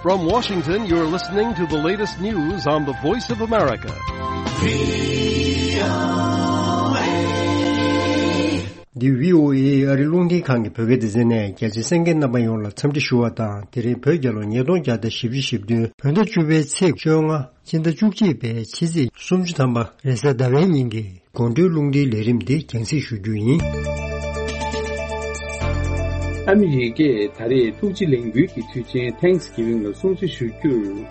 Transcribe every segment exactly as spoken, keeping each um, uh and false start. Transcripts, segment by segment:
From Washington, you're listening to the latest news on the Voice of America. འདི་བྷི་ཨོ་ཨེ་ཨ་རི་རླུང་འཕྲིན་ཁང་གི་བོད་སྐད་སྡེ་ཚན་ནས། རྒྱ་ཆེ་གསན་མཁན་རྣམ་པ་ཡོངས་ལ་འཚམས་འདྲི་ཞུ་བ་དང་། དེ་རིང་བོད་རྒྱལ་ལོ་ཉིས་སྟོང་བརྒྱ་དང་བཞི་བཅུ་ཞེ་བདུན་བོད་ཟླ་བཅུ་པའི་ཚེས་བཅོ་ལྔ། སྤྱི་ཟླ་བཅུ་གཅིག་པའི་ཕྱི་ཚེས་སུམ་ཅུ་ཐམ་པ་རེས་གཟའ་ཟླ་བའི་ཉིན་གྱི་དགོང་དྲོའི་རླུང་འཕྲིན་ལས་རིམ་འདི་རྒྱང་སྲིང་ཞུ་རྒྱུ་ཡིན། ཨ་མི་རི་ཀས་ད་རེས་ཐུགས་རྗེ་ལས་འགུལ་གྱི་དུས་ཆེན་ཐེངས་གི་ཝིང་ལ་སྲུང་བརྩི་ཞུ་རྒྱུར།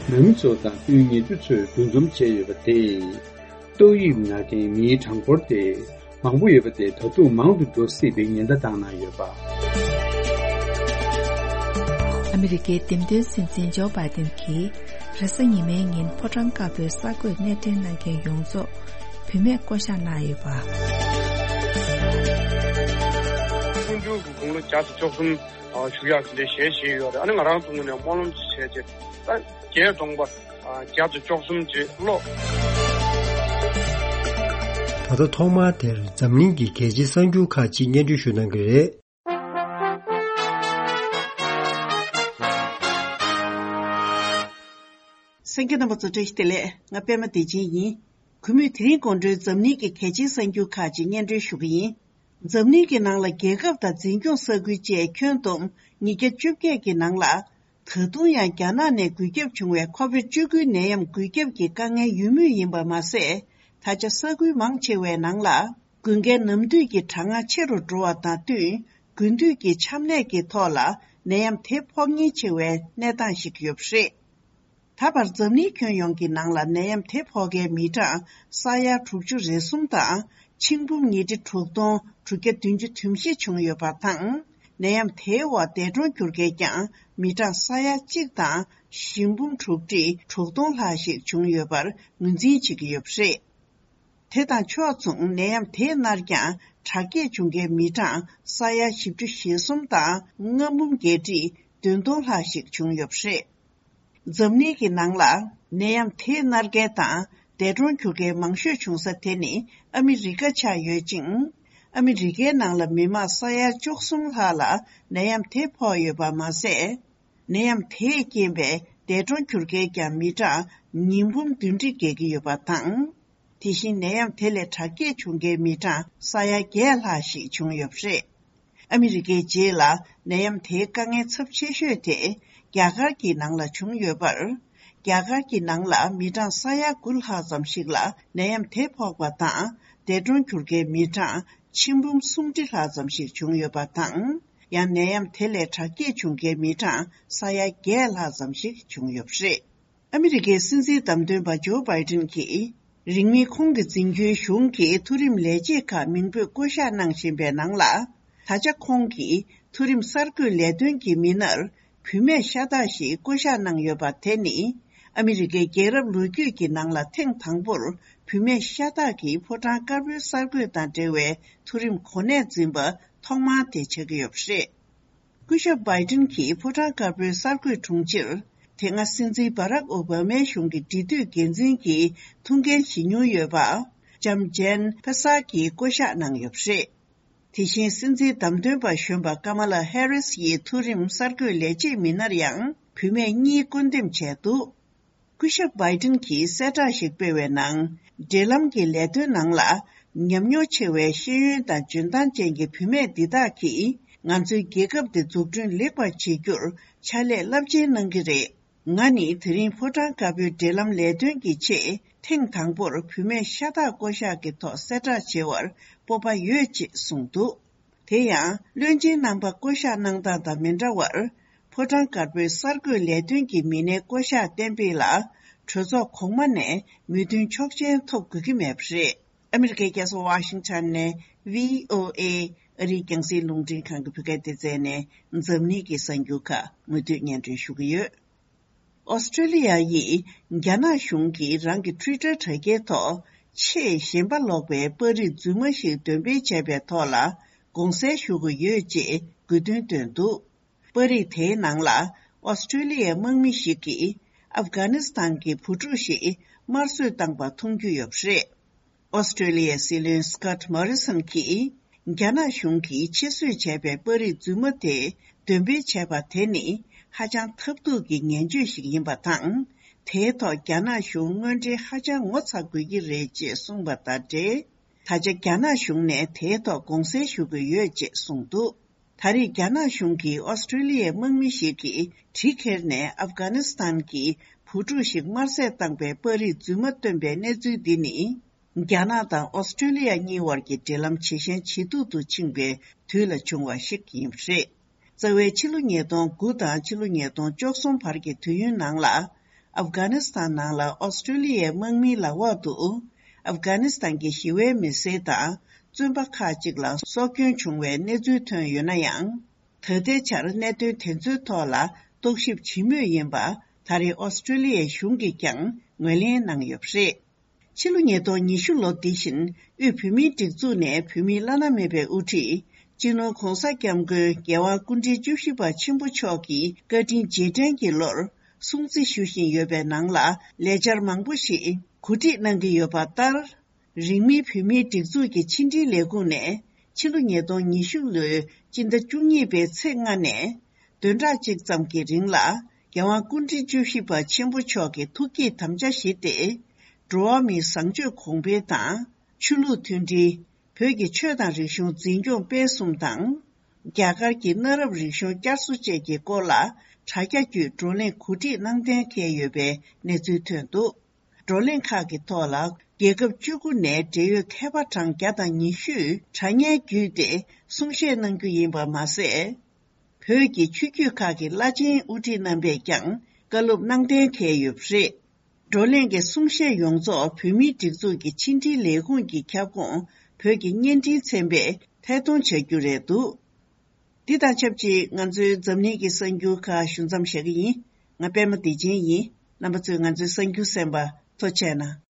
ནང་མི་ཚོ་དང་དཔོན་ཉེ་དུ་ཚོས་འདུ་འཛོམས་བྱས་ཡོད་པ་དེས། ཏོག་དབྱིབས་ན་མཁན་མིའི་གྲངས་འབོར་དེ་མང་པོ་ཡོད་པ་དེ་ད་དུང་མང་དུ་འགྲོ་སྲིད་པའི་ཉེན་བརྡ་བཏང་གནང་ཡོད་པ། ཨ་མི་རི་ཀའི་འདེམས་ཐོན་སྲིད་འཛིན་ཇོ་བྷའི་ཏིན་གྱིས་རེས་གཟའ་ཉི་མའི་ཉིན་ཕོ་བྲང་དཀར་པོའི་གསར་འགོད་གནས་འཕྲིན་གནང་མཁན་ཡོངས་རྫོགས་བུད་མེད་བསྐོ་གཞག་གནང་ཡོད་པ། འཕོ་འགྱུར་གྱི་དགུང་ལོ་བརྒྱ་དང་བཅུ་གསུམ་བཞུགས་ཡག་དེ་འདྲའི་ཞལ་བཞེས་ཡོད་རེད། ཨ་ནི་ང་རང་ཚོ་ངོས་ནས་སྨོན་ལམ་ཅིག་བྱས་རྗེས་ད་རྒྱས་གདོང་པ། བརྒྱ་དང་བཅུ་གསུམ་རྗེས་ལོ། ད་ལྟ་ཐོག་མར་དེར་འཛམ་གླིང་གི་གལ་ཆེའི་གསར་འགྱུར་ཁག་ཅིག་སྙན་སྒྲོན་ཞུ་གནང་གི་རེད། གསན་མཁན་རྣམ་པ་ཚོ་བཀྲ་ཤིས་བདེ་ལེགས། ང་པད་མ་བདེ་ཆེན་ཡིན། གུས་མོས་དེ་རིང་དགོང་དྲོའི་འཛམ་གླིང་གི་གལ་ཆེའི་གསར་འགྱུར་ཁག་ཅིག་སྙན་སྒྲོན་ཞུ་གི་ཡིན། འཛམ་གླིང་གི་ནང་ལ་རྒྱལ་ཁབ་དང་འཛིན་སྐྱོང་ས་ཁུལ་བཅས་ཁྱོན་བསྡོམས་ཉིས་བརྒྱ་བཅོ་བརྒྱད་ཀྱི་ནང་ལ། ད་དུང་ཡང་རྒྱ་ནག་ནས་འགོས་ཁྱབ་བྱུང་བའི་ཁོ་བིཌ་བཅུ་དགུ་ནད་ཡམས་འགོས་ཁྱབ་ཀྱི་དཀའ་ངལ་ཡོད་མུས་ཡིན་པ་མ་ཟད། ད་ཆ་ས་ཁུལ་མང་ཆེ་བའི་ནང་ལ་འགོས་མཁན་ནམ་དུས་ཀྱི་གྲང་ངར་ཆེ་རུ་འགྲོ་བ་དང་བསྟུན། དགུན་དུས་ཀྱི་ཆམ་ནད་ཀྱི་ཐོག་ལ་ནད་ཡམས་དེ་ཕོག་ཉེན་ཆེ་བའི་གནས་སྟངས་ཤིག་ཡོད་པ་རེད། ད་བར་འཛམ་གླིང་ཁྱོན་ཡོངས་ཀྱི་ནང་ལ་ནད་ཡམས་དེ་ཕོག་མཁན་མི་གྲངས་ས་ཡ་དྲུག་ཅུ་རེ་གསུམ་དང་། ཆིག་འབུམ་ཉིས་ཁྲི་དྲུག་སྟོང་དྲུག་བརྒྱ་བདུན་ཅུ་དོན་བཞི་བྱུང་ཡོད་པ་དང་། ནད་ཡམས་དེའི་འོག་འདས་གྲོངས་གྱུར་མཁན་ཀྱང་མི་གྲངས་ས་ཡ་གཅིག་དང་བཞི་འབུམ་དྲུག་ཁྲི་དྲུག་སྟོང་ལྷག་ཞིག་བྱུང་ཡོད་པར་ངོས་འཛིན་བྱེད་ཀྱི་ཡོད་པ་རེད། དེ་དང་ཕྱོགས་མཚུངས་ནད་ཡམས་དེས་མནར་ཀྱང་དྲག་སྐྱེད་བྱུང་མཁན་མི་གྲངས་ས་ཡ་བཞི་བཅུ་ཞེ་གསུམ་དང་ལྔ་འབུམ་བརྒྱད་ཁྲི་བདུན་སྟོང་ལྷག་ཞིག་བྱུང་ཡོད་པ་རེད། འཛམ་གླིང་གི་ནང་ལ་ནད་ཡམས་དེས་མནར་མཁན་དང་འདས་གྲོངས་གྱུར་མཁན་མང་ཤོས་བྱུང་ས་དེ་ནི་ཨ་མི་རི་ཀ་ཆགས་ཡོད་ཅིང་། ཨ་མི་རི་ཀའི་ནང་ལ་མི་མང་ས་ཡ་བཅུ་གསུམ་ལྷག་ལ་ནད་ཡམས་དེ་ཕོག་ཡོད་པ་མ་ཟད། ནད་ཡམས་དེས་རྐྱེན་པས་འདས་གྲོངས་གྱུར་མཁན་ཀྱང་མི་གྲངས་ཉིས་འབུམ་བདུན་ཁྲི་བརྒལ་གྱི་ཡོད་པ་དང་། དེ་བཞིན་ནད་ཡམས་དེ་ལས་དྲག་སྐྱེད་བྱུང་མཁན་མི་གྲངས་ས་ཡ་བརྒྱད་ལྷག་ཞིག་བྱུང་ཡོད་པ་རེད། ཨ་མི་རི་ཀའི་རྗེས་ལ་ནད་ཡམས་དེའི་དཀའ་ངལ་ཚབས་ཆེ་ཤོས་དེ་རྒྱ་གར་གྱི་ནང་ལ་བྱུང་ཡོད་པར། རྒྱ་གར་གྱི་ནང་ལ་མི་གྲངས་ས་ཡ་དགུ་ལྷག་ཙམ་ཞིག་ལ་ནད་ཡམས་དེ་ཕོག་པ་དང་། འདས་གྲོངས་གྱུར་མཁན་མི་གྲངས་ཆིག་འབུམ་སུམ་ཁྲི་ལྷག་ཙམ་ཞིག་བྱུང་ཡོད་པ་དང་། ཡང་ནད་ཡམས་དེ་ལས་དྲག་སྐྱེད་བྱུང་མཁན་མི་གྲངས་ས་ཡ་བརྒྱད་ལྷག་ཙམ་ཞིག་བྱུང་ཡོད་པ་རེད། ཨ་མི་རི་ཀའི་སྲིད་འཛིན་བདམས་ཐོན་པ་ཇོ་བྷའི་ཏིན་གྱིས། རིང་མིན་ཁོང་གི་འཛིན་སྐྱོང་གཞུང་གིས་མཐོ་རིམ་ལས་བྱེད་ཁག་མིང་འབོད་བསྐོ་གཞག་གནང་བཞིན་པའི་ནང་ལ། ད་ཆ་ཁོང་གིས་མཐོ་རིམ་གསར་འགོད་ལས་དོན་གྱི་མི་སྣར་བུད་མེད་ཤ་སྟག་ཞིག་བསྐོ་གཞག་གནང་ཡོད་པ་དེ་ནི། ཨ་མི་རི་ཀའི་རྒྱལ་རབས་ལོ་རྒྱུས་ཀྱི་ནང་ལ་ཐེངས་དང་པོར་བུད་མེད་ཤ་སྟག་གིས་ཕོ་བྲང་དཀར་པོའི་གསར་འགོད་དང་འབྲེལ་བའི་མཐོ་རིམ་གོ་གནས་འཛིན་པ་ཐོག་མ་དེ་ཆགས་ཀྱི་ཡོད་པ་རེད། སྐུ་ཞབས་བྷའི་ཏིན་གྱིས་ཕོ་བྲང་དཀར་པོའི་གསར་འགོད་དྲུང་ཆེར། དེ་སྔ་སྲིད་འཛིན་བྷ་རག་ཨོ་བྷ་མའི་གཞུང་གི་འབྲེལ་མཐུད་འགན་འཛིན་གྱི་ཐུགས་འགན་བཞེས་མྱོང་ཡོད་པ། ལྕམ་ཇན་ཕེ་སར་གྱིས་བསྐོ་གཞག་གནང་ཡོད་པ་རེད། དེ་བཞིན་སྲིད་འཛིན་བདམས་ཐོན་པ་གཞོན་པ་ཀ་མ་ལ་ཧེ་རིས་ཡི་མཐོ་རིམ་གསར་འགོད་ལས་བྱེད་མི་སྣར་ཡང་བུད་མེད་གཉིས་བསྐོ་འདེམས་བྱས་འདུག་སྐུ་ཞབས་བྷའི་ཏིན་གྱིས་གསལ་བསྒྲགས་ཤིག་སྤེལ་བའི་ནང་། འབྲེལ་ལམ་གྱི་ལས་དོན་ནང་ལ་ཉམས་མྱོང་ཆེ་བའི་ཤེས་ཡོན་དང་འཇོན་ཐང་ཅན་གྱི་བུད་མེད་འདི་དག་གིས་ང་ཚོའི་རྒྱལ་ཁབ་འདི་འཛུགས་སྐྲུན་ལེགས་པར་བྱེད་རྒྱུར་ཕྱག་ལས་རླབས་ཆེན་གནང་གི་རེད། ང་ནི་དེ་རིང་ཕོ་བྲང་དཀར་པོའི་འབྲེལ་ལམ་ལས་དོན་གྱི་ཆེད་ཐེངས་དང་པོར་བུད་མེད་ཤ་སྟག་བསྐོ་གཞག་གི་ཐོག་གསལ་བསྒྲགས་བྱེད་པར་སྤོབས་པ་ཡོད་ཅེས་གསུངས་འདུག་དེ་ཡང་། བློན་ཆེན་རྣམ་པ་བསྐོ་གཞག་གནང་སྟངས་དང་མི་འདྲ་བར། ཕོ་བྲང་དཀར་པོའི་གསར་འགོད་ལས་དོན་གྱི་མི་སྣའི་བསྐོ་གཞག་གཏན་འབེབས་ལ། གྲོས་ཚོགས་གོང་མ་ནས་མོས་མཐུན་ཆོག་མཆན་ཐོབ་དགོས་ཀྱི་མེད་པ་རེད། ཨ་མི་རི་ཀའི་རྒྱལ་ས་ཝ་ཤིང་ཊོན་ནས་བྷི་ཨོ་ཨེ་ཨ་རིའི་རྒྱང་སྲིང་རླུང་འཕྲིན་ཁང་གི་བོད་སྐད་སྡེ་ཚན་ནས་འཛམ་གླིང་གི་གསར་འགྱུར་ཁག་མུ་མཐུད་སྙན་སྒྲོན་ཞུ་གི་ཡོད། ཨོ་སི་ཀྲི་ལི་ཡ་ཡིས་རྒྱ་ནག་གཞུང་གིས་རང་གི་ཊུའི་ཊར་དྲ་རྒྱའི་ཐོག་ཆེས་ཞེན་པ་ལོག་པའི་པར་རིས་རྫུན་མ་ཞིག་འདོན་སྤེལ་བྱས་པའི་ཐོག་ལ་དགོངས་སེལ་ཞུ་དགོས་ཡོད་ཅེས་དགོས་འདུན་བཏོན་འདུག་པར་རིས་དེའི་ནང་ལ་ཨོ་སི་ཀྲི་ལི་ཡའི་དམག་མི་ཞིག་གིས་ཨབ་གྷ་ནི་སི་ཐན་གྱི་བུ་ཕྲུག་ཞིག་དམར་གསོད་བཏང་པ་མཐོང་རྒྱུ་ཡོད་པ་རེད། ཨོ་སི་ཀྲི་ལི་ཡའི་སྲིད་བློན་སི་ཀོཊ་མོ་རི་སོན་གྱིས། རྒྱ་ནག་གཞུང་གིས་ཕྱིར་བཟོས་བྱས་པའི་པར་རིས་རྫུན་མ་དེ་འདོན་སྤེལ་བྱས་པ་དེ་ནི། ཧ་ཅང་ཐབས་སྡུག་གི་ངན་བྱུས་ཤིག་ཡིན་པ་དང་། དེའི་ཐོག་རྒྱ་ནག་གཞུང་དངོས་འབྲེལ་ཧ་ཅང་ངོ་ཚ་དགོས་ཀྱི་རེད་ཅེས་གསུངས་པ་དང་འབྲེལ། ད་ཆ་རྒྱ་ནག་གཞུང་ནས་དེའི་ཐོག་དགོངས་སེལ་ཞུ་དགོས་ཡོད་ཅེས་གསུངས་འདུག་ད་རེས་རྒྱ་ནག་གཞུང་གིས་ཨོ་སི་ཀྲི་ལི་ཡའི་དམག་མི་ཞིག་གིས་གྲི་ཁྱེར་ནས་ཨབ་གྷ་ནི་སི་ཐན་གྱི་བུ་ཕྲུག་ཞིག་དམར་བསད་བཏང་པའི་པར་རིས་རྫུན་མ་བཏོན་པའི་གནས་ཚུལ་འདི་ནི། རྒྱ་ནག་དང་ཨོ་སི་ཀྲི་ལི་ཡ་གཉིས་དབར་གྱི་འབྲེལ་ལམ་ཇེ་ཞན་ཇེ་སྡུག་ཏུ་ཕྱིན་པའི་དུས་ལ་བྱུང་བ་ཞིག་ཡིན་པ་རེད། རྩ་བའི་ཕྱི་ལོ་ཉིས་སྟོང་དགུ་དང་ཕྱི་ལོ་ཉིས་སྟོང་བཅུ་གསུམ་བར་གྱི་དུས་ཡུན་ནང་ལ། ཨབ་གྷ་ནི་སི་ཐན་ནང་ལ་ཨོ་སི་ཀྲི་ལི་ཡའི་དམག་མིའི་ལག་འོག་ཏུ། ཨབ་གྷ་ནི་སི་ཐན་གྱི་ཞི་བའི་མི་སེར་དང་བཙོན་པ་ཁག་ཅིག་ལ་སྲོག་སྐྱོན་བྱུང་བའི་གནས་ཚུལ་ཐོན་ཡོད་ན་ཡང་། ད་ལྟའི་ཆར་གནད་དོན་དེ་ཚོའི་ཐོག་ལ་རྟོག་ཞིབ་བྱེད་མུས་ཡིན་པ་ད་རེས་ཨོ་སི་ཀྲི་ལི་ཡའི་གཞུང་གིས་ཀྱང་ངོས་ལེན་གནང་ཡོད་པ་རེད། ཕྱི་ལོ་ཉིས་སྟོང་ཉི་ཤུ་ལོ་འདི་བཞིན་དབུས་བོད་མིའི་སྒྲིག་འཛུགས་ནས་བོད་མིའི་བླ་ན་མེད་པའི་དབུ་ཁྲིད་སྤྱི་ནོར་༧གོང་ས་༧སྐྱབས་མགོན་རྒྱལ་དབང་སྐུ་ཕྲེང་བཅུ་བཞི་པ་ཆེན་པོ་མཆོག་གི་བཀའ་དྲིན་རྗེས་དྲན་གྱི་ལོར་སྲུང་བརྩི་ཞུ་བཞིན་ཡོད་པའི་ནང་ལ་ལས་འཆར་མང་པོ་ཞིག་གོ་སྒྲིག་གནང་གི་ཡོད་པ་ལྟར། རིང་མིན་བོད་མིའི་སྒྲིག་འཛུགས་ཀྱི་ཕྱི་འབྲེལ་ལས་ཁུངས་ནས་ཕྱི་ལོ་ཉིས་སྟོང་ཉི་ཤུ་ལོའི་སྤྱི་ཟླ་བཅུ་གཉིས་པའི་ཚེས་ལྔ་ནས་བདུན་ཕྲག་གཅིག་ཙམ་གྱི་རིང་ལ་རྒྱལ་དབང་སྐུ་ཕྲེང་བཅུ་བཞི་པ་ཆེན་པོ་མཆོག་གི་ཐུགས་བསྐྱེད་དམ་བཅའ་བཞེས་ཏེ། འགྲོ་བ་མིའི་བཟང་སྤྱོད་གོང་འཕེལ་དང་ཆོས་ལུགས་མཐུན་སྒྲིལ། བོད་ཀྱི་ཆོས་དང་རིག་གཞུང་འཛིན་སྐྱོང་སྤེལ་གསུམ་དང་། རྒྱ་གར་གྱི་གནའ་རབས་རིག་གཞུང་བསྐྱར་གསོ་བཅས་ཀྱི་སྐོར་ལ་དྲ་རྒྱ་བརྒྱུད་བགྲོ་གླེང་གོ་སྒྲིག་གནང་གཏན་འཁེལ་ཡོད་པའི་གནས་ཚུལ་ཐོན་འདུག་བགྲོ་གླེང་ཁག་གི་ཐོག་ལ་རྒྱལ་ཁབ་བཅུ་དགུ་ནས་འབྲེལ་ཡོད་མཁས་པ་གྲངས་བརྒྱ་དང་ཉི་ཤུས་དྲ་བརྙན་བརྒྱུད་དེ་གསུང་བཤད་གནང་རྒྱུ་ཡིན་པ་མ་ཟད། བོད་ཀྱི་ཆོས་བརྒྱུད་ཁག་གི་བླ་ཆེན་དབུ་ཁྲིད་རྣམ་པས་ཀྱང་བཀའ་སློབ་གནང་གཏན་འཁེལ་ཡོད་པ་རེད། བགྲོ་གླེང་གི་གསུང་བཤད་ཡོངས་རྫོགས་བོད་མིའི་སྒྲིག་འཛུགས་ཀྱི་ཕྱི་འབྲེལ་ལས་ཁུངས་ཀྱི་ཁྱབ་ཁོངས་བོད་ཀྱི་བརྙན་འཕྲིན་ཚན་པས་ཐད་གཏོང་བྱ་རྒྱུ་རེད་འདུག་འདི་དང་ཆབས་ཅིག་ང་ཚོའི་འཛམ་གླིང་གི་གསར་འགྱུར་ཁག་ཞུ་མཚམས་བཞག་གི་ཡིན། ང་པད་མ་བདེ་ཆེན་ཡིན། རྣམ་པ་ཚོས་ང་ཚོའི་གསར་འགྱུར་གསན་པ་ཐུགས་རྗེ་གནང་།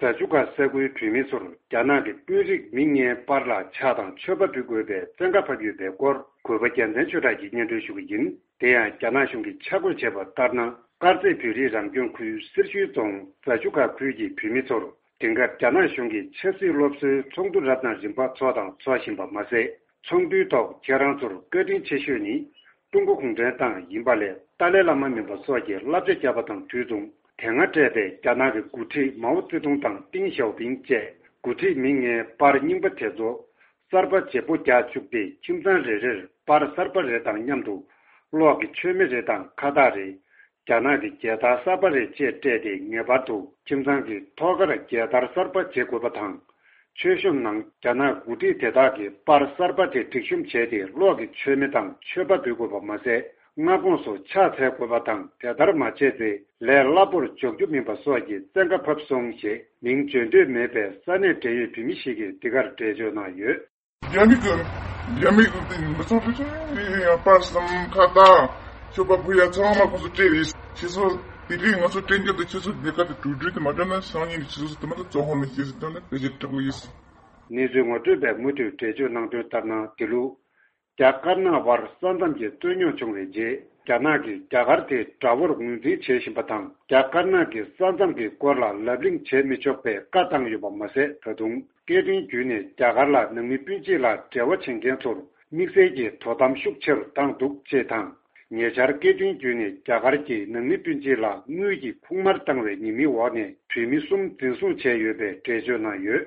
རྫ་ཆུ་ཁ་ས་ཁུལ་བོད་མི་ཚོར་རྒྱ་ནག་གི་དཔོན་རིགས་མི་ལྔའི་པར་ལ་ཕྱག་དང་མཆོད་པ་འབུལ་དགོས་པའི་བཙན་བཀའ་ཕབ་ཡོད་པའི་སྐོར་གུས་པ་རྒྱལ་མཚན་ཆོས་གྲགས་ཀྱིས་སྙན་སྒྲོན་ཞུ་གི་ཡིན། དེ་ཡང་རྒྱ་ནག་གཞུང་གིས་ཆ་བགོས་བྱས་པ་ལྟར་ན། དཀར་མཛེས་བོད་རིགས་རང་སྐྱོང་ཁུལ་སེར་ཤུལ་རྫོང་རྫ་ཆུ་ཁ་ཁུལ་གྱི་བོད་མི་ཚོར། དེང་སྐབས་རྒྱ་ནག་གཞུང་གིས་ཆབ་སྲིད་སློབ་གསོའི་ཚོགས་འདུ་རབ་དང་རིམ་པ་འཚོགས་དང་འཚོག་བཞིན་པ་མ་ཟད། ཚོགས་འདུའི་ཐོག་ཁྱེད་རང་ཚོར་བཀའ་དྲིན་ཆེ་ཤོས་ནི་ཀྲུང་གོ་གུང་ཁྲན་ཏང་ཡིན་པ་ལས་ཏཱ་ལའི་བླ་མ་མིན་པ་སོགས་ཀྱི་བསླབ་བྱ་བརྒྱབ་པ་དང་དུས་མཚུངས། དེ་སྔ་སྤྲད་པའི་རྒྱ་ནག་གི་འགོ་ཁྲིད་མའོ་ཙེ་ཏུང་དང་ཏིང་ཞའོ་ཕིང་བཅས་འགོ་ཁྲིད་མི་ལྔའི་པར་རྙིང་པ་དེ་ཚོ་གསར་པ་བརྗེ་པོ་རྒྱག་བཅུག་སྟེ། ཁྱིམ་ཚང་རེ་རེར་པར་གསར་པ་རེ་དང་མཉམ་དུ་གློག་གི་མཆོད་མེ་རེ་དང་ཁ་བཏགས་རེ། རྒྱ་ནག་གི་རྒྱལ་དར་གསར་པ་རེ་བཅས་སྤྲད་དེ། ངེས་པར་དུ་ཁྱིམ་ཚང་གི་ཐོག་ཁར་རྒྱལ་དར་གསར་པ་བརྗེ་དགོས་པ་དང་། མཆོད་གཤོམ་ནང་རྒྱ་ནག་འགོ་ཁྲིད་དེ་དག་གི་པར་གསར་པ་དེ་སྒྲིག་གཤོམ་བྱས་ཏེ། གློག་གི་མཆོད་མེ་དང་མཆོད་པ་འབུལ་དགོས་པ་མ་ཟད། སྔ་དགོང་སུ་ཕྱག་འཚལ་དགོས་པ་དང་། དེ་ལྟར་མ་བྱས་ཚེ་ལས་སླ་པོར་འཇོག་རྒྱུ་མིན་པ་སོགས་ཀྱི་བཙན་བཀའ་ཕབ་སོང་ཞེས། མིང་བརྗོད་འདོད་མེད་པའི་ས་གནས་འབྲེལ་ཡོད་བོད་མི་ཞིག་གིས་འདི་གར་འགྲེལ་བརྗོད་གནང་ཡོད། རྒྱ་མི་གི་རྒྱ་མི་གི་དེ་མི་ཚང་ཆུང་ཆུང་ཡིན་ཡང་པར་གསུམ་ཁ་བཏགས་མཆོད་པ་ཕུལ་ཡ་ཚང་མ་ཁོང་ཚོ་སྤྲད་རེད། ཁྱེད་ཚོ་དེ་རིང་ང་ཚོ་སྤྲད་རྒྱུ་དེ་ཁྱེད་ཚོ་སྡེ་ཁག་དེ་གྲོས་བསྡུར་དེ་མ་སྤྲད་ན་སང་ཉིན་ཁྱེད་ཚོ་དེ་མ་ཐག་བཙོན་ཁང་ལ་སྐྱེལ་ཟེར་དོན་ནི་ཕལ་ཆེར་དྲག་པོ་ཡིན། གནས་ཚུལ་ངོ་སྤྲོད་པས་མུ་མཐུད་འགྲེལ་བརྗོད་གནང་དོན་ལྟར་ན། དེ་ལུགས་རྒྱ་དཀར་ནག་དབར་ས་མཚམས་ཀྱི་རྩོད་རྙོག་བྱུང་བའི་རྗེས། རྒྱ་ནག་གིས་རྒྱ་གར་དེ་དགྲ་བོར་ངོས་འཛིན་བྱེད་བཞིན་པ་དང་། རྒྱ་དཀར་ནག་གི་ས་མཚམས་ཀྱི་སྐོར་ལ་ལབ་གླེང་བྱེད་མི་ཆོག་པའི་བཀའ་བཏང་ཡོད་པ་མ་ཟད། ད་དུང་སྐད་འཕྲིན་བརྒྱུད་ནས་རྒྱ་གར་ལ་ནང་མི་སྤུན་མཆེད་ལ་འབྲེལ་བ་བྱེད་མཁན་ཚོར་དམིགས་བསལ་གྱི་དོ་དམ་ཤུགས་ཆེ་རུ་བཏང་འདུག་ཅེས་དང་། ཉེ་ཆར་སྐད་འཕྲིན་བརྒྱུད་ནས་རྒྱ་གར་གྱིས་ནང་མི་སྤུན་མཆེད་ལ་དངུལ་གྱི་ཁུག་དམར་བཏང་བའི་ཉེས་མིང་འོག་ནས་བོད་མི་གསུམ་འཛིན་བཟུང་བྱས་ཡོད་པའི་འགྲེལ་བརྗོད་གནང་ཡོད།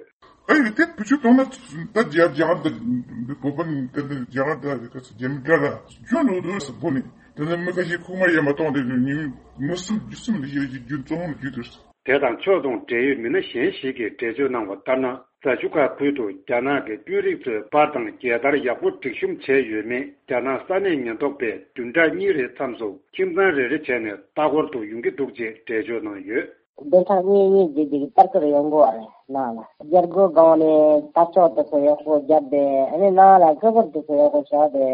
ཨ་ཡི་དེ་བུ་ཆུ་གཏོང་ན་ད་རྒྱ་རྒྱ་གར་དང་བོད་པ་ནི་དེ་འདྲ་རྒྱ་གར་དང་རྒྱ་མི་འདྲ་ལ་སྐྱོན་འགྲོ་འདུག་ཟེར་བོ་ནི་དེ་ནས་མི་ཁ་ཤས་ཁུག་དམར་ཡང་མ་གཏོང་དེ་ནི་ཉིན་མི་གསུམ་བཞི་གསུམ་ལ་ཡོད་ཀྱི་རྒྱུ་བཙོན་ཁང་ལ་བརྒྱུད་དུ། དེ་དང་ཕྱོགས་མཚུངས་འབྲེལ་ཡོད་མི་སྣ་གཞན་ཞིག་གིས་འགྲེལ་བརྗོད་གནང་བ་ལྟར་ན། རྫ་ཆུ་ཁ་ཁུལ་དུ་རྒྱ་ནག་གི་དཔོན་རིགས་ཚོས་པར་དང་རྒྱལ་དར་ཡག་པོ་སྒྲིག་གཤོམ་བྱས་ཡོད་མེད་རྒྱ་ནག་ས་གནས་ཉེན་རྟོག་པས་བདུན་ཕྲག་གཉིས་རེའི་མཚམས་སུ་ཁྱིམ་ཚང་རེ་རེ་བྱས་ནས་ལྟ་སྐོར་དུ་ཡོང་གི་འདུག་ཅེས་འགྲེལ་བརྗོད་གནང་ཡོད། བདུན་ཕྲག་གཉིས་གཉིས་རྗེས་ཀྱི་ལྟ་སྐོར་ཡོང་གི་ཡོད་རེད་ནང་ལ། རྒྱལ་སྒོ་སྒང་ནས་ལྟ་ཕྱོགས་དེ་ཚོ་ཡག་པོ་བརྒྱབ་སྟེ། ཨ་ནི་ནང་ལ་ལྟ་སྐོར་དེ་ཚོ་ཡག་པོ་བྱས་ཏེ།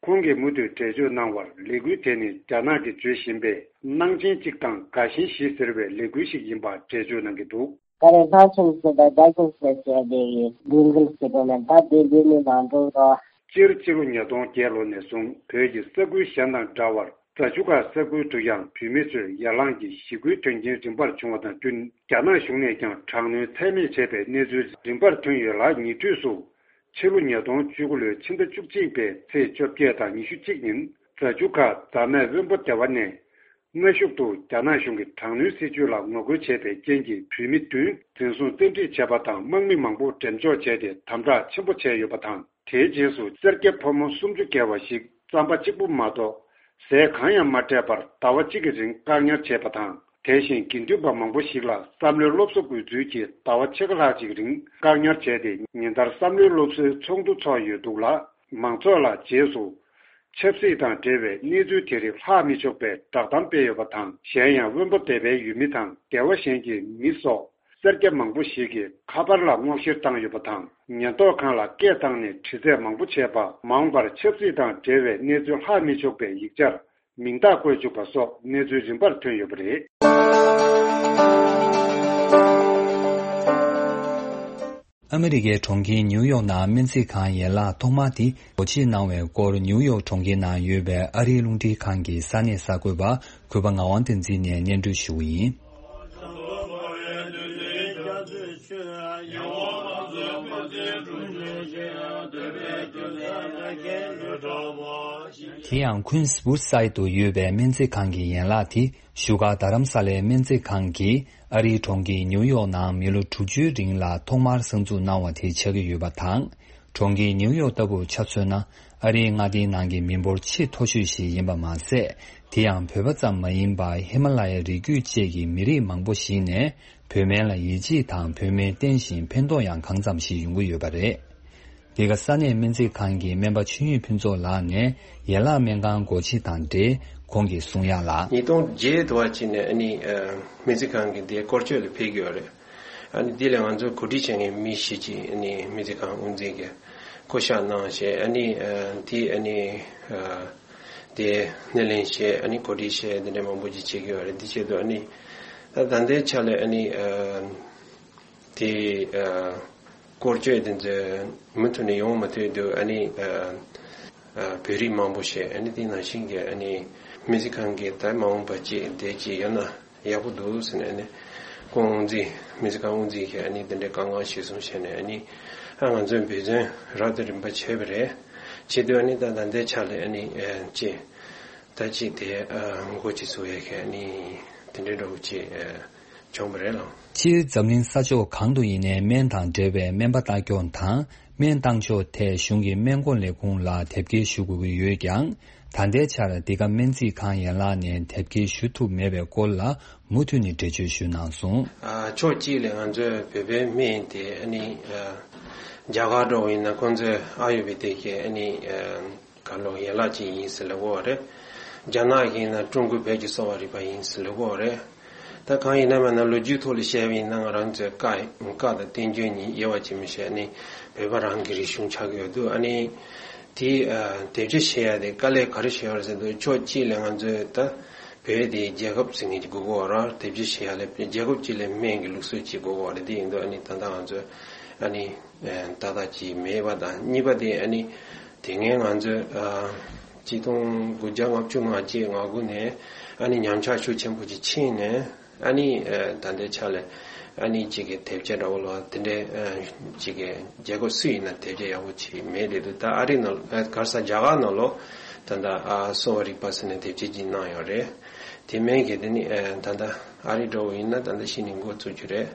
ཁོང་གིས་མུ་མཐུད་འགྲེལ་བརྗོད་གནང་བར། ལས་འགུལ་དེ་ནི་རྒྱ་ནག་གིས་བརྗོད་བཞིན་པའི་གནང་ཆེན་གཅིག་དང་དགའ་ཞེན་བཞི་ཟེར་བའི་ལས་འགུལ་ཞིག་ཡིན་པར་འགྲེལ་བརྗོད་གནང་གི་འདུག། ད་རེས་གནང་ཆེན་ཟེར་དང་དགའ་ཞེན་ཟེར་བྱས་ཏེ་འགུལ་འགུལ་བྱེད་དགོས་མེད་ད་དེ་དེ་ནི་མ་འགྲོ་རོགས། སྤྱིར་ཕྱི་ལོ་ཉིས་སྟོང་བརྒྱད་ལོ་ནས་བཟུང་བོད་ཀྱི་ས་ཁུལ་གཞན་དང་འདྲ་བར། རྫ་ཆུ་ཁ་ས་ཁུལ་དུ་ཡང་བོད་མི་ཚོས་ཡར་ལངས་ཀྱི་ཞི་རྒོལ་དོན་རྐྱེན་རིམ་པར་བྱུང་བ་དང་བསྟུན། རྒྱ་ནག་གཞུང་ནས་ཀྱང་དྲག་གནོན་ཚད་མེད་བྱས་པའི་གནས་ཚུལ་རིམ་པར་ཐོན་ཡོད་ལ། ཉེ་དུས་སུ་ ཕྱི་ལོ་ཉིས་སྟོང་བཅུ་དགུ་ལོའི་ཕྱི་ཟླ་བཅུ་གཅིག་པའི་ཚེས་བཅོ་བརྒྱད་དང་ཉི་ཤུ་གཅིག་ཉིན་རྫ་ཆུ་ཁ་རྫ་སྨད་དབོན་པོ་སྡེ་བ་ནས། སྔ་གཞུག་ཏུ་རྒྱ་ནག་གཞུང་གིས་དྲག་གནོན་སྲིད་བྱུས་ལ་ངོ་རྒོལ་བྱས་པའི་རྐྱེན་གྱིས་བོད་མི་བདུན་འཛིན་བཟུང་བཙན་ཁྲིད་བྱས་པ་དང་། དམག་མི་མང་པོ་འགྲེམས་འཇོག་བྱས་ཏེ་དམ་དྲག་ཆེན་པོ་བྱས་ཡོད་པ་དང་། དེའི་རྗེས་སུ་སེར་སྐྱ་ཕོ་མོ་སུམ་ཅུ་བརྒལ་བ་ཞིག་རྩམ་པ་གཅིག་པུ་མ་གཏོགས་ཟས་གང་ཡང་མ་སྤྲད་པར་ཟླ་བ་གཅིག་གི་རིང་བཀག་ཉར་བྱས་པ་དང་། དེ་བཞིན་དགེ་འདུན་པ་མང་པོ་ཞིག་ལ་བསམ་བློའི་སློབ་གསོ་དགོས་ཚུལ་གྱིས་ཟླ་བ་ཕྱེད་ཀ་ལྷག་ཅིག་རིང་བཀག་ཉར་བྱས་ཏེ། ཉིན་ལྟར་བསམ་བློའི་སློབ་གསོའི་ཚོགས་འདུ་ཚོགས་ཡོད་འདུག་ལ། མང་ཚོགས་ལ་རྗེས་སུ་ཆབ་སྲིད་དང་འབྲེལ་བའི་གནས་ཚུལ་དེ་རིགས་ལྷག་མི་ཆོག་པའི་བསྒྲགས་གཏམ་སྤེལ་ཡོད་པ་དང་། གཞན་ཡང་། དབོན་པོ་སྡེ་པའི་ཡུལ་མི་དང་སྡེ་བ་གཞན་གྱི་མི་སོགས་སེར་སྐྱ་མང་པོ་ཞིག་གིས་ཁ་པར་ལ་སྔོག་བཤེར་བཏང་ཡོད་པ་དང་། ཉེན་རྟོག་ཁང་ལ་སྐད་བཏང་ནས་དྲི་རྩད་མང་པོ་བྱས་པ། མ་འོངས་པར་ཆབ་སྲིད་དང་འབྲེལ་བའི་གནས་ཚུལ་ལྷག་མི་ཆོག་པའི་ཡིག་ཆར་མིང་རྟགས་བཀོད་བཅུག་པ་སོགས་གནས་ཚུལ་རིམ་པར་ཐོན་ཡོད་པ་རེད། ཨ་མི་རི་ཀའི་གྲོང་ཁྱེར་ནིའུ་ཡོག་ནང་སྨན་རྩིས་ཁང་ཡན་ལག་ཐོག་མ་དེ་སྒོ་ཕྱེ་གནང་བའི་སྐོར། ནིའུ་ཡོག་གྲོང་ཁྱེར་ནང་ཡོད་པའི་ཨ་རིའི་རླུང་འཕྲིན་ཁང་གི་ས་གནས་གསར་འགོད་པ་གུས་པ་ངག་དབང་བསྟན་འཛིན་ནས་སྙན་སྒྲོན་ཞུ་གི་ཡིན། དེ་ཡང་ཁུན་སྦུར་སའི་དུ་ཡོད་པའི་སྨན་རྩིས་ཁང་གི་ཡན་ལག་དེ། བཞུགས་སྒར་རྡ་རམ་ས་ལའི་སྨན་རྩིས་ཁང་གིས་ཨ་རིའི་གྲོང་ཁྱེར་ནིའུ་ཡོག་ནང་མི་ལོ་དྲུག་ཅུའི་རིང་ལ་ཐོག་མར་གསར་འཛུགས་གནང་བ་དེ་ཆགས་ཀྱི་ཡོད་པ་དང་། གྲོང་ཁྱེར་ནིའུ་ཡོག་ལྟ་བུར་ཆ་མཚོན་ན། ཨ་རིའི་མངའ་སྡེའི་ནང་གི་མི་འབོར་ཆེས་མཐོ་ཤོས་ཤིག་ཡིན་པ་མ་ཟད། དེ་ཡང་བོད་པ་ཙམ་མ་ཡིན་པར་ཧི་མ་ལ་ཡའི་རི་རྒྱུད་བཅས་ཀྱི་མི་རིགས་མང་པོ་ཞིག་ནས་བོད་སྨན་ལ་ཡིད་ཆེས་དང་། བོད་སྨན་བསྟེན་བཞིན་ཕན་ཐོགས་ཡང་གང་འཚམ་ཞིག་ཡོང་གི་ཡོད་པ་རེད། འདི་ག་ས་གནས་སྨན་རྩིས་ཁང་གི་སྨན་པ་ཆོས་དབྱིངས་ཕུན་ཚོགས་ལགས་ནས་ཡན་ལག་སྨན་ཁང་སྒོ་ཕྱེ་དང་འབྲེལ་ཁོང་གིས་གསུང་ཡག་ལ། ཉིས་སྟོང་བརྒྱད་དུ་བ་ཅིག་ནས་ཨ་ནི་ཨ་སྨན་རྩིས་ཁང་གི་འདི་སྐོར་སྐྱོད་ལ་ཕེབས་ཀྱི་ཡོད་རེད། ཨ་ནི་འདི་ལ་ང་ཚོ་གོ་སྒྲིག་བྱེད་མཁན་མི་ཞིག་ཅིག་ཨ་ནི་སྨན་རྩིས་ཁང་དབུ་འཛིན་གྱིས་བསྐོ་བཞག་གནང་བྱས། ཨ་ནི་ཨ་འདི་ཨ་ནི་ཨ་དེ་སྣེ་ལེན་བྱས། ཨ་ནི་གོ་སྒྲིག་བྱས། འདི་འདྲ་མང་པོ་ཅིག་བྱེད་ཀྱི་ཡོད་རེད། འདི་ཆེད་དུ་ཨ་ནི་ད་ད་ལྟའི་ཆ་ལ་ཨ་ནི་ཨ། དེ་ཨ་སྐོར་སྐྱོད་དེ་ཚོ་མུ་མཐུད་ནས་ཡོང་མ་ཐུབ་དུས། ཨ་ནི་ཨ་ཨ་བོད་རིགས་མང་པོ་ཞིག་ཨ་ནི་དེ་ནང་བཞིན་གྱི་ཨ་ནི་སྨན་རྩིས་ཁང་གི་ད་མ་འོངས་པ་ཅིག་དེ་ཅིག་ཡོད་ན་ཡག་པོ་འདུག་ཟེར་ནས། ཨ་ནི་ཁོང་དབུ་འཛིན། སྨན་རྩིས་ཁང་དབུ་འཛིན་གྱིས་ཨ་ནི་དེ་འདྲའི་བཀའ་མངགས་གཞིར་བཟུང་བྱས་ནས། ཨ་ནི་ཨ་ང་ཚོའི་འབད་བརྩོན་རབ་དང་རིམ་པ་བྱས་པ་རེད། བྱེད་དུས་ཨ་ནི་ད་ད་ལྟའི་ཆ་ལ་ཨ་ནི་ཨ་ཅིག་ད་ཅིག་དེ་ཨ་འགོ་ཅིག་ཚུགས་ཡས་ཀྱི་ཨ་ནི་དེ་འདྲའི་འདྲ་བོ་ཅིག་ཨ་བྱུང་བ་རེད་ལགས། སྤྱིར་འཛམ་གླིང་ས་ཕྱོགས་གང་དུ་ཡིན་ནའི་སྨན་དང་འབྲེལ་བའི་སྨན་པ་ལྟ་སྐྱོང་དང་སྨན་བཏང་ཕྱོགས་ཐད་གཞུང་གི་སྨན་སྐོར་ལས་ཁུངས་ལ་དེབ་སྐྱེལ་ཞུ་དགོས་ཀྱི་ཡོད་ཀྱང་། ད་ལྟའི་ཆར་འདི་ག་སྨན་རྩིས་ཁང་ཡན་ལག་ནས་དེབ་སྐྱེལ་ཞུ་ཐུབ་མེད་པའི་སྐོར་ལ་མུ་མཐུད་ནས་འགྲེལ་བརྗོད་ཞུས་གནང་སོང་། ཨ་ཕྱོགས་གཅིག་ལས་ང་ཚོའི་བོད་པའི་སྨན་དེ་ཨ་ནི་ཨ་རྒྱ་གར་འགྲོ་བ་ཡིན་ན་ཁོང་ཚོས་ཨ་ཡུར་བེ་དིག་གི་ཨ་ནི་ཨ་ག་ལོ་ཡན་ལག་ཅིག་ཡིན་ཟེར་ལབ་ཀྱི་ཡོད་རེད། རྒྱ་ནག་གི་ཡིན་ན་ཀྲུང་གོའི་བོད་ཀྱི་གསོ་བ་རིག་པ་ཡིན་ཟེར་ལབ་ཀྱི་ཡོད་རེད། ད་གང་ཡིན་ན་མིན་ན་ལོ་རྒྱུས་ཐོག་ལ་བཤད་པ་ཡིན་ན། ང་རང་ཚོའི་བཀའ་བཀའ་དང་བསྟན་བཅོས་གཉིས་དབྱེ་བ་ཕྱེ་མི་ཤེས་ནི་བོད་པ་རང་གི་རིག་གཞུང་ཆགས་ཀྱི་ཡོད་འདུག། ཨ་ནི་དེ་ཨ་དེབ་སྐྱེལ་བྱེད་ཡ་དེ་དཀའ་ལས་ག་རེ་བྱས་ཡོད་རེད་ཟེར་དུས། ཕྱོགས་གཅིག་ལས་ང་ཚོའི་ད་བོད་དེ་རྒྱལ་ཁབ་ཟེར་མཁན་ཅིག་དགོས་ཀྱི་ཡོད་རེད། དེབ་སྐྱེལ་བྱེད་ཡ་ལ་རྒྱལ་ཁབ་གཅིག་ལ་སྨན་གྱི་ལུགས་སྲོལ་ཅིག་དགོས་ཀྱི་ཡོད་རེད། དེ་ཡིན་དུས་ཨ་ནི་ད་ལྟ་ང་ཚོས་ཨ་ནི་ཨ་ཏག་ཏག་ཅིག་མེད་པ་དང་། གཉིས་པ་དེ་ཨ་ནི་དེ་སྔའི་ང་ཚོས་ཨ་ཆིག་སྟོང་དགུ་བརྒྱ་ལྔ་བཅུ་ང་གཅིག་ང་དགུ་ནས་ཨ་ནི་ཉམས་ཆག་ཤུགས་ཆེན་པོ་ཅིག་ཕྱིན་ནས། ཨ་ནི་ཨ་ད་ལྟའི་ཆ་ལ་ཨ་ནི་གཅིག་གི་དེབ་སྐྱེལ་འདྲ་བོ་ལ་དེ་འདྲའི་ཨ་གཅིག་གི་རྒྱལ་ཁབ་སུ་ཡིན་ན་དེབ་སྐྱེལ་ཡག་པོ་ཅིག་མེད་དེ་འདུག། ད་ཨ་རི་ནང་ཨ་ག་རེ་ཟ་རྒྱ་གར་ནང་ལོགས་ད་ལྟ་ཨ་གསོ་བ་རིག་པ་ཟེར་ནས་དེབ་སྐྱེལ་ཅིག་གནང་ཡོད་རེད། དེ་མིན་གྱི་དེ་ནི་ཨ་ད་ལྟ་ཨ་རི་འདྲ་བོ་ཡིན་ན་ད་ལྟ་གཞི་ནས་འགོ་བཙུགས་རྒྱུ་རེད།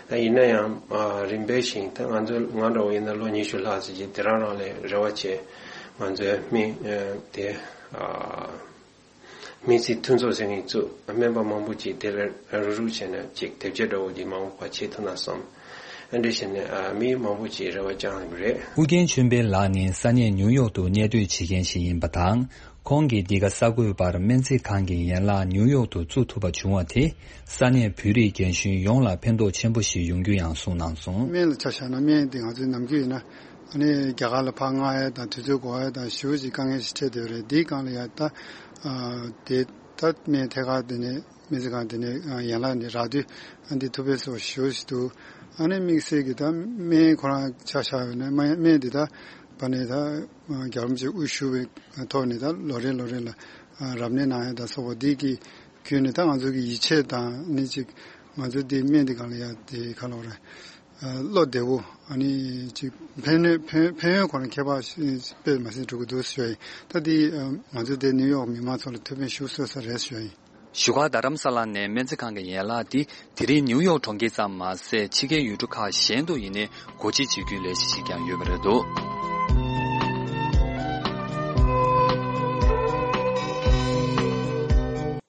ད་ཡིན་ན་ཡང་ཨ་རིམ་པས་ཤིག་ད་ང་ཚོ་ང་འདྲ་བོ་ཡིན་ན་ལོ་ཉི་ཤུ་ལྷག་ཙམ་ཅིག་དེ་རང་རང་ལ་རེ་བ་བྱས། ང་ཚོའི་སྨན་ཨ་དེ་ཨ་སྨན་རྩིས་མཐུན་ཚོགས་ཟེར་མཁན་བཙུགས། སྨན་པ་མང་པོ་ཅིག་དེ་ལ་རུག་རུག་བྱས་ནས་ཅིག་དེབ་སྐྱེལ་འདྲ་བོ་ཅིག་མང་པོ་བྱེད་ཐུབ་ན་བསམ། ཨ་འདྲ་བྱས་ནས་ཨ་མི་མང་པོ་ཅིག་རེ་བ་བཅངས་ཡོད་རེད། ཨུ་རྒྱན་ཆོས་འཕེལ་ལགས་ནི་ས་གནས་ནིའུ་ཡོག་ཏུ་གནས་སྡོད་བྱེད་མཁན་ཞིག་ཡིན་པ་དང་། ཁོང་གིས་འདི་ག་གསར་འགོད་པར་སྨན་རྩིས་ཁང་གི་ཡན་ལག་ནིའུ་ཡོག་ཏུ་བཙུགས་ཐུབ་པ་བྱུང་བ་དེ་ས་གནས་བོད་རིགས་རྒན་གཞོན་ཡོངས་ལ་ཕན་ཐོགས་ཆེན་པོ་ཞིག་ཡོང་རྒྱུ་ཡང་གསུངས་གནང་སོང་། སྨན་ལ་ཆ་བཞག་ན། སྨན་འདི་ང་ཚོའི་ནམ་རྒྱུན་ཡིན་ན་ཨ་ནི་རྒྱ་གར་ལ་ཕར་མངགས་ཡ་དང་དུས་ཚོད་འགོར་ཡ་དང་ཞེ་པོ་ཅིག་དཀའ་ངལ་ཞིག་འཕྲད་བསྡད་ཡོད་རེད། འདིའི་སྒང་ལ་ཡ་ད་ཨ་དེ་ད་སྨན་ཐད་ཀར་དེ་ནས་སྨན་རྩིས་ཁང་དེ་ནས་ཨ་ཡན་ལག་ནས་རག་དུས་ཨ་འདི་ཐུབ་པའི་བཟོ་ཞེ་པོ་ཞིག་འདུག། ཨ་ནི་དམིགས་བསལ་གྱི་ད་སྨན་ཁོ་རང་ཆ་བཞག་ཡོད་ན། སྨན་སྨན་འདི་ད་བ་ནས་ད་རྒྱལ་བ་རིན་པོ་ཆེ་དབུ་བཞུགས་པའི་ཐོག་ནས་ད་ལོ་རེ་ལོ་རེ་ལ་ཨ་རབ་གནས་གནང་ཡ་དང་སོགས་པ་འདི་གི་བརྒྱུད་ནས་ད་ང་ཚོ་གི་ཡིད་ཆེས་དང་ནི་ཅིག་ང་ཚོ་འདི་སྨན་འདི་སྒང་ལ་ཡ་དེ་ག་ལབ་དགོས་རེད། བློ་བདེ་བོ་ཨ་ནི་ཅིག་ཕན་ནུས་ཕན་ཕན་ཡོན་ཁོ་ན་ཁྱད་པར་དཔེ་མ་སྲིད་འགྲོ་གི་འདུག་ཞུ་ཡ་ཡིན། ད་འདི་ང་ཚོ་དེ་ནིའུ་ཡོག་མི་མང་ཚོ་ལ་ཐུགས་ཕན་ཞུ་སྲོལ་ས་རེད་ཞུ་ཡ་ཡིན། བཞུགས་སྒར་རྡ་རམ་ས་ལ་ནས་སྨན་རྩིས་ཁང་གི་ཡན་ལག་འདི་དེ་རིང་ནིའུ་ཡོག་གྲོང་ཁྱེར་ཙམ་མ་ཟད་ཕྱི་རྒྱལ་ཡུལ་གྲུ་ཁག་གཞན་དུ་ཡིན་ནའི་སྒོ་འབྱེད་བྱེད་རྒྱུའི་ལས་གཞི་ཞིག་ཀྱང་ཡོད་པ་རེད་འདུག་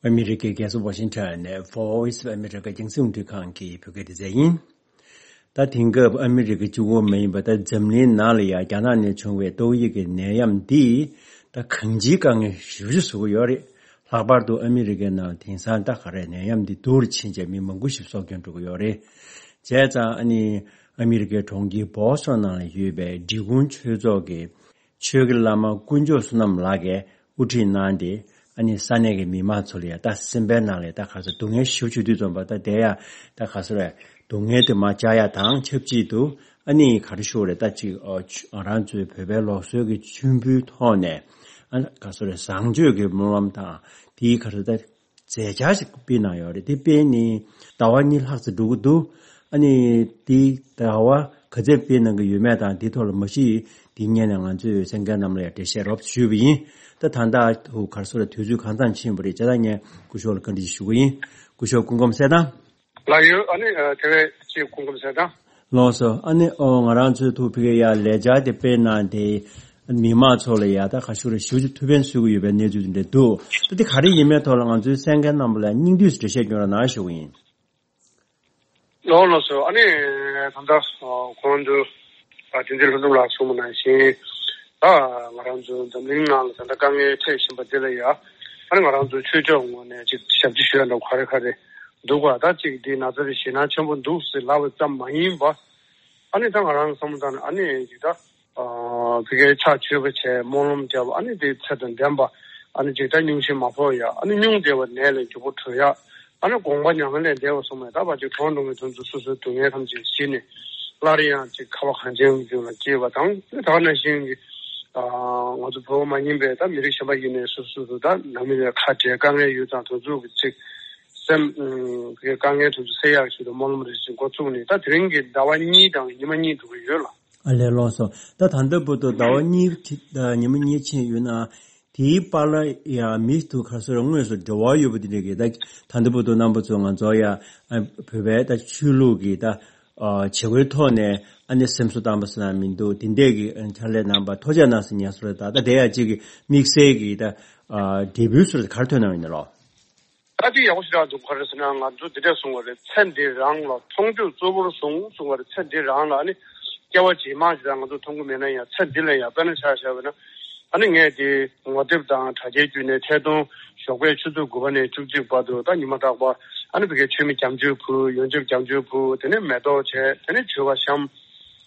ཨ་མི་རི་ཀའི་རྒྱལ་ས་ཝ་ཤིང་ཊོན་ནས་Voice of America་རྒྱང་སྲིང་རླུང་འཕྲིན་ཁང་གི་བོད་སྐད་སྡེ་ཚན་ཡིན། ད་དེང་སྐབས་ཨ་མི་རི་ཀ་གཅིག་པོ་མ་ཡིན་པར་ད་འཛམ་གླིང་ནང་ལ་ཡང་རྒྱ་ནག་ནས་བྱུང་བའི་ཏོག་དབྱིབས་ཀྱི་ནད་ཡམས་འདིས་ད་གང་ཅིའི་དཀའ་ངལ་ཞེ་པོ་ཅིག་བཟོ་གི་ཡོད་རེད། ལྷག་པར་དུ་ཨ་མི་རི་ཀའི་ནང་ལ་དེང་སང་ད་ག་རེ་ནད་ཡམས་འདི་སྡུག་རུ་ཕྱིན་བྱས་མི་མང་པོ་ཞིག་སྲོག་སྐྱོན་འགྲོ་གི་ཡོད་རེད། བྱས་ཙང་ཨ་ནི་ཨ་མི་རི་ཀའི་གྲོང་ཁྱེར་བྷོ་སི་ཊོན་ནང་ལ་ཡོད་པའི་འབྲི་གུང་ཆོས་ཚོགས་ཀྱི་ཆོས་ཀྱི་བླ་མ་དཀོན་མཆོག་བསོད་ནམས་ལགས་ཀྱིས་དབུ་ཁྲིད་གནང་སྟེ་ཨ་ནི་ས་གནས་ཀྱི་མི་མང་ཚོ་ལ་ཡང་ད་སེམས་པའི་ནང་ལ་ད་ག་ཚོད་སྡུག་བསྔལ་ཞེ་པོ་ཅིག་འདུག་ཙམ་པ་ད་དེ་ཡང་ད་ག་ཚོད་རེད། སྡུག་བསྔལ་དེ་མར་བཅག་ཡ་དང་ཆབས་ཅིག་ཏུ་ཨ་ནི་ག་རེ་ཞུ་དགོས་རེད། ད་ཅིག་ཨ་ཆུ་ང་རང་ཚོའི་བོད་པའི་ལུགས་སྲོལ་གྱི་མཆོད་འབུལ་ཐོག་ནས་ཨ་ག་ཚོད་རེད། བཟང་སྤྱོད་ཀྱི་སྨོན་ལམ་དང་དེའི་ག་ཚོད་ད་མཛད་འཆར་ཞིག་སྤེལ་གནང་ཡོད་རེད། དེ་སྤེལ་ནས་ཟླ་བ་གཉིས་ལྷག་ཙམ་འགྲོ་གི་འདུག་ཨ་ནི་དེ་ཟླ་བ་ག་ཚོད་སྤེལ་གནང་གི་ཡོད་མེད་དང་དེ་ཐོག་ལ་མ་གཞི་དེ་སྔོན་ནས་ང་ཚོས་གསན་མཁན་རྣམས་ལ་ཡང་འགྲེལ་བཤད་རོབ་ཞུས་པ་ཡིན། ད་ད་ལྟ་དུ་ག་རེ་ཟེར་དུས་ཚོད་གང་ཙམ་ཕྱིན་པ་རེད། བྱས་ཙང་ངས་སྐུ་ཞབས་ལ་བཀའ་འདྲི་ཞུ་གི་ཡིན། སྐུ་ཞབས་སྐུ་ཁམས་གསལ་ཐང་། ལགས་ཡོད། ཨ་ནི་ཨ་དེ་བས་ཅིག་སྐུ་ཁམས་གསལ་ཐང་། ལགས་སོ། ཨ་ནི་ཨོ་ང་རང་ཚོའི་ཐུགས་ཕ་གིར་ཡ་ལས་འཆར་དེ་སྤེལ་གནང་སྟེ་མི་མང་ཚོ་ལ་ཡ་ད་ག་ཞུ་རེད། ཞུ་རྒྱུ་ཐུགས་ཕན་གསོས་ཀྱི་ཡོད་པའི་གནས་ཚུལ་དེ་འདྲ་འདུག་ད་དེ་ག་རེ་ཡིན་མིན་ཐོག་ལ་ང་ཚོའི་གསན་མཁན་རྣམ་པ་ལ་སྙིང་བསྡུས་སུ་འགྲེལ་བཤད་སྐྱོན་རོགས་གནང་ཞུ་གི་ཡིན། ལགས་ལགས་སོ། ཨ་ནི་ད་ལྟ་གོང་དུ་བསྟན་འཛིན་ལྷུན་འཛོམས་ལགས་གསུངས་པ་ནང་བཞིན་ད་ང་རང་ཚོ་འཛམ་གླིང་ནང་ལ་ད་ལྟ་དཀའ་ངལ་འཕྲད་བཞིན་པ་འདི་ལ་ཡ་ཨ་ནི་ང་རང་ཚོ་ཆོས་ཕྱོགས་ངོས་ནས་ཅིག་ཞབས་ཕྱི་ཞུ་ཡ་འདྲ་ག་རེ་ག་རེ་འདུག་ག་ད་ཅིག་འདི་ན་ཚ་དེ་ཞེད་སྣང་ཆེན་པོ་འདུག་ཟེར་ལབ་པ་ཙམ་མ་ཡིན་པ་ཨ་ནི་ད་ང་རང་བསམ་བློ་བཏང་ནས་ཨ་ནི་ཅིག་ད། ཨ་ཕ་གིའི་ཕྱག་མཆོད་པ་བྱས་སྨོན་ལམ་བརྒྱབ། ཨ་ནི་དེ་ཚེ་དང་ལྡན་པ་ཨ་ནི་ཅིག་ད་སྙུང་གཞི་མ་ཕོག་ཡ། ཨ་ནི་སྙུང་བདེ་བ་ནད་ལས་མགྱོགས་པོ་གྲོལ་ཡ། ཨ་ནི་དགོངས་པ་མྱ་ངན་ལས་འདས་པ་སོང་བས་ད་བར་ཅིག་གྲོངས་འགྲོ་མཁན་དེ་ཚོ་སོ་སོའི་སྡུག་བསྔལ་ཐམས་ཅད་ཞི་ནས་སླར་ཡང་ཅིག་ཁ་བ་གངས་ཅན་གྱི་ལྗོངས་ལ་སྐྱེས་པ་དང་། ད་ག་ནང་བཞིན་གྱི་ཨ་ང་ཚོ་བོད་པ་མ་ཡིན་པའི་ད་མི་རིགས་གཞན་པ་ཡིན་ནའི་སོ་སོ་སོ་ད་ནང་མི་ལ་ཁ་བྲལ་དཀའ་ངལ་ཡོད་ཙང་དེ་ཚོ་གི་ཅིག་སེམས་ཨ་དཀའ་ངལ་དེ་ཚོ་སེལ་ཡག་ཆེད་དུ་སྨོན་ལམ་རེ་ཅིག་འགོ་བཙུགས་ནས་ད་དེ་རིང་གི་ཟླ་བ་གཉིས་དང་ཉི་མ་གཉིས་འགྲོ་གི་ཡོད་ལ། ཨ་ལས། ལགས་སོ། ད་ད་ལྟ་བར་དུ་ཟླ་བ་གཉིས་ཉི་མ་གཉིས་ཕྱིན་ཡོད་ན། དེའི་བར་ལ་ཡང་མི་དེ་ག་ཚོད་དངོས་སུ་འབྲེལ་བ་ཡོད་པ་དེ་འདྲ་གི་ད་ད་ལྟ་བར་དུ་རྣམ་པ་ཚོ་ང་ཚོ་ཡང་བོད་པའི་ད་ཆོས་ལུགས་ཀྱི་ད་བྱེད་སྒོའི་ཐོག་ནས་ཨ་ནི་སེམས་གསོ་བཏང་པ་ཟེར་ན་མི་འདུག་དེ་འདྲས་ཀྱི་ཕྱག་ལས་གནང་པ་ཐུགས་རྗེ་གནང་ཟེར་ཉན་སོང་རེད། ད་ད་དེ་ཡང་གཅིག་གི་དམིགས་བསལ་གྱི་ད་འབྲས་བུའི་ཚུལ་ག་རེ་ཐོན་གནང་ཡོད་ན་ལོ། ད་དེ་ཡག་པོ་ཞེ་དྲག་འདུག་ག་རེ་ཟེར་ན་ང་ཚོ་འདི་འདྲས་གསུང་བ་རེད། ཚེ་འདི་རང་ལ་མཐོང་ཆོས་གཙོ་བོར་བཟུང་གསུང་བ་རེད། ཚེ་འདི་རང་ལ་ཨ་ནི་སྐྱེ་བ་རྗེས་མ་ཞེ་དྲག་ང་ཚོ་མཐོང་གི་མེད་ན་ཡང་ཚེ་འདི་ལ་ཡང་དཔེར་ན་ཆ་བཞག་པ་ན་ཨ་ནི་ངས་དེ་ངོ་དེབ་དང་དྲ་རྒྱའི་བརྒྱུད་ནས་ཐད་གཏོང་ཞོགས་པའི་ཆུ་ཚོད་དགུ་པ་ནས་བཅུ་གཅིག་བར་དུ་ད་ཉི་མ་རྟག་པར་ཨ་ནི་ཕ་གིའི་མཆོད་མེ་བརྒྱ་མཆོད་ཕུལ། ཡོན་ཆབ་བརྒྱ་མཆོད་ཕུལ། དེ་ནས་མེ་ཏོག་བྱས། དེ་ནས་མཆོད་པ་བཤམས།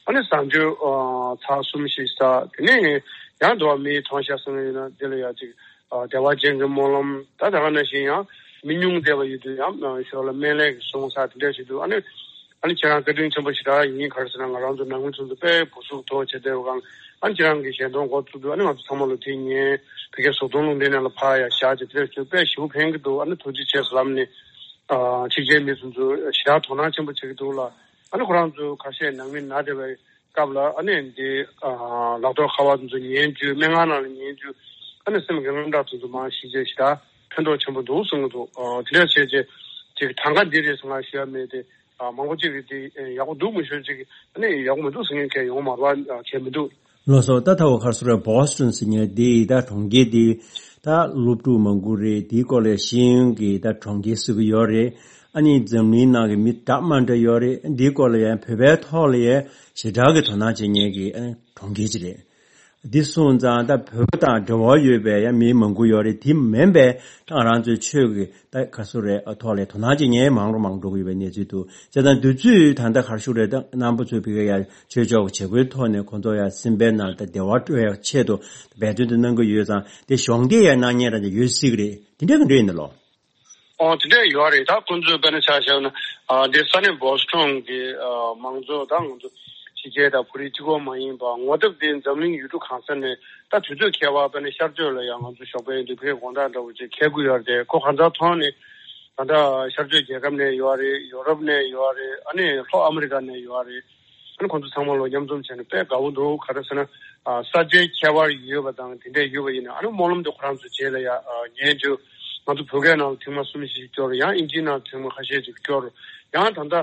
ཨ་ནི་བཟང་སྤྱོད་ཨ་ཚར་གསུམ་ཞིག་ཟ། དེ་ནས་ཡང་འགྲོ་བ་མིའི་མཐོང་བཤགས་གསུང་གི་ཡོད་ན་འདི་ལ་ཡང་ཅིག་ཨ་བདེ་བ་ཅན་གྱི་སྨོན་ལམ། ད་ད་ག་ནང་བཞིན་ཡང་མི་ཉུང་བསྡད་པ་ཡོད་དུས་ཡང་ཨ་ཞོར་ལ་སྨན་བླའི་གི་གསུང་ས་དེ་འདྲ་ཞིག་འདུག་ཨ་ནི་ཨ་ནི་ཁྱེད་རང་བཀའ་དྲིན་ཆེན་པོ་ཞེ་དྲག་ཡིན། ག་རེ་ཟེར་ན་ང་རང་ཚོ་ནང་མི་ཚོ་ཚོ་དཔེ་བུ་གཟུགས་མདོག་བྱས་བསྡད་པ་གང་། ཨ་ནི་ཁྱེད་རང་གི་ཞལ་འདོན་འགོ་བཙུགས་དུས་ཨ་ནི་ང་ཚོ་ཚང་མ་ལོ་དེ་ཉན་བི་ཀའི་གཟུགས་མཐོང་རླུང་འཕྲིན་ནས་ལ་ཕར་ཡ་བཞག་ཅིག་དེ་འདྲ་ཞིག་དཔེ་ཞེ་པོ་ཕན་གི་འདུག་ཨ་ནི་ཐུགས་རྗེ་ཆེ་ཟེར་ལབ་ནས་ཨ་ཕྱི་རྒྱལ་མི་ཚོ་ཚོ་ཞེ་དྲག་དོ་སྣང་ཆེན་པོ་བྱེད་ཀྱི་འདུག་ལ། ཨ་ནི་ཁོ་རང་ཚོ་ཁ་ཤས་ནང་མི་ན་བསྡད་པའི་སྐབས་ལ་ཨ་ནི་འདི་ཨ་ལག་ཐོག་ཁ་པར་ཚོ་ཉན་རྒྱུ་སྨན་ཁང་ནང་ལ་ཉན་རྒྱུ་ཨ་ནི་སེམས་ཀྱི་རླུང་རྟ་ཚོ་ཚོ་མང་ཞིག་བྱས་ཞེ་དྲག་ཕན་ཐོགས་ཆེན་པོ་འདུག་གསུང་གི་འདུག་ཨ་དེ་འདྲ་བྱས་རྗེས་ཅིག་གྲངས་ཀ་འདི་རེད་ཟེར་ང་ཞུ་ཡ་མེད་དེ། ཨ་མང་པོ་ཅིག་གིས་འདི་ཡག་པོ་འདུག་མི་ཤོད་ཅིག་ཨ་ནི་ཡག་པོ་མི་འདུག་ཟེར་མཁན་གང་ཡོང་མ་རེད་པ། བྱས་མི་འདུག་ལགས་སོ། ད་ད་འོ་ག་རེ་ཟེར་རེད། བྷོ་སི་ཊོན་ཟེར་མཁན་འདི་ད་གྲོང་ཁྱེར་འདི་ད་སློབ་ཕྲུག་མང་པོ་རེད། དེའི་སྐོར་ལ་ཤེས་ཡོན་གྱི་ད་གྲོང་ཁྱེར་ཟེར་གྱི་ཡོད་རེད། ཨ་ནི་འཛམ་གླིང་ནང་གི་མི་འདྲ་མ་འདྲ་ཡོད་རེད། འདིའི་སྐོར་ལ་ཡང་བོད་པའི་ཐོག་ལ་ཡང་ཞེ་དྲག་གི་དོ་སྣང་བྱེད་མཁན་གྱི་ཨ་ནི་གྲོང་ཁྱེར་ཅིག་རེད། འདི་སོང་ཙང་ད་བོད་པ་དང་འབྲེལ་བ་ཡོད་པའི་ཡང་མི་མང་པོ་ཡོད་རེད། དེ་མིན་པའི་ད་ང་རང་ཚོའི་ཆོས་ཀྱི་ད་ག་ཚོད་རེད་ཐོག་ལ་དོ་སྣང་བྱེད་མཁན་མང་རུ་མང་འགྲོ་གི་ཡོད་པའི་གནས་ཚུལ་འདུག་བྱས་ཙང་དུས་ཚོད་ད་ལྟ་ག་རེ་ཞུ་རེད། ད་རྣམ་པ་ཚོས་བི་ཀ་ཡ་ཆོས་ཕྱོགས་ཀྱི་བྱེད་སྒོའི་ཐོག་ནས་ཁོང་ཚོ་ཡ་སེམས་པའི་ནང་ད་བདེ་བ་སྤྲོད་ཡ་ཆེད་དུ་འབད་བརྩོན་དུ་གནང་གི་ཡོད་ཙང་དེ་གཞོགས་འདེགས་ཡ་གནང་མཁན་རང་ཅིག་ཡོད་སྲིད་ཀྱི་རེད། དེ་འདྲ་གི་འདྲ་ཡིན་ན་ལོ། ཨོ་དེ་འདྲ་ཡོད་རེད། ད་ཁོང་ཚོས་དཔེར་ན་ཆ་བཞག་ན་ཨ་འདི་ས་གནས་བོ་སི་ཊོན་གྱི་ཨ་མང་ཚོགས་ད་ང་ཚོ་ཕྱི་རྒྱལ་དང་བོད་རིགས་གཅིག་པོ་མ་ཡིན་པ་ངོ་དེབ་དེ་འཛམ་གླིང་ཡུལ་གྲུ་གང་ས་ནས་ད་དུས་ཚོད་ཁྱད་པར་དཔེར་ན་ཤར་ཕྱོགས་ལ་ཡང་ང་ཚོ་ཞོགས་པའི་འདི་བོད་དགོང་དག་འདྲ་བོ་ཅིག་འཁེལ་གྱི་ཡོད་རེད། ཁོ་གང་ཟག་ཐོག་ནས་ ད་ལྟ་ཤར་ཕྱོགས་རྒྱལ་ཁབ་ནས་ཡོད་རེད། ཡོ་རོབ་ནས་ཡོད་རེད། ཨ་ནི་ལྷོ་ཨ་མི་རི་ཀ་ནས་ཡོད་རེད། ཨ་ནི་ཁོང་ཚོ་ཚང་མ་ལོ་མཉམ་འཛོམས་བྱས་ནས་དཔེ་དགའ་བོ་འདུག་ག་རེ་ཟེར་ན། ཨ་ས་ཆའི་ཁྱད་པར་ཡོད་པ་དང་དེ་འདྲས་ཡོད་པ་ཡིན་ན། ཨ་ནི་སྨོན་ལམ་དེ་ཁོ་རང་ཚོ་རྗེས་ལ་ཡ་ཨ་ཉན་རྒྱུ། ང་ཚོ་བོད་སྐད་ནང་ལ་ཐེངས་མ་གསུམ་བཞི་སྐྱོར། ཡང་ཨིན་ཇིའི་ནང་ཐེངས་མ་ཁ་ཤས་ཅིག་སྐྱོར། ཡང་ད་ལྟ་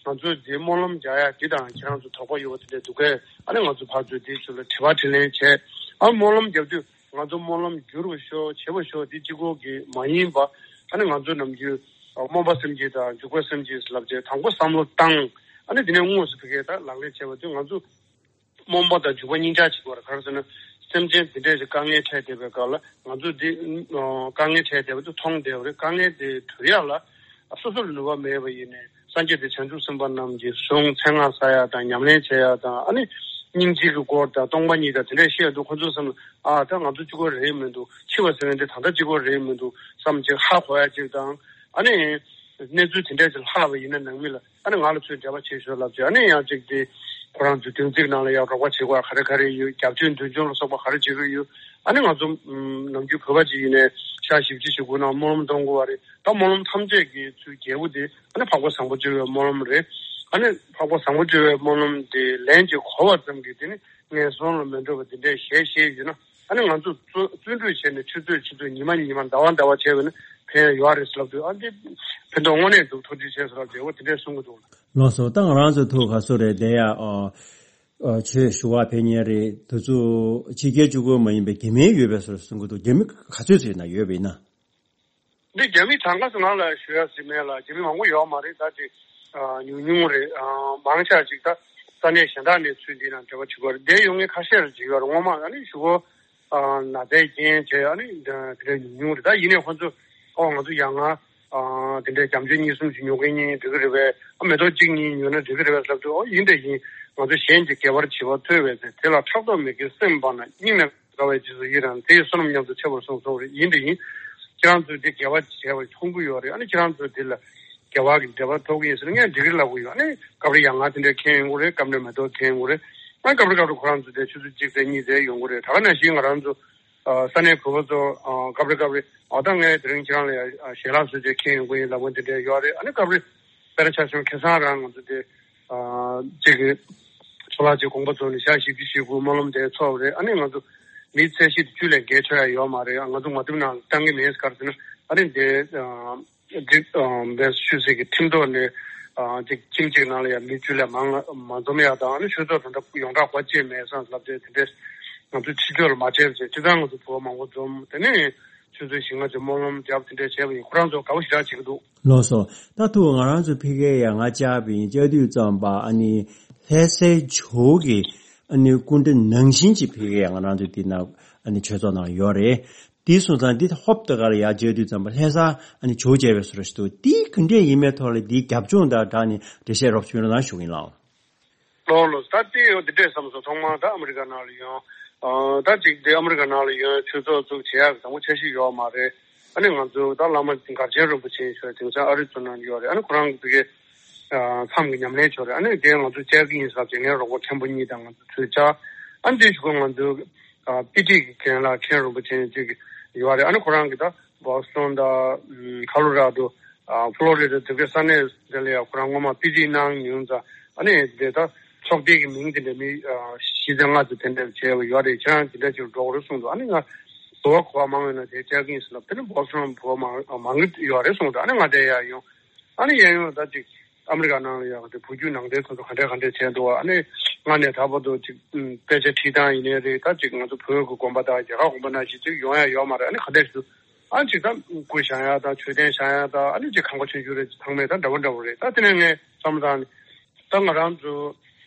ང་ཚོས་འདི་སྨོན་ལམ་རྒྱག་ཡ་འདི་དང་ཁྱེད་རང་ཚོ་དོགས་པ་ཡོད་པ་དེ་འདྲས་འདུག་གས། ཨ་ནི་ང་ཚོ་ཕར་ཚུར་དེའི་ཚུལ་ལ་དྲི་བ་དྲིས་ལན་བྱས། ཨ་སྨོན་ལམ་རྒྱབ་དུས་ང་ཚོ་སྨོན་ལམ་འགྱུར་བ་ཤོག་བྱེད་པ་ཤོག་དེ་གཅིག་པོ་གི་མ་ཡིན་པ། ཨ་ནི་ང་ཚོ་ནམ་རྒྱུན་སྨོན་པ་སེམས་བསྐྱེད་དང་འཇུག་པ་སེམས་བསྐྱེད་ལབ་བྱས། དང་པོ་བསམ་བློ་བཏང་། ཨ་ནི་དེ་ནས་དངོས་སུ་ཕ་གིར་ད་ལག་ལེན་བྱས་པ་དུས་ང་ཚོ་སྨོན་པ་དང་འཇུག་པ་གཉིས་ཆར་བྱེད་དགོས་རེད། ག་རེ་ཟེར་ན། སེམས་ཅན་འདི་འདྲས་ཀྱི་དཀའ་ངལ་འཕྲད་བསྡད་པའི་སྐབས་ལ་ང་ཚོས་འདི་ཨ་དཀའ་ངལ་འཕྲད་བསྡད་པ་དེ་མཐོང་བསྡད་པ་རེད། དཀའ་ངལ་དེ་གྲོལ་ཡག་ལ་སོ་སོ་ལ་ནུས་པ་མེད་པ་ཡིན་ནའི་སངས་རྒྱས་དང་བྱང་ཆུབ་སེམས་དཔའ་རྣམས་ཀྱི་གཟུངས་མཚན་སྔགས་བསག་ཡག་དང་ཉམས་ལེན་བྱེད་ཡག་དང་། ཨ་ནི་སྙིང་རྗེ་གི་སྐོར་དང་སྟོང་པ་ཉིད་དང་དེ་འདྲས་བཤད་འདུག་ཁོ་ཚོའི་སེམས་ལ་ཨ་ད་ང་ཚོ་གཅིག་པོ་རེད་མི་འདུག་འཆི་བ་ཟེར་མཁན་དེ་ད་ལྟ་གཅིག་པོ་རེད་མི་འདུག་བསམ་ཅིག་ཧ་གོ་ཡག་ཅིག་དང་། ཨ་ནི་གནས་ཚུལ་དེ་འདྲས་ཅིག་ལྷག་པ་ཡིན་ན་ནང་མི་ལ། ཨ་ནི་ང་ལ་ཚོས་འབྲེལ་བ་བྱེད་ཤོག་ལབ་ཅིག་ཨ་ནི་ཡང་ཅིག་དེ་ཁོ་རང་ཚོའི་བདུན་ཚིགས་ནང་ལ་ཡང་རོགས་པ་བྱེད་དགོས་ག་རེ་ག་རེ་ཡོད། རྒྱབ་སྐྱོར་མདུན་ལྗོངས་ལ་སོགས་པ་ག་རེ་བྱེད་དགོས་ཡོད། ཨ་ནི་ང་ཚོ་ཨམ་ནམ་རྒྱུན་བོད་པ་ཅིག་ཡིན་ནའི་ཞག་བཞི་བཅུ་ཞེ་དགུ་ནང་སྨོན་ལམ་གཏོང་དགོས་པ་རེད། ད་སྨོན་ལམ་ཐམས་ཅད་ཀྱི་ཚུལ་རྒྱལ་པོ་དེ་ཨ་ནི་འཕགས་པ་བཟང་པོ་སྤྱོད་པའི་སྨོན་ལམ་རེད། ཨ་ནི་འཕགས་པ་བཟང་པོ་སྤྱོད་པའི་སྨོན་ལམ་དེ་ལན་ཅིག་གོ་བ་ཙམ་གྱིས་དེ་ནི་ངན་སོང་ལ་མི་འགྲོ་བ་དེ་འདྲས་ཞལ་བཞེས་ཡོད་ན། ཨ་ནི་ང་ཚོ་བརྩོན་བརྩོན་འགྲུས་བྱས་ནས་ཆུ་ཚོད་ཆུ་ཚོད་ཉི་མ་ཉི་མ་ཟླ་བ་ཟླ་བ་བྱས་པ་ན་ཕན་ཡོད་རེད་ལབ་དུས། ཨ་འདི་ཕན་ཐོགས་དངོས་གནས་འདུག་ཐུགས་རྗེ་ཆེ་ཟེར་བ་བྱས་འོ་དེ་འདྲས་གསུང་གི་འདུག་ལགས་སོ། ད་ང་རང་ཚོ་ཐུགས་ཁ་གསོ་རེད་བསྡད་ཡ། ཨ་ཨ་ཆོས་ཞུ་བ་ཕེབས་མཁན་རེད། དུས་ཚོད་ཕྱི་རྒྱལ་གཅིག་པོ་མ་ཡིན་པའི་རྒྱ་མི་ཡོད་པའི་བཟོ་གསུང་གི་འདུག་རྒྱ་མི་ག་ཚོད་ཙམ་ཡིན་ན་ཡོད་པ་ཡིན་ན། འདི་རྒྱ་མི་གྲངས་ཀ་ང་ལ་ཞུ་ཡ་ཟིན་མེད་ལ། རྒྱ་མི་མང་པོ་ཡོད་མ་རེད། ད་ཅིག་ཨ་ཉུང་ཉུང་རེད། ཨ་མང་ཆེ་ཅིག་ད་ས་གནས་གཞན་དག་ནས་ཚུར་འདི་ནང་འབྲེལ་བ་བྱེད་དགོས་རེད། འདིར་ཡོང་མཁན་ཁ་ཤས་རེ་ཅིག་ཡོད་རེད། སྔོན་མ་ཨ་ནི་ཞུ་སྒོ་ཨ་ན་ཚའི་རྐྱེན་བྱས་ཨ་ནི་འདི་འདྲ་ཉུང་ཉུང་རེད། ད་ཡིན་ནའི་ཁོ་ཚོ་ཨོ་ང་ཚོ་ཡ་ང་ཨ་འདི་འདྲའི་རྒྱ་མཆོད་གཉིས་གསུམ་ཞིག་ཉོ་མཁན་གཉིས་འགྲིག་གི་རེད་པས། ཨ་མེ་ཏོག་གཅིག་གཉིས་ཉོས་ན་འགྲིག་གི་རེད་པས་ལབ་དུས། ཨོ་ཡིན་དེ་ཡིན། ང་ཚོ་གཞན་གྱི་དགེ་བར་བྱེད་པ་ཐོས་པས་ཟེར། དེ་ལ་ཕྲག་དོག་མེད་ཀྱི་སེམས་སྤངས་ན་སྙིང་ནས་དགའ་བའི་རྗེས་སུ་ཡི་རང་། དེ་ཡི་བསོད་ནམས་ཉམས་སུ་ཆེ་བར་གསུངས་སོང་རེད། ཡིན་དེ་ཡིན། ཁྱེད་རང་ཚོས་འདི་དགེ་བ་བྱས་པ་མཐོང་གི་ཡོད་རེད། ཨ་ནི་ཁྱེད་རང་ཚོས་འདི་ལ་དགེ་བ་གི་འབྲས་བུ་ཐོབ་ཀྱི་ཡིན་ཟེར་ན་ངས་འགྲིག་གི་ལབ་གི་ཡོད། ཨ་ནི་སྐབས་རེ་ཡ་ང་དེ་འདྲའི་མཁན་ཡོང་གི་རེད། སྐབས་རེ་མེ་ཏོག་མཁན་ཡོང་གི་རེད། ཨ་སྐབས་རེ་སྐབས་རེ་ཁོ་རང་ཚོ་དེ་ཆུ་ཚོད་གཅིག་ཙམ་གཉིས་ཙམ་ཡོང་གི་རེད། ད་ག་ནང་བཞིན་ང་རང་ཚོ་ཨ་ས་གནས་བོད་པ་ཚོ་ཨ་སྐབས་རེ་སྐབས་རེ་ཨ་ད་ངས་དེ་རིང་ཁྱེད་རང་ལ་ཡ་ཞལ་ལག་བཟོ་བྱས་མཁན་ཡོང་གི་ཡིན་ལབ་མཁན་དེ་འདྲ་ཡོད་རེད། ཨ་ནི་སྐབས་རེ་དཔེར་ན་ཆ་བཞག་ན་ཁ་སང་རང་ང་ཚོ་དེ་ཨ་གཅིག་གི་ཚོ་ལག་ཅིག་དགོངས་པ་རྫོགས་ནས་ཞག་བཞི་བཅུ་ཞེ་དགུ་སྨོན་ལམ་དེ་ཚོགས་པ་རེད། ཨ་ནི་ང་ཚོ་མི་ཚད་གཞི་དེ་བཅུ་ལས་བརྒལ་ཆོག་ཡ་ཡོད་མ་རེད། ང་ཚོ་ངོ་དེབ་ནང་བཏང་གི་མེད། ག་རེ་ཟེར་ན་ཨ་ནི་དེ་ཨ་འདི་ཨ་བེ་ཤུལ་སི་གི་ཁྲིམས་ཐོག་ནས་ཨ་ཅིག་ཁྱིམ་གཅིག་ནང་ལ་ཡ་མི་བཅུ་ལས་མང་མ་འཛོམས་ཡ་དང་། ཨ་ནི་ཆོས་ཚོགས་དང་འདྲ་ཡོངས་གྲགས་གོ་ཅེས་མེད་སོང་ལབ་སྟེ། དེ་འདྲས་ང་ཚོ་ཕྱི་ཕྱོགས་ལ་མ་བྱས་པ་བྱས། སྤྱིར་བཏང་ང་ཚོ་བོད་མང་པོ་འཛོམས། དེ་ནས་ཆུ་ཚོད་བཞི་ལྔ་ཙམ་སྨོན་ལམ་བརྒྱབ། དེ་འདྲས་བྱས་པ་ཡིན། ཁོ་རང་ཚོ་དགའ་པོ་ཞེ་དྲག་བྱེད་ཀྱི་འདུག་ལགས་སོ། ད་ཐུག་ང་རང་ཚོ་ཕ་གིར་ཡ་ང་བཅར་བ་ཡིན། བཅར་དུས་ཙམ་པ་ཨ་ནི་ལྷ་སའི་ཇོ་བོ་གི་ཨ་ནི་སྐུ་འདྲ་ནང་བཞིན་གྱི་ཕ་གིར་ཡ་ང་རང་ཚོ་འདི་ན་ཨ་ནི་ཆོས་ཚོགས་ནང་ཡོད་རེད། དེ་སོང་ཙང་འདི་ཧོབ་ཏེ་ག་ལ་ཡ་བཅར་དུས་ཙམ་པ་ལྷ་ས་ཨ་ནི་ཇོ་བོ་མཇལ་བའི་བཟོ་འདྲ་ཞིག་འདུག་འདི་ག་འདྲས་ཡིན་མིན་ཐོག་ལ་འདིའི་རྒྱབ་ལྗོངས་དང་སྦྲགས་ནས་འགྲེལ་བཤད་རོབ་ཅིག་གནང་ཞུ་གི་ཡིན་ལགས། ལགས་ལགས། ད་ལྟའི་འོ་འདི་འདྲས་བསམ་སོང་། ཐོག་མར་ད་ཨ་མི་རི་ཀ་ནང་ལ་ཡོང་། ཨ་ད་ཅིག་འདི་ཨ་མི་རི་ཀ་ནང་ལ་ཡོང་ཆོས་ཚོགས་བཙུགས་བྱེད་ཡག་གི་དང་པོ་འཆར་གཞི་ཡོད་མ་རེད། ཨ་ནི་ང་ཚོ་ད་བླ་མ་མགར་ཆེན་རིན་པོ་ཆེ་ཞུ་བ་དེང་སང་ཨ་རི་ཚོ་ནང་ཡོད་རེད། ཨ་ནི་ཁོ་རང་གི་ཕ་གིའི་ཨ་མཚམས་ཀྱི་ཉམས་ལེན་ཕྱོགས་རེད། ཨ་ནི་དེ་ང་ཚོ་བཅར་གྱི་ཡིན་ཟེར་བྱས་ངའི་རོགས་པ་མཁན་པོ་གཉིས་དང་ང་ཚོ་ཚུར་བཅར། ཨ་ནི་དེ་གཞུག་གུ་ང་ཚོ་ཨ་པི་ཊི་གི་རྒན་ལགས་མཁན་རིན་པོ་ཆེ་ཅིག་ཡོད་རེད། ཨ་ནི་ཁོ་རང་གི་ད་བོ་སི་ཊོན་དང་ཁ་ལོ་ར་ཌོ། ཨ་ཕོ་ལོ་རི་ཌ་དེ་གའི་ས་གནས་དེ་ལ་ཡང་ཁོ་རང་སྔོན་མ་པི་ཨེཆ་ཌི་གནང་མྱོང་ཙང་། ཨ་ནི་དེ་ད་ཚོགས་སྡེ་གི་མིང་དེ་འདྲ་མི་ཨ་བཞི་ཙམ་ལྔ་ཙམ་དེ་འདྲ་བྱས་པ་ཡོད་རེད། ཁྱེད་རང་དེ་འདྲ་ཅིག་འགྲོ་དགོས་རེད་གསུངས་འདུག་ཨ་ནི་ང་བོད་པ་གོ་བ་མང་བའི་ནང་དེ་བཅར་གྱི་ཡིན་ཟེར་ལབ། དེ་ནི་བོ་སི་ཊོན་བོད་པ་མང་མང་གི་ཡོད་རེད་གསུངས་འདུག་ཨ་ནི་ང་དེ་ཡར་ཡོང་། ཨ་ནི་ཡར་ཡོང་ད་ཅིག་ཨ་མི་རི་ཀ་ནང་ལ་ཡང་དེ་བོད་བརྒྱུད་ནང་བསྟན་སོ་སོ་ག་འདྲས་ག་འདྲས་བྱས་འདུག་ཨ་ནི་སྔ་ནས་ད་བར་དུ་ཅིག་ཨུམ་དཔེ་ཆ་ཁྲིད་སྟངས་ཡིན་ནའི་རེད། ད་ཅིག་ང་ཚོ་བོད་ཀྱི་དགོན་པ་དང་རྒྱ་གར་དགོན་པ་ནང་བཞིན་ཅིག་ཡོང་ཡ་ཡོད་མ་རེད། ཨ་ནི་ག་འདྲས་ཞུ། ཨ་ཅིག་ད་སྐུ་བཞེངས་ཡ་དང་མཆོད་རྟེན་བཞེངས་ཡ་དང་། ཨ་ནི་ཅིག་ཁང་པ་ཆུང་ཆུང་རེ་ཚང་མས་ད་འདྲ་བོ་འདྲ་བོ་རེད། ད་དེ་ནས་ངས་བསམ་བློ་བཏང་ནས་ད་ང་རང་ཚོ་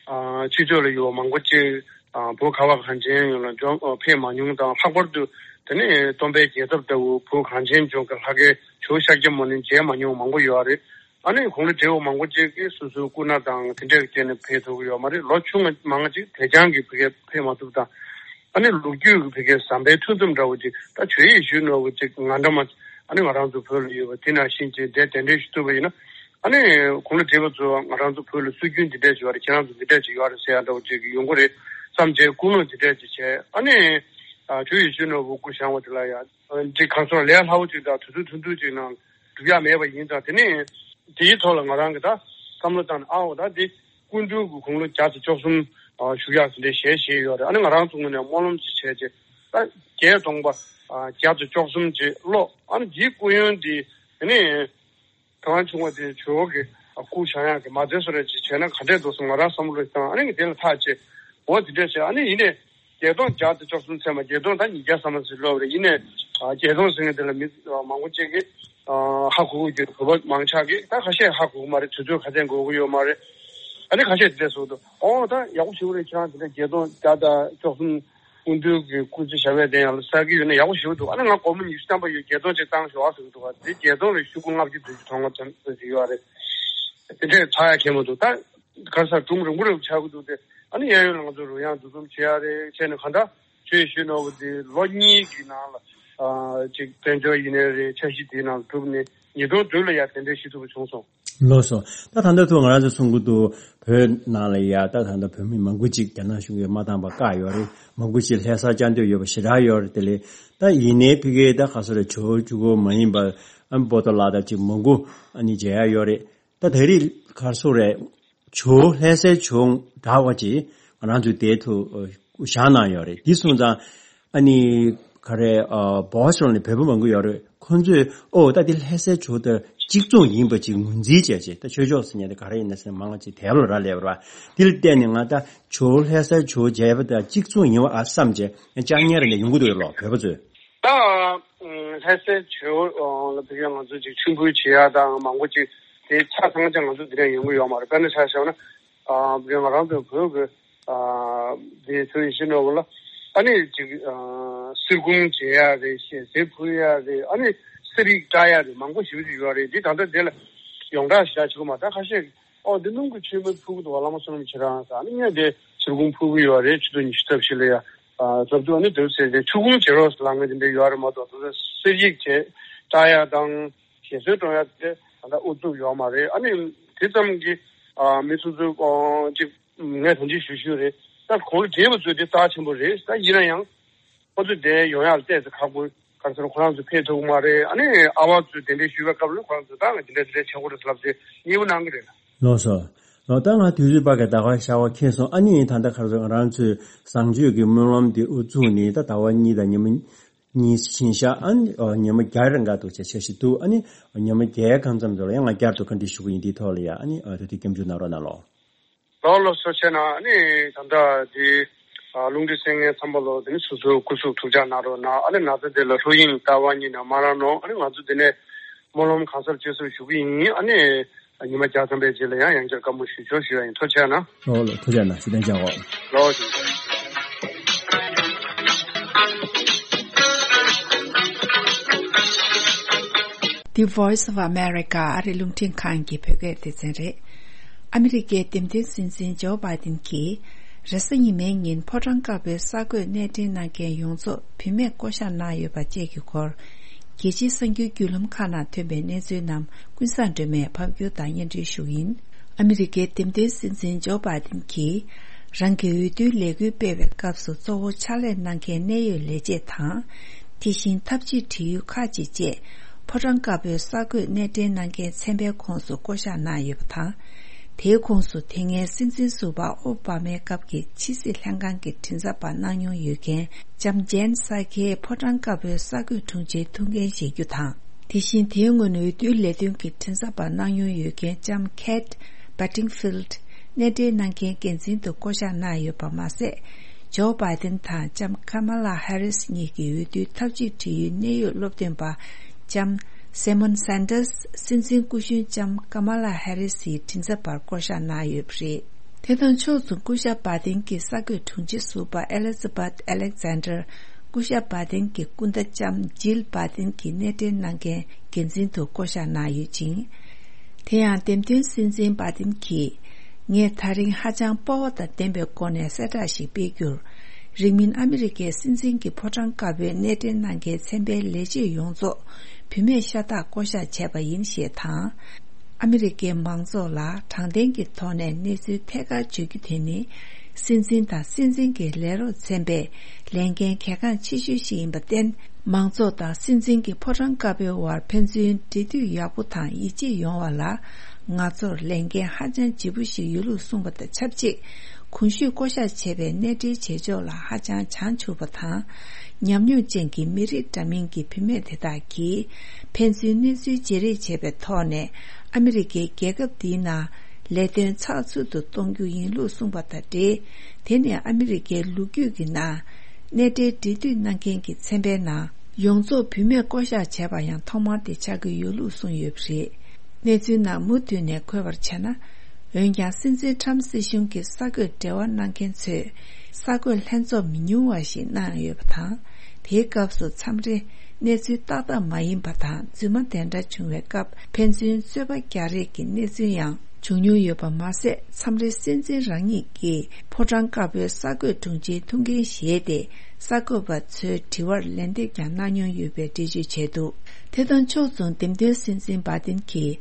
ཨ་ཕྱི་ཕྱོགས་ལ་ཡོད་པ་མང་པོ་ཅིག་ཨ་བོད་ཁ་བ་གངས་ཅན་ཡོངས་ལ་འབྱོར་ཨ་ཕེབས་མ་མྱོང་དང་། ལྷག་པར་དུ་དེ་ནས་སྟོན་པའི་རྒྱལ་ཚབ་ལྟ་བུ་བོད་གངས་ཅན་ལྗོངས་ཀྱི་ལྷ་སྐལ་ཇོ་བོ་ཤཱཀྱ་མུ་ནེ་མཇལ་མ་མྱོང་མང་པོ་ཡོད་རེད། ཨ་ནི་དགུང་ལོ་བགྲེས་པོ་མང་པོ་ཅིག་གིས་སོ་སོའི་སྐུ་ན་དང་དེ་འདྲའི་རྐྱེན་ནས་ཕེབས་ཐུབ་ཀྱི་ཡོད་མ་རེད། ལོ་ཆུང་ང་མང་ང་ཅིག་དེ་རྐྱང་གིས་ཕ་གིར་ཕེབས་མ་ཐུབ་དང་། ཨ་ནི་ལོ་རྒྱུས་ཀྱི་ཕ་གིའི་ཟམ་པའི་མཐུ་སྟོབས་འདྲ་བོ་ཅིག་ད་ཇོ་ཡེ་ཤུ་ནོར་བུ་ཅིག་ང་འདྲ་མ། ཨ་ནི་ང་རང་ཚོ་བོད་ལ་ཡོད་པ་དེ་ནང་བཞིན་ཅིག་འདྲ་གདན་འདྲེན་ཞུ་ཐུབ་པ་ཡིན་ན། ཨ་ནི་དགུང་ལོ་བགྲེས་པ་ཚོ་ང་རང་ཚོ་བོད་ལ་སྲོལ་རྒྱུན་འདི་འདྲ་ཅིག་ཡོད་རེད། ཁྱེད་རང་ཚོ་འདི་འདྲ་ཅིག་ཡོད་རེད་ཟེར་ཡ་འདྲ་བོ་ཅིག་ཡོང་གི་རེད་བསམ་བྱས་སྐུ་ངོ་འདི་འདྲ་ཅིག་བྱས། ཨ་ནི་ཨ་ཇོ་ཡེ་ཤུ་ནོར་བུ་སྐུ་བཞེངས་པ་དེ་ལ་ཡང་ཅིག་གང་སོང་ལས་སླ་བོ་ཅིག་དང་དུས་ཚོད་ཐུང་ཐུང་ཅིག་ནང་ འཇུག་ཡ་མེད་པ་ཡིན་ཙང་། དེ་ནས་དེའི་ཐོག་ལ་ང་རང་གིས་ད་བསམ་བློ་བཏང་ནས། ཨའོ་ད་འདི་སྐུ་མདུན་གྱི་དགུང་ལོ་བརྒྱ་དང་བཅུ་གསུམ་བཞུགས་ཡག་དེ་འདྲའི་ཞལ་བཞེས་ཡོད་རེད། ཨ་ནི་ང་རང་ཚོ་ངོས་ནས་སྨོན་ལམ་ཅིག་བྱས་རྗེས། ད་བརྒྱད་སྟོང་པ་བརྒྱ་དང་བཅུ་གསུམ་ཅིག་ཀློག་ཨ་ནི་འདིའི་སྐུ་ཡོན་འདི་དེ་ནས་གང་བྱུང་བ་དེ་ཇོ་བོ་གི་སྐུ་བཞེངས་ཡག་གི་མ་རྩ་བཟོ་འདྲ་ཅིག་བྱས་ན་ག་འདྲས་འདུག་བསམ། ང་རང་བསམ་བློ་བཏང་། ཨ་ནི་དེ་ལ་ཐག་བཅད། འོ་དེ་འདྲས་བྱས། ཨ་ནི་ཡིན་ནའི་བརྒྱད་སྟོང་བརྒྱ་དང་བཅུ་གསུམ་ཚད་མ། བརྒྱད་སྟོང་ད་ཉིས་བརྒྱ་ཙམ་ཞིག་ལོབས་རེད། ཡིན་ནའི་བརྒྱད་སྟོང་ཟེར་མཁན་དེ་ལ་མི་མང་པོ་ཅིག་གིས་ཧ་གོ་གི་ཡོད། བོད་པ་མང་ཆེ་གིས། ད་ཁ་ཤས་ཧ་གོ་གི་མ་རེད། དུས་ཚོད་ཁ་ཚན་འགོར་གི་ཡོད་མ་རེད། ཨ་ནི་ཁ་ཤས་དེ་འདྲས་གསུངས་འདུག་ཨོ་ད་ཡག་པོ་ཞེ་པོ་རེད། ཁྱེད་རང་དེ་འདྲ་བརྒྱད་སྟོང་བརྒྱ་དང་བཅུ་གསུམ་སྐུ་མདུན་གྱི་སྐུ་ཚེ་ཞབས་པད་བརྟན་ཡག་ལ་བསགས་ཀྱི་ཡོད་ན་ཡག་པོ་ཞེ་པོ་འདུག་ཨ་ནི་ང་སྒོར་མོ་ཉི་ཤུ་ཐམ་པ་ཡོད། བརྒྱད་སྟོང་ཅིག་བཏང་ཤོག་ཨ་ཟེར་གྱི་འདུག་ག་དེ་བརྒྱད་སྟོང་ལ་ཤོག་གུ་ལྔ་བཅུ་བདུན་ཅུ་དོན་ལྔ་ཙམ་ཙམ་ཞིག་ཡོད་རེད། དེ་འདྲས་ཚར་ཡ་ཁྱད་མི་འདུག་ད་ག་རེ་ཟ་སྒྲུང་རིང་པོ་རིང་པོ་ཆགས་ཀྱི་འདུག་དེ་ཨ་ནི་གཡས་གཡོན་ལ་ང་ཚོ་རོལ་དབྱངས་འདུ་འཛོམས་བྱེད་ཡ་རེད། བྱས་ནས་གང་ལྟར་ཆོས་ཞུ་ནོར་བུ་དེ་ལོ་གཉིས་ཀྱི་ནང་ལ་ཨ་ཅིག་དཔལ་འབྱོར་ཡིན་ནའི་རེད། འཆར་གཞི་དེའི་ནང་གྲུབ་ནས་ཉིས་སྟོང་བདུན་ལ་ཡ་དེ་འདྲས་ཞུ་ཐུབ་པ་བྱུང་སོང་། ལགས་སོ། ད་ད་ལྟ་ཐུག་ང་རང་ཚོ་གསུང་གི་འདུག་བོད་ནང་ལ་ཡ་ད་ད་ལྟ་བོད་མི་མང་པོ་ཅིག་རྒྱ་ནག་གཞུང་གིས་མ་བཏང་བར་བཀག་ཡོད་རེད། མང་པོ་ཅིག་ལྷ་སར་བཅར་འདོད་ཡོད་པ་ཞེ་དྲག་ཡོད་རེད། དེ་ལས་ད་ཡིན་ནའི་ཕ་གིའི་ད་ག་ཚོད་རེད། ཇོ་བོ་གཅིག་པོ་མ་ཡིན་པར་ཨ་ནི་པོ་ཏོ་ལགས་དང་ཅིག་མང་པོ་ཨ་ནི་མཇལ་ཡ་ཡོད་རེད། ད་དེ་རིང་ག་ཚོད་རེད། ཇོ་ལྷ་སའི་ཇོ་འདྲ་བ་ཅིག་ང་རང་ཚོའི་དེ་ཐུག་བཞག་གནང་ཡོད་རེད། འདི་སོང་ཙང་ཨ་ནི་ག་རེ་ཨ་བོ་སི་ཊོན་ནས་བོད་པ་མང་པོ་ཡོད་རེད། ཁོང་ཚོས་ཨོ་ད་འདི་ལྷ་སའི་ཇོ་དང་གཅིག་མཚུངས་ཡིན་པ་ཅིག་ངོས་འཛིན་བྱས་བྱས། ད་ཆོས་ཕྱོགས་ཟེར་མཁན་དེ་ག་རེ་ཡིན་ན་ཟེར་མང་ང་ཅིག་དེབ་ལ་རག་ལས་པ་རེད་པ། འདི་ལ་བལྟས་ནས་ང་ད་ཇོ་ལྷ་སའི་ཇོ་མཇལ་བ་དང་གཅིག་མཚུངས་ཡིན་པ་ཨ་བསམ་བྱས་ཡང་བཅར་མཁན་རེ་ནས་ཡོང་གི་འདུག་ལོ། བོད་པ་ཚོས། ད་ལྷ་སའི་ཇོ་ལ་ཕ་གིར་ང་ཚོ་ཅིག་མཆོད་འབུལ་བྱེད་ཡ་དང་མང་པོ་ཅིག་དེ་ཆ་ཚང་ཅང་ང་ཚོ་འདི་ནས་ཡོང་གི་ཡོད་མ་རེད། དཔེར་ན་ཆ་བཞག་ན་ཕ་གིར་ང་རང་ཚོའི་བོད་ཀྱི་ཨ་དེ་ཚོའི་ཡིན་ཞིག་ནོར་བུ་ལ་ཨ་ནི་ཅིག་ཨ་གསེར་ཁུང་བྱེད་ཡ་རེད། ཞལ་ཟས་ཕུལ་ཡ་རེད། ཨ་ནི་གསེར་ཡིག་བཀྲ་ཡ་རེད། མང་པོ་ཞེ་པོ་ཅིག་ཡོད་རེད། འདི་ད་ལྟ་དེ་ལ་ཡོངས་གྲགས་ཞེ་དྲག་བྱེད་ཀྱི་མ། ད་ཁ་ཤས་ཨོ་འདི་སྣུམ་གྱི་མཆོད་མེ་ཕུལ་གྱི་འདུག་བ། བླ་མ་བསོད་ནམས་ཁྱེད་རང་ཟེར། ཨ་ནི་ངས་དེ་གསེར་ཁུང་ཕུལ་གྱི་ཡོད་རེད། ཆུ་ཚོད་ཉི་ཤུ་རྩ་བཞི་ལ་ཡ་ཨ་ལབ་དུས་ཨ་ནི་དེ་ཟེར་ཏེ་ཆུ་ཁུང་བྱེད་རོགས་ཟེར་ལབ་མཁན་དེ་འདྲ་ཡོད་རེད་མ་གཏོགས། དེ་ཚོ་གསེར་ཡིག་བྱས་བཀྲ་ཡ་དང་ཞལ་གསོལ་སྒྲོན་ཡ་དེ་ད་ལྟ་ཨུ་ཚུགས་ཡོད་མ་རེད། ཨ་ནི་དེ་ཙམ་གྱིས་ཨ་མི་སོ་སོའི་ཨོ་ཅིག་ངས་ཐམས་ཅད་ཞུ་ཞུ་རེད། ད་གོང་ལ་བགྲེས་པ་ཚོས་དེ་རྩ་ཆེན་པོ་རེད། ད་ཡིན་ན་ཡང་ཁོ་ཚོས་དེ་ཡོང་ཡག་ལ་ཏོག་ཙམ་ཁག་པོ། ག་རེ་ཟེར་ན་ཁོ་རང་ཚོ་ཕེབས་ཐུབ་ཀྱི་མ་རེད། ཨ་ནི་ཨ་བ་ཚོས་གདན་འདྲེན་ཞུས་པའི་སྐབས་ལ་ཁོ་རང་ཚོས་ད་ང་དེ་འདྲ་དེ་འདྲ་བྱེད་དགོས་རེད་ལབ་སྟེ་མཉེས་པོ་གནང་གི་རེད། ལགས་སོ། ལགས། ད་ང་དུས་ཚོད་ཕ་གི་ད་ག་ཤར་བ་ཁེལ་སོང་། ཨ་ནི་ད་ལྟ་ག་རེ་ཟེར། ང་རང་ཚོས་བཟང་སྤྱོད་ཀྱི་སྨོན་ལམ་འདི་དབུ་བཙུགས་ནས་ད་ཟླ་བ་གཉིས་དང་ཉི་མ་གཉིས་ཕྱིན་ཤག་ཨ་ནི་ཨ་ཉི་མ་བརྒྱ་རེ་འགའ་འདུག་བྱས་བྱས་ཤིག་འདུག་ཨ་ནི་ཉི་མ་བརྒྱའི་གང་ཙམ་ཙམ་ལ་ཡང་ང་བསྐྱར་དུ་བཀའ་འདྲི་ཞུ་གི་ཡིན། འདིའི་ཐོག་ལ་ཡ་ཨ་ནི་ཨ་དེ་དུས་སྐྱབས་འཇུག་གནང་རོགས་གནང་ལོ། ལགས་ལགས་སོ། བྱས་ན་ཨ་ནི་ད་ལྟ་འདི་ཨ་རླུང་འཕྲིན་གསན་མཁན་ཚང་མ་ལོ་དེ་ནི་སོ་སོའི་སྐུ་གཟུགས་ཐུགས་ཅག་གནང་རོགས་གནང་། ཨ་ནི་ན་ཚ་དེ་ལ་ལྷོད་གཡེང་རྟག་པར་གཉིད་ནས་མ་རང་གནང་། ཨ་ནི་ང་ཚོ་འདི་ནས་སྨོན་ལམ་གང་སར་བཅོལ་སར་ཞུ་གི་ཡིན། ཨ་ནི་ཉི་མ་བརྒྱ་ཐམ་པའི་རྗེས་ལ་ཡང་ཡང་བསྐྱར་བཀའ་མོལ་ཞུ་ཆོག་ཞུ་ཡ་ཡིན། ཐུགས་རྗེ་གནང་། ཨོ་ལགས། ཐུགས་རྗེ་གནང་། ཞུ་དན་ཅང་ཨོ། ལགས་ཞུ། The Voice of America ཨ་རི་རླུང་འཕྲིན་ཁང་གི་བོད་སྐད་སྡེ་ཚན་རེད། ཨ་མི་རི་ཀའི་འདེམས་ཐོན་སྲིད་འཛིན་ཇོ་བྷའི་ཏིན་གྱིས་རེས་གཟའ་ཉི་མའི་ཉིན་ཕོ་བྲང་དཀར་པོའི་གསར་འགོད་གནས་འདྲེན་གནང་མཁན་ཡོངས་རྫོགས་བུད་མེད་བསྐོ་བཞག་གནང་ཡོད་པ་བཅས་ཀྱི་སྐོར། རྒྱལ་སྤྱིའི་གསར་འགྱུར་བརྒྱུད་ལམ་ཁག་ནང་ཐོན་པའི་གནས་ཚུལ་རྣམས་ཀུན་བཟང་སྒྲོལ་མས་ཕབ་སྒྱུར་དང་སྙན་སྒྲོན་ཞུ་གི་ཡིན། ཨ་མི་རི་ཀའི་འདེམས་ཐོན་སྲིད་འཛིན་ཇོ་བྷའི་ཏིན་གྱིས་རང་གི་འོས་བསྡུའི་ལས་འགུལ་སྤེལ་བའི་སྐབས་སུ་གཙོ་བོ་ཕྱག་ལས་གནང་མཁན་གནད་ཡོད་ལས་བྱེད་དང་། དེ་བཞིན་འཐབ་ཇུས་འབྲེལ་ཡོད་ཁག་ཅིག་བཅས་ཕོ་བྲང་དཀར་པོའི་གསར་འགོད་གནས་འདྲེན་གནང་མཁན་ཚན་པའི་ཁོངས་སུ་བསྐོ་བཞག་གནང་ཡོད་པ་དང་། དེའི་ཁོངས་སུ་དེ་སྔའི་སྲིད་འཛིན་ཟུར་པ་ཨོ་བྷ་མའི་སྐབས་ཀྱི་ཕྱི་སྲིད་ལྷན་ཁང་གི་མགྲིན་ཚབ་པ་གནང་མྱོང་ཡོད་མཁན་ལྕམ་ཇེན་སཱ་ཁེ་ཕོ་བྲང་དཀར་པོའི་གསར་འགོད་དྲུང་ཆེའི་ཐུགས་འགན་བཞེས་རྒྱུ་དང་། དེ་བཞིན་དེའི་སྔོན་འོས་བསྡུའི་ལས་དོན་གྱི་མགྲིན་ཚབ་པ་གནང་མྱོང་ཡོད་མཁན་ལྕམ་ཁེ་ཊི་བྷ་ཏིང་ཕིལ་ཌི་གནས་འབྲེལ་གནང་མཁན་འགན་འཛིན་དུ་བསྐོ་བཞག་གནང་ཡོད་པ་མ་ཟད། ཇོ་བྷའི་ཏིན་དང་ལྕམ་ཀ་མ་ལ་ཧེ་རིས་གཉིས་ཀྱི་འོས་བསྡུའི་འཐབ་ཇུས་འབྲེལ་ཡོད་གནད་ཡོད་སློབ་སྟོན་པ་ལྕམ་སེ་མོན་སན་ཏར་སི་སྲིད་འཛིན་སྐུ་གཞོན་ལྕམ་ཀ་མ་ལ་ཧེ་རིས་ཡི་མགྲིན་ཚབ་པར་བསྐོ་བཞག་གནང་ཡོད་པ་རེད། དེ་དང་ཕྱོགས་མཚུངས་སྐུ་ཞབས་བྷའི་ཏིན་གྱི་གསར་འགོད་དྲུང་ཆེ་ཟུར་པ་ཨེ་ལི་ཛ་བྷད་ཨེ་ལེག་ཛན་ཌར། སྐུ་ཞབས་བྷའི་ཏིན་གྱི་སྐུ་ཟླ་ལྕམ་ཇིལ་བྷའི་ཏིན་གྱི་གནས་འབྲེལ་གནང་མཁན་འགན་འཛིན་དུ་བསྐོ་བཞག་གནང་ཡོད་ཅིང་། དེ་ཡང་འདེམས་ཐོན་སྲིད་འཛིན་བྷའི་ཏིན་གྱིས། ངས་ད་རིང་ཧ་ཅང་སྤོབས་པ་དང་ལྡན་པའི་སྒོ་ནས་གསལ་བསྒྲགས་ཤིག་སྤེལ་རྒྱུར། རིང་མིན་ཨ་མི་རི་ཀའི་སྲིད་འཛིན་གྱི་ཕོ་བྲང་དཀར་པོའི་གནས་འབྲེལ་གནང་མཁན་ཚན་པའི་ལས་བྱེད་ཡོངས་རྫོགས་བུད་མེད་ཤ་སྟག་བསྐོ་བཞག་བྱས་པ་ཡིན་ཞེས་དང་། ཨ་མི་རི་ཀའི་མང་ཚོགས་ལ་དྲང་བདེན་གྱི་ཐོག་ནས་གནས་ཚུལ་ཐད་ཀར་བརྗོད་རྒྱུ་དེ་ནི། སྲིད་འཛིན་དང་སྲིད་འཛིན་གྱི་ལས་རོགས་ཚན་པའི་ལས་འགན་གལ་འགངས་ཆེ་ཤོས་ཤིག་ཡིན་པར་བརྟེན། མང་ཚོགས་དང་སྲིད་འཛིན་གྱི་ཕོ་བྲང་དཀར་པོའི་དབར་ཕན་ཚུན་འབྲེལ་མཐུད་ཡག་པོ་དང་ཡིད་ཆེས་ཡོང་བ་ལ། ང་ཚོར་ལས་འགན་ཧ་ཅང་ལྗིད་པོ་ཞིག་ཡོད་ལུགས་གསུངས་པ་དང་ཆབས་ཅིག་གོང་ཞུས་བསྐོ་བཞག་བྱས་པའི་གནས་འབྲེལ་བྱེད་ཕྱོགས་ལ་ཧ་ཅང་བྱང་ཆུབ་པ་དང་། ཉམས་མྱོང་ཅན་གྱི་མི་རིགས་འདྲ་མིན་གྱི་བུད་མེད་དེ་དག་གིས་ཕན་ཚུན་གནས་ཚུལ་བརྗེ་རེས་བྱས་པའི་ཐོག་ནས། ཨ་མི་རི་ཀའི་རྒྱལ་ཁབ་འདིའི་ནང་ལས་དོན་ཚགས་ཚུད་དུ་གཏོང་རྒྱུ་ཡིན་ལུགས་གསུངས་པ་དང་འབྲེལ། དེ་ནི་ཨ་མི་རི་ཀའི་ལོ་རྒྱུས་ཀྱི་ནང་གནས་འབྲེལ་འབྲེལ་མཐུད་གནང་མཁན་གྱི་ཚན་པའི་ནང་ཡོངས་རྫོགས་བུད་མེད་བསྐོ་གཞག་བྱས་པ་ཡང་ཐོག་མ་དེ་ཆགས་ཀྱི་ཡོད་ལུགས་གསུངས་ཡོད་པ་རེད། གནས་ཚུལ་ནང་མུ་མཐུད་ནས་འཁོད་པར་བྱས་ན། འོན་ཀྱང་སྲིད་འཛིན་ཁྲམ་སྲིད་གཞུང་གིས་གསར་འགོད་འབྲེལ་བ་གནང་མཁན་ཚོས་གསར་འགོད་ལྷན་ཚོགས་མི་ཉུང་བ་ཞིག་གནང་ཡོད་པ་དང་། དེའི་སྐབས་སུ་མཚམས་རེ་གནས་ཚུལ་ཏག་ཏག་མ་ཡིན་པ་དང་རྫུན་མ་དེ་འདྲ་བྱུང་བའི་སྐབས་ཕན་ཚུན་རྩོད་པ་རྒྱག་རེས་ཀྱི་གནས་ཚུལ་ཡང་བྱུང་མྱོང་ཡོད་པ་མ་ཟད། མཚམས་རེ་སྲིད་འཛིན་རང་ཉིད་ཀྱིས་ཕོ་བྲང་དཀར་པོའི་གསར་འགོད་དྲུང་ཆེའི་ཐུགས་འགན་བཞེས་ཏེ། གསར་འགོད་པ་ཚོའི་དྲི་བར་ལན་འདེབས་ཀྱང་གནང་མྱོང་ཡོད་པའི་འགྲེལ་བརྗོད་བྱས་འདུག་དེ་དང་ཕྱོགས་མཚུངས། འདེམས་ཐོན་སྲིད་འཛིན་བྷ་དིན་གྱིས་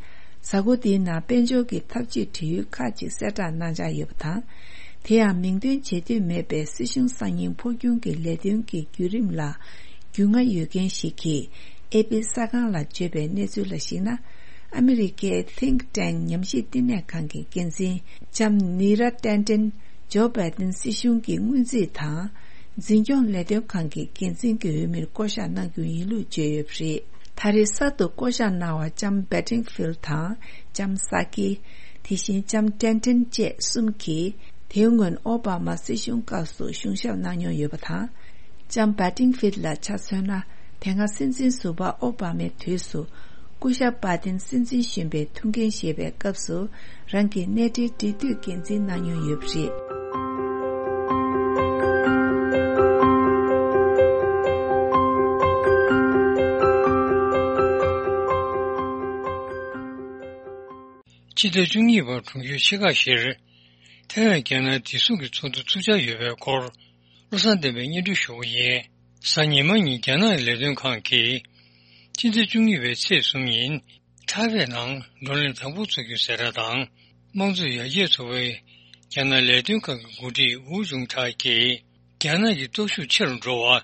གཟའ་འཁོར་འདིའི་ནང་དཔལ་འབྱོར་གྱི་འཐབ་ཇུས་བྲིས་ཡོལ་ཁག་ཅིག་གསལ་བསྒྲགས་གནང་འཆར་ཡོད་པ་དང་། དེ་ཡང་མིང་འདོན་བྱེད་འདོད་མེད་པའི་སྲིད་གཞུང་གསར་རྙིང་འཕོ་འགྱུར་གྱི་ལས་དོན་གྱི་བརྒྱུད་རིམ་ལ་རྒྱུས་མངའ་ཡོད་མཁན་ཞིག་གིས་ཨེ་པི་གསར་ཁང་ལ་བརྗོད་པའི་གནས་ཚུལ་ལ་གཞིགས་ན། ཨ་མི་རི་ཀའི་Think Tank ཉམས་ཞིབ་བསྟི་གནས་ཁང་གི་འགན་འཛིན་ལྕམ་ནི་ར་ཏན་ཏན་ཇོ་བྷའི་ཏིན་སྲིད་གཞུང་གི་སྔོན་རྩིས་དང་། འཛིན་སྐྱོང་ལས་དོན་ཁང་གི་འགན་འཛིན་གྱི་འོས་མིར་བསྐོ་གཞག་གནང་རྒྱུ་ཡིན་ལུགས་བརྗོད་ཡོད་པ་རེད། ད་རེས་གསར་དུ་བསྐོ་གཞག་གནང་བ་ལྕམ་བྷེ་ཏིང་ཧྥིལ་དང་ལྕམ་ས་ཀི། དེ་བཞིན་ལྕམ་ཏན་ཏན་བཅས་གསུམ་གྱིས་དེའི་སྔོན་ཨོ་བྷ་མ་སྲིད་གཞུང་སྐབས་སུ་གཞུང་ཞབས་གནང་མྱོང་ཡོད་པ་དང་། ལྕམ་བྷེ་ཏིང་ཧྥིལ་ལ་ཆ་མཚོན་ན། དེ་སྔ་སྲིད་འཛིན་ཟུར་པ་ཨོ་བྷ་མའི་དུས་སུ་སྐུ་ཞབས་བྷ་དིན་སྲིད་འཛིན་གཞོན་པའི་ཐུགས་འགན་བཞེས་པའི་སྐབས་སུ་རང་གི་གནས་འབྲེལ་འབྲེལ་མཐུད་འགན་འཛིན་གནང་མྱོང་ཡོད་པ་རེད། ཕྱི་ཟླ་བཅུ་གཉིས་པར་གྲོང་ཁྱེར་ཆི་ཀ་ཤེར། ཐའེ་ཝན་རྒྱ་ནག་བདེ་སྲུང་གི་ཚོགས་འདུ་ཚུགས་འཆར་ཡོད་པའི་སྐོར། བློ་བཟང་བསྟན་པས་སྙན་སྒྲོན་ཞུ་གི་ཡིན། གཟའ་ཉི་མ་ཉིན་རྒྱ་ནག་ལས་དོན་ཁང་གིས། ཕྱི་ཟླ་བཅུ་གཉིས་པའི་ཚེས་གསུམ་ཉིན། ཐའེ་ཝན་ནང་བགྲོ་གླེང་དང་པོ་ཚོགས་རྒྱུ་གསལ་བསྒྲགས་དང་། དམངས་གཙོ་ཡར་རྒྱས་ཚོགས་པའི་རྒྱ་ནག་ལས་དོན་ཁང་གི་འགོ་ཁྲིད་ཝུའུ་ཅུང་ཁྲའེ་གིས། རྒྱ་ནག་གི་སྟོབས་ཤུགས་ཆེ་རུ་འགྲོ་བ།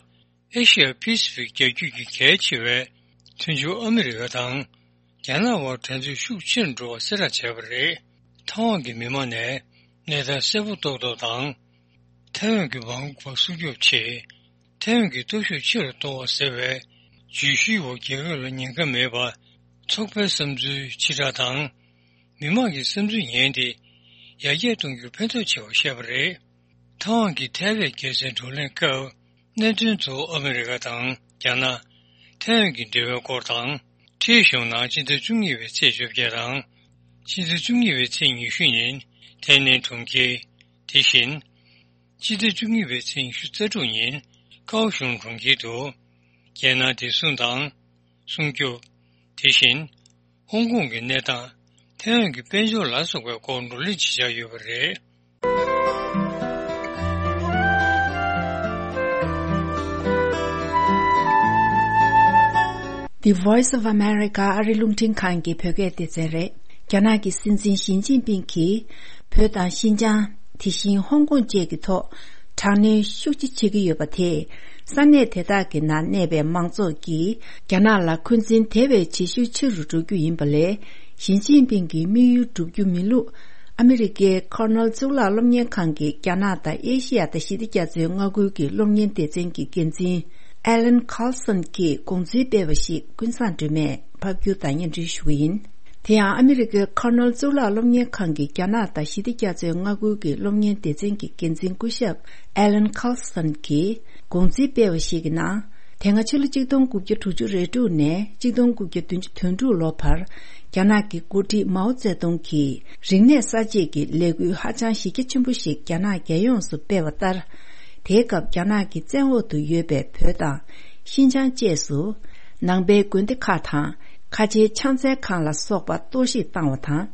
ཨེ་ཤི་ཡ་པེ་སི་ཕིག་རྒྱལ་རྒྱུད་ཀྱི་གལ་ཆེ་བའི་མཐུན་ཕྱོགས་ཨ་མི་རི་ཀ་དང་། རྒྱ་ནག་དབར་འགྲན་རྩོད་ཤུགས་ཆེ་རུ་འགྲོ་བ་གསལ་བསྒྲགས་བྱས་པ་རེད། ཐའེ་ཝན་གྱི་མི་མང་ནས་གནས་སྟངས་གསལ་པོ་རྟོགས་ཐབས་དང་། ཐའེ་ཝན་གྱི་མ་འོངས་པ་སྲུང་སྐྱོབ་ཆེད། ཐའེ་ཝན་གྱི་སྟོབས་ཤུགས་ཆེ་རུ་གཏོང་བ་ཟེར་བའི་བརྗོད་གཞིའི་འོག་རྒྱལ་ཁབ་ལ་ཉེན་ཁ་མེད་པ། ཚོགས་པའི་བསམ་ཚུལ་ཕྱི་བསྒྲགས་དང་། མི་མང་གི་བསམ་ཚུལ་ཉན་ཏེ། ཡར་རྒྱས་གཏོང་རྒྱུར་ཕན་ཐོགས་ཆེ་བ་བཤད་པ་རེད། ཐའེ་ཝན་གྱི་ཐའེ་ཝན་རྒྱལ་སའི་བགྲོ་གླེང་སྐབས། གནད་དོན་གཙོ་བོ་ཨ་མི་རི་ཀ་དང་རྒྱ་ནག་ཐའེ་ཝན་གྱི་འབྲེལ་བའི་སྐོར་དང་། ཁྲིའི་གཞུང་ནང་སྤྱི་ཟླ་བཅུ་གཉིས་པའི་ཚེས་བཅོ་བརྒྱད་དང་། སྤྱི་ཟླ་བཅུ་གཉིས་པའི་ཚེས་ཉི་ཤུ་ཉིན་ཐའེ་ནན་གྲོང་ཁྱེར། དེ་བཞིན། སྤྱི་ཟླ་བཅུ་གཉིས་པའི་ཚེས་ཉི་ཤུ་རྩ་དྲུག་ཉིན་ཀའོ་ཤུང་གྲོང་ཁྱེར་དུ། རྒྱལ་ནང་བདེ་སྲུང་དང་། སྲུང་སྐྱོབ། དེ་བཞིན། ཧོང་ཀོང་གི་གནས་སྟངས། ཐའེ་ཝན་གྱི་དཔལ་འབྱོར་ལ་སོགས་པའི་སྐོར་བགྲོ་གླེང་བྱེད་འཆར་ཡོད་པ་རེད། The Voice of America ཨ་རི་རླུང་འཕྲིན་ཁང་གི་བོད་སྐད་སྡེ་ཚན་རེད། རྒྱ་ནག་གི་སྲིད་འཛིན་ཞི་ཅིན་ཕིང་གིས་བོད་དང་ཤིན་ཅང་། དེ་བཞིན་ཧོང་ཀོང་བཅས་ཀྱི་ཐོག་དྲག་གནོན་ཤུགས་ཆེ་བྱེད་ཀྱི་ཡོད་པ་དེས། ས་གནས་དེ་དག་གི་ནང་གནས་པའི་མང་ཚོགས་ཀྱིས་རྒྱ་ནག་ལ་འཁོན་འཛིན་དེ་བས་ཇེ་ཤུགས་ཆེ་རུ་འགྲོ་རྒྱུ་ཡིན་པ་ལས། ཞི་ཅིན་ཕིང་གི་དམིགས་ཡུལ་འགྲུབ་རྒྱུ་མིན་ལུགས། ཨ་མི་རི་ཀའི་ཁོར་ནེལ་གཙུག་ལག་སློབ་གཉེར་ཁང་གི་རྒྱ་ནག་དང་ཨེ་ཤི་ཡ་དང་ཞི་བདེ་རྒྱ་མཚོའི་མངའ་ཁུལ་གྱི་སློབ་གཉེར་སྡེ་ཚན་གྱི་འགན་འཛིན་ཨེ་ལན་ཁཱལ་སོན་གྱིས་དགོངས་ཚུལ་སྤེལ་བ་ཞིག་ཀུན་བཟང་སྒྲོལ་མས་ཕབ་སྒྱུར་དང་སྙན་སྒྲོན་ཞུ་གི་ཡིན། དེ་ཡང་ཨ་མི་རི་ཀའི་ཁོར་ནེལ་གཙུག་ལག་སློབ་གཉེར་ཁང་གི་རྒྱ་ནག་དང་ཞི་བདེ་རྒྱ་མཚོའི་མངའ་ཁུལ་གྱི་སློབ་གཉེར་སྡེ་ཚན་གྱི་འགན་འཛིན་སྐུ་ཞབས་ཨེ་ལན་ཁཱལ་སོན་གྱིས་དགོངས་ཚུལ་སྤེལ་བ་ཞིག་གི་ནང་། དེ་སྔ་ཕྱི་ལོ་གཅིག་སྟོང་དགུ་བརྒྱ་དྲུག་ཅུ་རེ་དྲུག་ནས་གཅིག་སྟོང་དགུ་བརྒྱ་བདུན་ཅུ་དོན་དྲུག་ལོ་བར། རྒྱ་ནག་གི་འགོ་ཁྲིད་མའོ་ཙེ་ཏུང་གིས་རིག་གནས་གསར་བརྗེ་གི་ལས་འགུལ་ཧ་ཅང་གཞི་རྒྱ་ཆེན་པོ་ཞིག་རྒྱ་ནག་རྒྱལ་ཡོངས་སུ་སྤེལ་བ་ལྟར། དེའི་སྐབས་རྒྱ་ནག་གི་བཙན་འོག་ཏུ་ཡོད་པའི་བོད་དང་ཤིན་ཅང་བཅས་སུ། ནང་པའི་དགོན་སྡེ་ཁག་དང་ཁ་ཆེའི་ཕྱག་འཚལ་ཁང་ལ་སོགས་པ་གཏོར་བཤིག་བཏང་བ་དང་།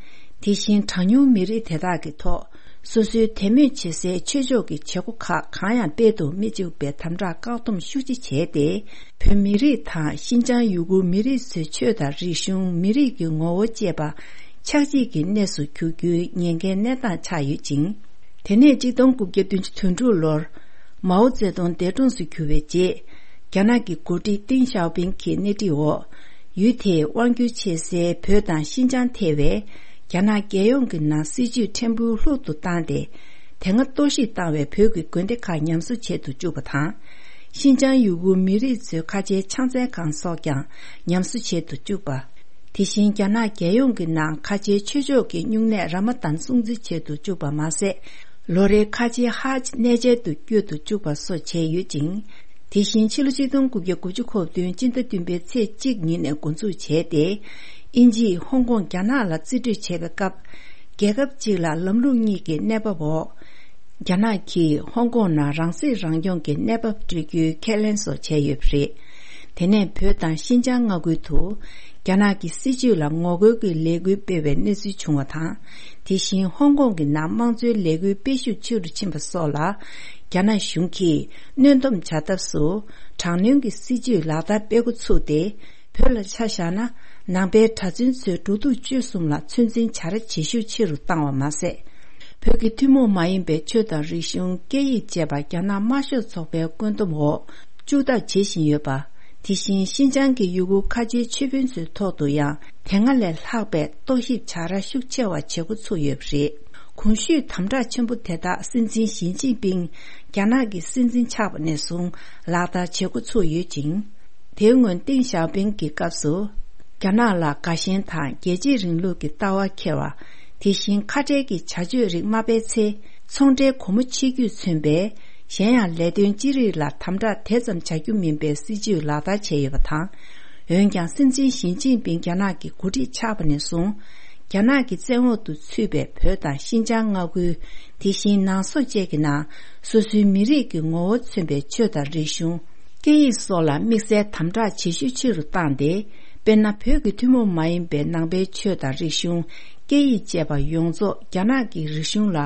དེ་བཞིན་གྲངས་ཉུང་མི་རིགས་དེ་དག་གི་ཐོག་སོ་སོའི་དད་མོས་བྱེད་སའི་ཆོས་ཕྱོགས་ཀྱི་བྱེད་སྒོ་ཁག་གང་ཡང་སྤེལ་དུ་མི་བཅུག་པའི་དམ་དྲག་བཀག་སྡོམ་ཤུགས་ཆེ་བྱས་ཏེ། བོད་མི་རིགས་དང་ཤིན་ཅང་ཡུ་གུར་མི་རིགས་ཚོའི་ཆོས་དང་རིག་གཞུང་། མི་རིགས་ཀྱི་ངོ་བོ་བཅས་པ་ ཆགས་འཇིག་གི་གནས་སུ་འགྱུར་རྒྱུའི་ཉེན་ཁའི་གནས་སྟངས་ཆགས་ཡོད་ཅིང་། དེ་ནས་གཅིག་སྟོང་དགུ་བརྒྱ་བདུན་ཅུ་དོན་དྲུག་ལོར་མའོ་ཙེ་ཏུང་འདས་གྲོངས་སུ་གྱུར་བའི་རྗེས། རྒྱ་ནག་གི་འགོ་ཁྲིད་ཏིང་ཞའོ་ཕིང་གི་སྣེ་ཁྲིད་འོག་ཡུལ་དེའི་དབང་སྒྱུར་བྱེད་སའི་བོད་དང་ཤིན་ཅང་ཐེ་བའི་རྒྱ་ནག་རྒྱལ་ཡོངས་ཀྱི་ནང་སྲིད་ཇུས་ཕྲན་བུ་ལྷུག་ཏུ་བཏང་སྟེ། དེ་སྔ་གཏོར་བཤིག་བཏང་བའི་བོད་ཀྱི་དགོན་སྡེ་ཁག་ཉམས་གསོ་བྱེད་དུ་བཅུག་པ་དང་། ཤིན་ཅང་ཡུ་གུར་མི་རིགས་ཚོའི་ཁ་ཆེའི་ཕྱག་འཚལ་ཁང་སོགས་ཀྱང་ཉམས་གསོ་བྱེད་དུ་བཅུག་པ། དེ་བཞིན་རྒྱ་ནག་རྒྱལ་ཡོངས་ཀྱི་ནང་ཁ་ཆེའི་ཆོས་ཕྱོགས་ཀྱི་སྨྱུང་གནས་ར་མ་དཱན་སྲུང་བརྩི་བྱེད་དུ་བཅུག་པ་མ་ཟད། ལོ་རེའི་ཁ་ཆེའི་ཧཱ་ཇི་གནས་མཇལ་དུ་བསྐྱོད་དུ་བཅུག་པ་སོགས་བྱས་ཡོད་ཅིང་། དེ་བཞིན་ཕྱི་ལོ་ཆིག་སྟོང་དགུ་བརྒྱ་དགུ་བཅུ་གོ་བདུན་སྤྱི་ཟླ་བདུན་པའི་ཚེས་གཅིག་ཉིན་ནས་འགོ་འཛུགས་བྱས་ཏེ། དབྱིན་ཇིས་ཧོང་ཀོང་རྒྱ་ནག་ལ་རྩིས་སྤྲོད་བྱས་པའི་སྐབས། རྒྱལ་ཁབ་གཅིག་ལ་ལམ་ལུགས་གཉིས་ཀྱི་གནས་བབ་འོག་རྒྱ་ནག་གིས་ཧོང་ཀོང་ནང་རང་སྲིད་རང་སྐྱོང་གི་གནས་བབ་སྤྲོད་རྒྱུའི་ཁས་ལེན་སོགས་བྱས་ཡོད་པ་རེད། དེ་ནས་བོད་དང་ཤིན་ཅང་མངའ་ཁུལ་དུ་རྒྱ་ནག་གི་སྲིད་ཇུས་ལ་ངོ་རྒོལ་གྱི་ལས་འགུལ་སྤེལ་བའི་གནས་ཚུལ་བྱུང་བ་དང་། དེ་བཞིན་ཧོང་ཀོང་གི་ནང་དམངས་གཙོའི་ལས་འགུལ་སྤེལ་ཤུགས་ཆེ་རུ་ཕྱིན་པ་སོགས་ལ། རྒྱ་ནག་གཞུང་གིས་གནོན་སྡོམ་བྱ་ཐབས་སུ་དྲག་གནོན་གྱི་སྲིད་ཇུས་ལག་བསྟར་སྤེལ་འགོ་ཚུགས་ཏེ། བོད་ལ་ཆ་བཞག་ན། ནང་པའི་གྲྭ་བཙུན་ཚོའི་འགྲོ་འདུག་སྤྱོད་གསུམ་ལ་ཚོད་འཛིན་བྱ་ར་ཇེ་ཤུགས་ཆེ་རུ་བཏང་བ་མ་ཟད། བོད་ཀྱི་ཐུན་མོང་མ་ཡིན་པའི་ཆོས་དང་རིག་གཞུང་། སྐད་ཡིག་བཅས་པ་རྒྱ་ནག་དམར་ཤོག་ཚོགས་པའི་བཀོད་འདོམས་འོག་བཅུག་ཐབས་བྱེད་བཞིན་ཡོད་པ། དེ་བཞིན་ཤིན་ཅང་གི་ཡུ་གུར་ཁ་ཆེའི་ཆོས་དཔོན་ཚོའི་ཐོག་ཏུ་ཡང་དེ་སྔ་ལས་ལྷག་པའི་རྟོག་ཞིབ་བྱ་ར་ཤུགས་ཆེ་བ་བྱེད་འགོ་ཚུགས་ཡོད་པ་རེད། གོང་ཞུས་དམ་དྲག་ཆེན་པོ་དེ་དག་སྲིད་འཛིན་ཞི་ཅིན་ཕིང་རྒྱ་ནག་གི་སྲིད་འཛིན་ཆགས་པ་ནས་བཟུང་ལག་བསྟར་བྱེད་འགོ་ཚུགས་ཡོད་ཅིང་། དེའི་སྔོན་ཏིང་ཞའོ་ཕིང་གི་སྐབས་སུ། རྒྱ་ནག་ལ་དགའ་ཞེན་དང་རྒྱལ་གཅེས་རིང་ལུགས་ཀྱི་ལྟ་བ་འཁྱེར་བ། དེ་བཞིན་ཁ་བྲལ་གྱི་བྱ་སྤྱོད་རིགས་མ་སྤེལ་ཚེ། ཚོང་འབྲེལ་སྒོ་མོ་ཕྱེ་རྒྱུས་མཚོན་པའི། གཞན་ཡང་ལས་དོན་ཅི་རིགས་ལ་དམ་དྲག་དེ་ཙམ་བྱ་རྒྱུ་མིན་པའི་སྲིད་ཇུས་ལག་བསྟར་བྱས་ཡོད་པ་དང་། འོན་ཀྱང་སྲིད་འཛིན་ཞི་ཅིན་ཕིང་རྒྱ་ནག་གི་འགོ་ཁྲིད་ཆགས་པ་ནས་བཟུང་། རྒྱ་ནག་གི་བཙན་འོག་ཏུ་ཚུད་པའི་བོད་དང་ཤིན་ཅང་མངའ་ཁུལ། དེ་བཞིན་ནང་སོག་བཅས་ཀྱི་ནང་། སོ་སོའི་མི་རིགས་ཀྱི་ངོ་བོ་མཚོན་པའི་ཆོས་དང་རིག་གཞུང་། སྐད་ཡིག་སོགས་ལ་དམིགས་བསལ་དམ་དྲག་ཇེ་ཤུགས་ཆེ་རུ་བཏང་སྟེ། དཔེར་ན། བོད་ཀྱི་ཐུན་མོང་མ་ཡིན་པའི་ནང་པའི་ཆོས་དང་རིག་གཞུང་། སྐད་ཡིག་བཅས་པ་ཡོངས་རྫོགས་རྒྱ་ནག་གི་རིག་གཞུང་ལ་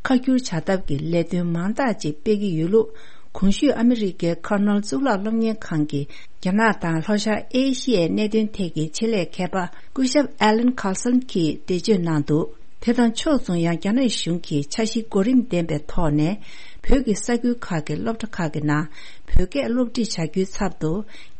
ཁ་བསྒྱུར་བྱ་ཐབས་ཀྱི་ལས་དོན་མང་དག་ཅིག་སྤེལ་གྱི་ཡོད་ལུགས། གོང་ཞུས་ཨ་མི་རི་ཀའི་ཁར་ནལ་གཙུག་ལག་སློབ་གཉེར་ཁང་གི་རྒྱ་ནག་དང་ལྷོ་ཤར་ཨེ་ཤི་ཡའི་གནད་དོན་ཐད་ཀྱི་ཆེད་ལས་མཁས་པ་སྐུ་ཞབས་Alan Carlson་གྱིས་འགྲེལ་བརྗོད་གནང་འདུག་དེ་དང་ཕྱོགས་མཚུངས། ཡང་རྒྱ་ནག་གཞུང་གིས་འཆར་གཞི་གོ་རིམ་ལྡན་པའི་ཐོག་ནས། བོད་ཀྱི་ས་ཁུལ་ཁག་གི་སློབ་གྲྭ་ཁག་གི་ནང་བོད་སྐད་སློབ་ཁྲིད་བྱ་རྒྱུའི་ཚབ་ཏུ།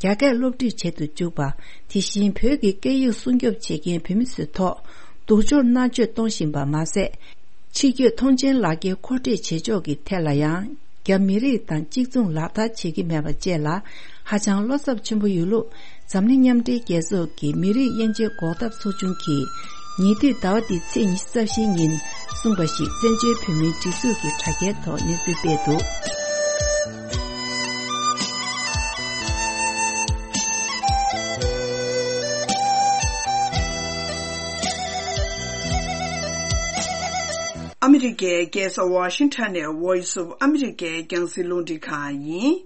རྒྱ་སྐད་སློབ་ཁྲིད་བྱེད་དུ་འཇུག་པ། དེ་བཞིན་བོད་ཀྱི་སྐད་ཡིག་སྲུང་སྐྱོབ་བྱེད་མཁན་བོད་མི་ཚོའི་ཐོག་སྡུག་སྦྱོང་མནར་གཅོད་གཏོང་བཞིན་པ་མ་ཟད། ཕྱི་སྐྱོད་ཐོངས་མཆན་ལག་འཁྱེར་མཁོ་སྤྲོད་བྱེད་ཕྱོགས་ཀྱི་ཐད་ལ་ཡང་། རྒྱ་མི་རིགས་དང་གཅིག་མཚུངས་ལག་བསྟར་བྱེད་ཀྱི་མེད་པ་བཅས་ལ་ཧ་ཅང་བློ་འཚབ་ཆེན་པོ་ཡོད་ལུགས། འཛམ་གླིང་མཉམ་འབྲེལ་རྒྱལ་ཚོགས་ཀྱི་མི་རིགས་དབྱེ་འབྱེད་འགོག་ཐབས་ཚོགས་ཆུང་གིས་ཉེ་དུས་ཟླ་བ་འདིའི་ཚེས་ཉི་ཤུ་རྩ་བཞིའི་ཉིན་གསུངས་པ་ཞིག་བཙན་བྱོལ་བོད་མིའི་སྒྲིག་འཛུགས་ཀྱི་དྲ་རྒྱའི་ཐོག་གནས་ཚུལ་སྤེལ་འདུག་ཨ་མི་རི་ཀའི་རྒྱལ་ས་ཝ་ཤིང་ཊོན་ནས་Voice of America་རྒྱང་སྲིང་རླུང་འཕྲིན་ཁང་ཡིན།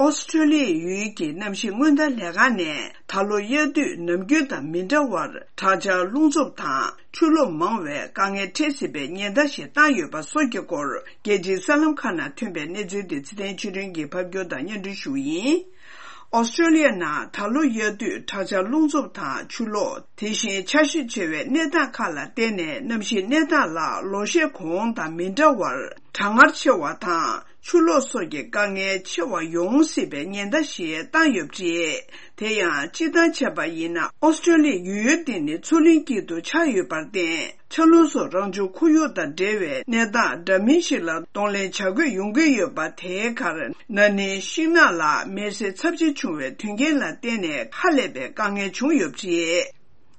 ཨོ་སི་ཀྲོ་ལི་ཡའི་ཡུལ་གྱི་གནམ་གཤིས་སྔོན་བརྡ་ལས་ཁང་ནས་ད་ལོ་དབྱར་དུས་ནམ་རྒྱུན་དང་མི་འདྲ་བར་དྲག་ཆར་རླུང་འཚུབ་དང་ཆུ་ལོག་མང་བའི་དཀའ་ངལ་འཕྲད་སྲིད་པའི་ཉེན་བརྡ་ཞིག་བཏང་ཡོད་པ་སོགས་ཀྱི་སྐོར། རྒྱལ་སྤྱིའི་གསར་ལམ་ཁག་ནང་ཐོན་པའི་གནས་ཚུལ་དེ་ཚེ་བརྟན་ཆོས་སྒྲོན་གྱིས་ཕབ་སྒྱུར་དང་སྙན་སྒྲོན་ཞུ་བ་ཡིན། ཨོ་སི་ཀྲོ་ལི་ཡ་ནང་ད་ལོ་དབྱར་དུས་དྲག་ཆར་རླུང་འཚུབ་དང་ཆུ་ལོག་དེ་བཞིན་ཆར་ཞོད་ཆེ་བའི་གནས་སྟངས་ཁག་ལ་བརྟེན་ནས། གནམ་གཤིས་གནས་སྟངས་ལ་ལོ་ཤས་གོང་དང་མི་འདྲ་བར་གྲང་ངར་ཆེ་བ་དང་ཆུ་ལོག་སོགས་ཀྱི་དཀའ་ངལ་ཆེ་བ་ཡོང་སྲིད་པའི་ཉེན་བརྡ་ཞིག་བཏང་ཡོད་པ་རེད། དེ་ཡང་སྤྱིར་བཏང་བྱས་པ་ཡིན་ན། ཨོ་སི་ཀྲོ་ལི་ཡའི་ཡུལ་ཡུལ་དེ་ནི་མཚོ་གླིང་དཀྱིལ་དུ་ཆགས་ཡོད་པར་བརྟེན། ཆར་རླུང་སོགས་རང་བྱུང་ཁོར་ཡུག་དང་འབྲེལ་བའི་གནས་སྟངས་འདྲ་མིན་ཞིག་ལ་གདོང་ལེན་བྱ་དགོས་ཡོང་གི་ཡོད་པ། དེའི་ཁར་ན་ནིང་ཤིང་ནགས་ལ་མེ་བསྲེགས་ཚབས་ཆེ་བྱུང་བའི་དོན་རྐྱེན་ལ་བརྟེན་ནས་ཧ་ལས་པའི་དཀའ་ངལ་བྱུང་ཡོད་པ་རེད།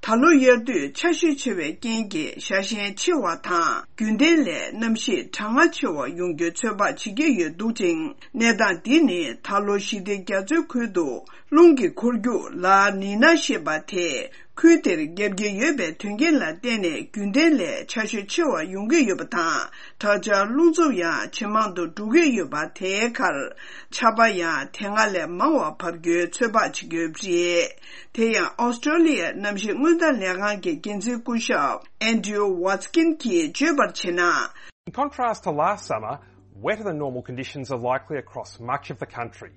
ད་ལོ་དབྱར་དུས་ཆར་ཞོད་ཆེ་བའི་རྐྱེན་གྱིས་ཞ་ཞན་ཆེ་བ་དང་རྒྱུན་ལྡན་ལས་གནམ་གཤིས་གྲང་ངར་ཆེ་བ་ཡོང་རྒྱུའི་ཚོད་དཔག་བྱེད་ཀྱི་ཡོད་འདུག་ཅིང་། གནས་སྟངས་འདི་ནི་ད་ལོ་ཞི་བདེ་རྒྱ་མཚོའི་ཁུལ་དུ་རླུང་གི་འཁོར་རྒྱུག་ལ་ནི་ན་ཞེས་པ་དེ། ཁུལ་དེར་བརྒྱབ་ཀྱི་ཡོད་པའི་དོན་རྐྱེན་ལ་བརྟེན་ནས་རྒྱུན་ལྡན་ལས་ཆར་ཞོད་ཆེ་བ་ཡོང་གི་ཡོད་པ་དང་། དྲག་ཆར་རླུང་འཚུབ་ཡང་ཇེ་མང་དུ་འགྲོ་གི་ཡོད་པ། དེའི་ཁར་ཆར་པ་ཡང་དེ་སྔ་ལས་མང་བ་བབས་རྒྱུའི་ཚོད་དཔག་བྱེད་ཀྱི་ཡོད་པ་རེད། དེ་ཡང་ཨོ་སི་ཀྲོ་ལི་ཡའི་གནམ་གཤིས་སྔོན་བརྡ་ལས་ཁང་གི་འགན་འཛིན་སྐུ་ཞབས་Andrew Watkin་གྱིས་བརྗོད་པར་བྱས་ན། In contrast to last summer, wetter than normal conditions are likely across much of the country.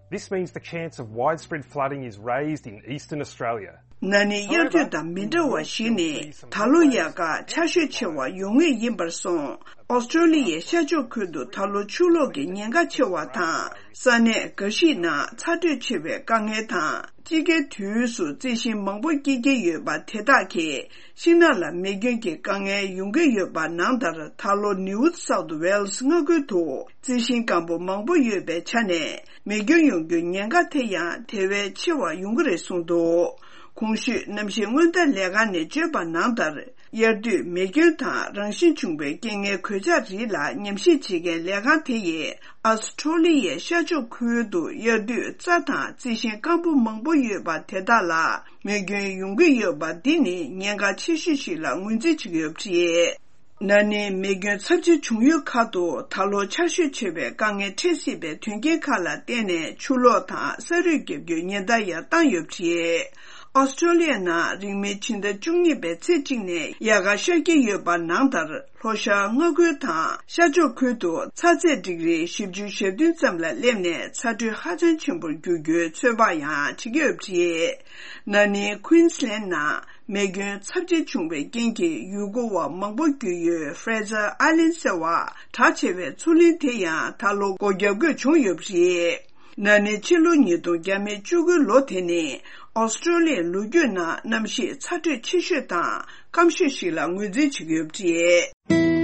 This means the chance of widespread flooding is raised in eastern Australia. ན་ནིང་དབྱར་དུས་དང་མི་འདྲ་བ་ཞིག་ནི་ད་ལོ་ཡག་ག་ཆར་ཞོད་ཆེ་བ་ཡོང་ངེས་ཡིན་པར་སོང་། ཨོ་སི་ཀྲོ་ལི་ཡའི་ཤར་ཕྱོགས་ཁུལ་དུ་ད་ལོ་ཆུ་ལོག་གི་ཉེན་ཁ་ཆེ་བ་དང་། ས་གནས་འགའ་ཞིག་ནང་ཚ་དྲོད་ཆེ་བའི་དཀའ་ངལ་དང་། དཔྱིད་ཀའི་དུས་སུ་རྩི་ཤིང་མང་པོ་སྐྱེ་གི་ཡོད་པ་དེ་དག་གིས་ཤིང་ནགས་ལ་མེ་སྐྱོན་གྱི་དཀའ་ངལ་ཡོང་གི་ཡོད་པ་ནང་ལྟར། ད་ལོ་ནིའུ་སའུཐ་ཝེལ་སི་མངའ་ཁུལ་དུ་རྩི་ཤིང་སྐམ་པོ་མང་པོ་ཡོད་པའི་ཆ་ནས། མེ་སྐྱོན་ཡོང་རྒྱུའི་ཉེན་ཁ་དེ་ཡང་དེ་བས་ཆེ་བ་ཡོང་གི་རེད་གསུངས་འདུག། གོང་ཞུས་གནམ་གཤིས་སྔོན་བརྡ་ལས་ཁང་ནས་བརྗོད་པ་ནང་ལྟར། དབྱར་དུས་མེ་སྐྱོན་དང་རང་བཞིན་བྱུང་བའི་རྐྱེན་ངན་གོད་ཆག་རིགས་ལ་ཉམས་ཞིབ་བྱེད་མཁན་ལས་ཁང་དེ་ཡིས། ཨ་སི་ཀྲོ་ལི་ཡའི་ཤར་ཕྱོགས་ཁུལ་དུ་དབྱར་དུས་རྩྭ་དང་རྩི་ཤིང་སྐམ་པོ་མང་པོ་ཡོད་པ་དེ་དག་ལ་མེ་སྐྱོན་ཡོང་གི་ཡོད་པ་འདི་ནི་ཉེན་ཁ་ཆེ་ཤོས་ཤིག་ལ་ངོས་འཛིན་བྱེད་ཀྱི་ཡོད་པ་རེད། ན་ནིང་མེ་སྐྱོན་ཚབས་ཆེ་བྱུང་ཡུལ་ཁག་ཏུ་ད་ལོ་ཆར་ཞོད་ཆེ་བའི་དཀའ་ངལ་འཕྲད་སྲིད་པའི་དོན་རྐྱེན་ཁག་ལ་བརྟེན་ནས་ཆུ་ལོག་དང་ས་རུད་བརྒྱབ་རྒྱུའི་ཉེན་བརྡ་ཡང་བཏང་ཡོད་པ་རེད། ཨོ་སི་ཀྲོ་ལི་ཡ་ནང་རིང་མིན་ཕྱི་ཟླ་བཅུ་གཉིས་པའི་ཚེས་གཅིག་ནས་ཡལ་ག་ཤར་གྱི་ཡོད་པ་ནང་ལྟར། ལྷོ་ཤར་མངའ་ཁུལ་དང་ཤར་ཕྱོགས་ཁུལ་དུ་ཚ་ཚད་ཌིག་རི་བཞི་བཅུ་ཞེ་བདུན་ཙམ་ལ་སླེབས་ནས་ཚ་དྲོད་ཧ་ཅང་ཆེན་པོར་འགྱུར་རྒྱུའི་ཚོད་དཔག་ཡང་བྱེད་ཀྱི་ཡོད་པ་རེད། ན་ནིང་ཀུན་སི་ལན་ནང་མེ་སྐྱོན་ཚབས་ཆེ་བྱུང་བའི་རྐྱེན་གྱིས་ཡུལ་སྐོར་བ་མང་པོ་བརྒྱུད་ཡོད་ཧྥ་རེ་ཛར་ཨའི་ལན་ཟེར་བ་གྲགས་ཆེ་བའི་མཚོ་གླིང་དེ་ཡང་ད་ལོ་སྒོ་བརྒྱབ་དགོས་བྱུང་ཡོད་པ་རེད། ན་ནིང་ཕྱི་ལོ་ཉིས་སྟོང་བརྒྱ་མེད་བཅུ་དགུ་ལོ་དེ་ནི་ཨོ་སི་ཀྲོ་ལི་ཡའི་ལོ་རྒྱུས་ནང་གནམ་གཤིས་ཚ་དྲོད་ཆེ་ཤོས་དང་སྐམ་ཤོས་ཤིག་ལ་ངོས་འཛིན་བྱེད་ཀྱི་ཡོད་པ་རེད།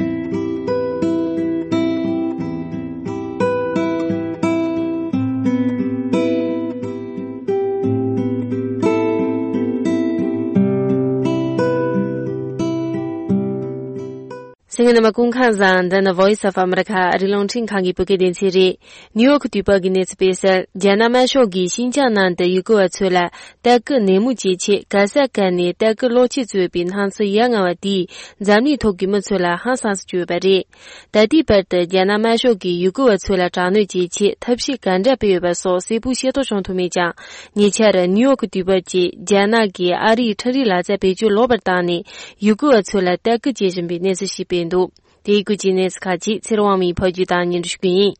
གསན་མཁན་རྣམ་པ་སྐུ་ཁམས་བཟང་། འདི་ནི་Voice of America ཨ་རིའི་རླུང་འཕྲིན་ཁང་གི་བོད་སྐད་སྡེ་ཚན་རེད། ནིའུ་ཡོག་དུས་བབ་ཀྱི་གནས་ཚུལ་སྤེལ་གསལ། རྒྱ་ནག་དམར་ཤོག་གིས་ཤིན་ཅང་ནང་དུ་ཡུལ་སྐོར་བ་ཚོ་ལ་ལྟ་སྐུལ་ནན་མོ་བྱེད་ཆེད་ག་ས་ག་ནས་ལྟ་སྐུལ་གློག་ཆས་བཙུགས་པའི་སྣང་ཚུལ་ཡ་ང་བ་དེས་འཛམ་གླིང་ཐོག་གི་མི་ཚོ་ལ་ཧང་སངས་སུ་གྱུར་ཡོད་པ་རེད། ད་ལྟའི་བར་དུ་རྒྱ་ནག་དམར་ཤོག་གིས་ཡུལ་སྐོར་བ་ཚོ་ལ་དྲག་གནོན་བྱེད་ཆེད་ཐབས་ཤེས་ག་འདྲ་སྤེལ་ཡོད་པ་སོགས་གསལ་པོ་ཤེས་རྟོགས་བྱུང་ཐུབ་མེད་ཀྱང་། ཉེ་ཆར་ནིའུ་ཡོག་དུས་བབ་ཀྱིས་རྒྱ་ནག་གིས་ཨ་རིའི་ཁྲིམས་རའི་ལག་རྩལ་བེད་སྤྱོད་ལོག་པར་བཏང་ནས་ཡུལ་སྐོར་བ་ཚོ་ལ་ལྟ་སྐུལ་བྱེད་བཞིན་པའི་གནས་ཚུལ་ཞིག་སྤེལ་འདུག། དེའི་སྐོར་གྱི་གནས་ཚུལ་ཁག་ཅིག་ཚེ་རིང་དབང་མོས་ཕབ་སྒྱུར་དང་སྙན་སྒྲོན་ཞུ་གི་ཡིན།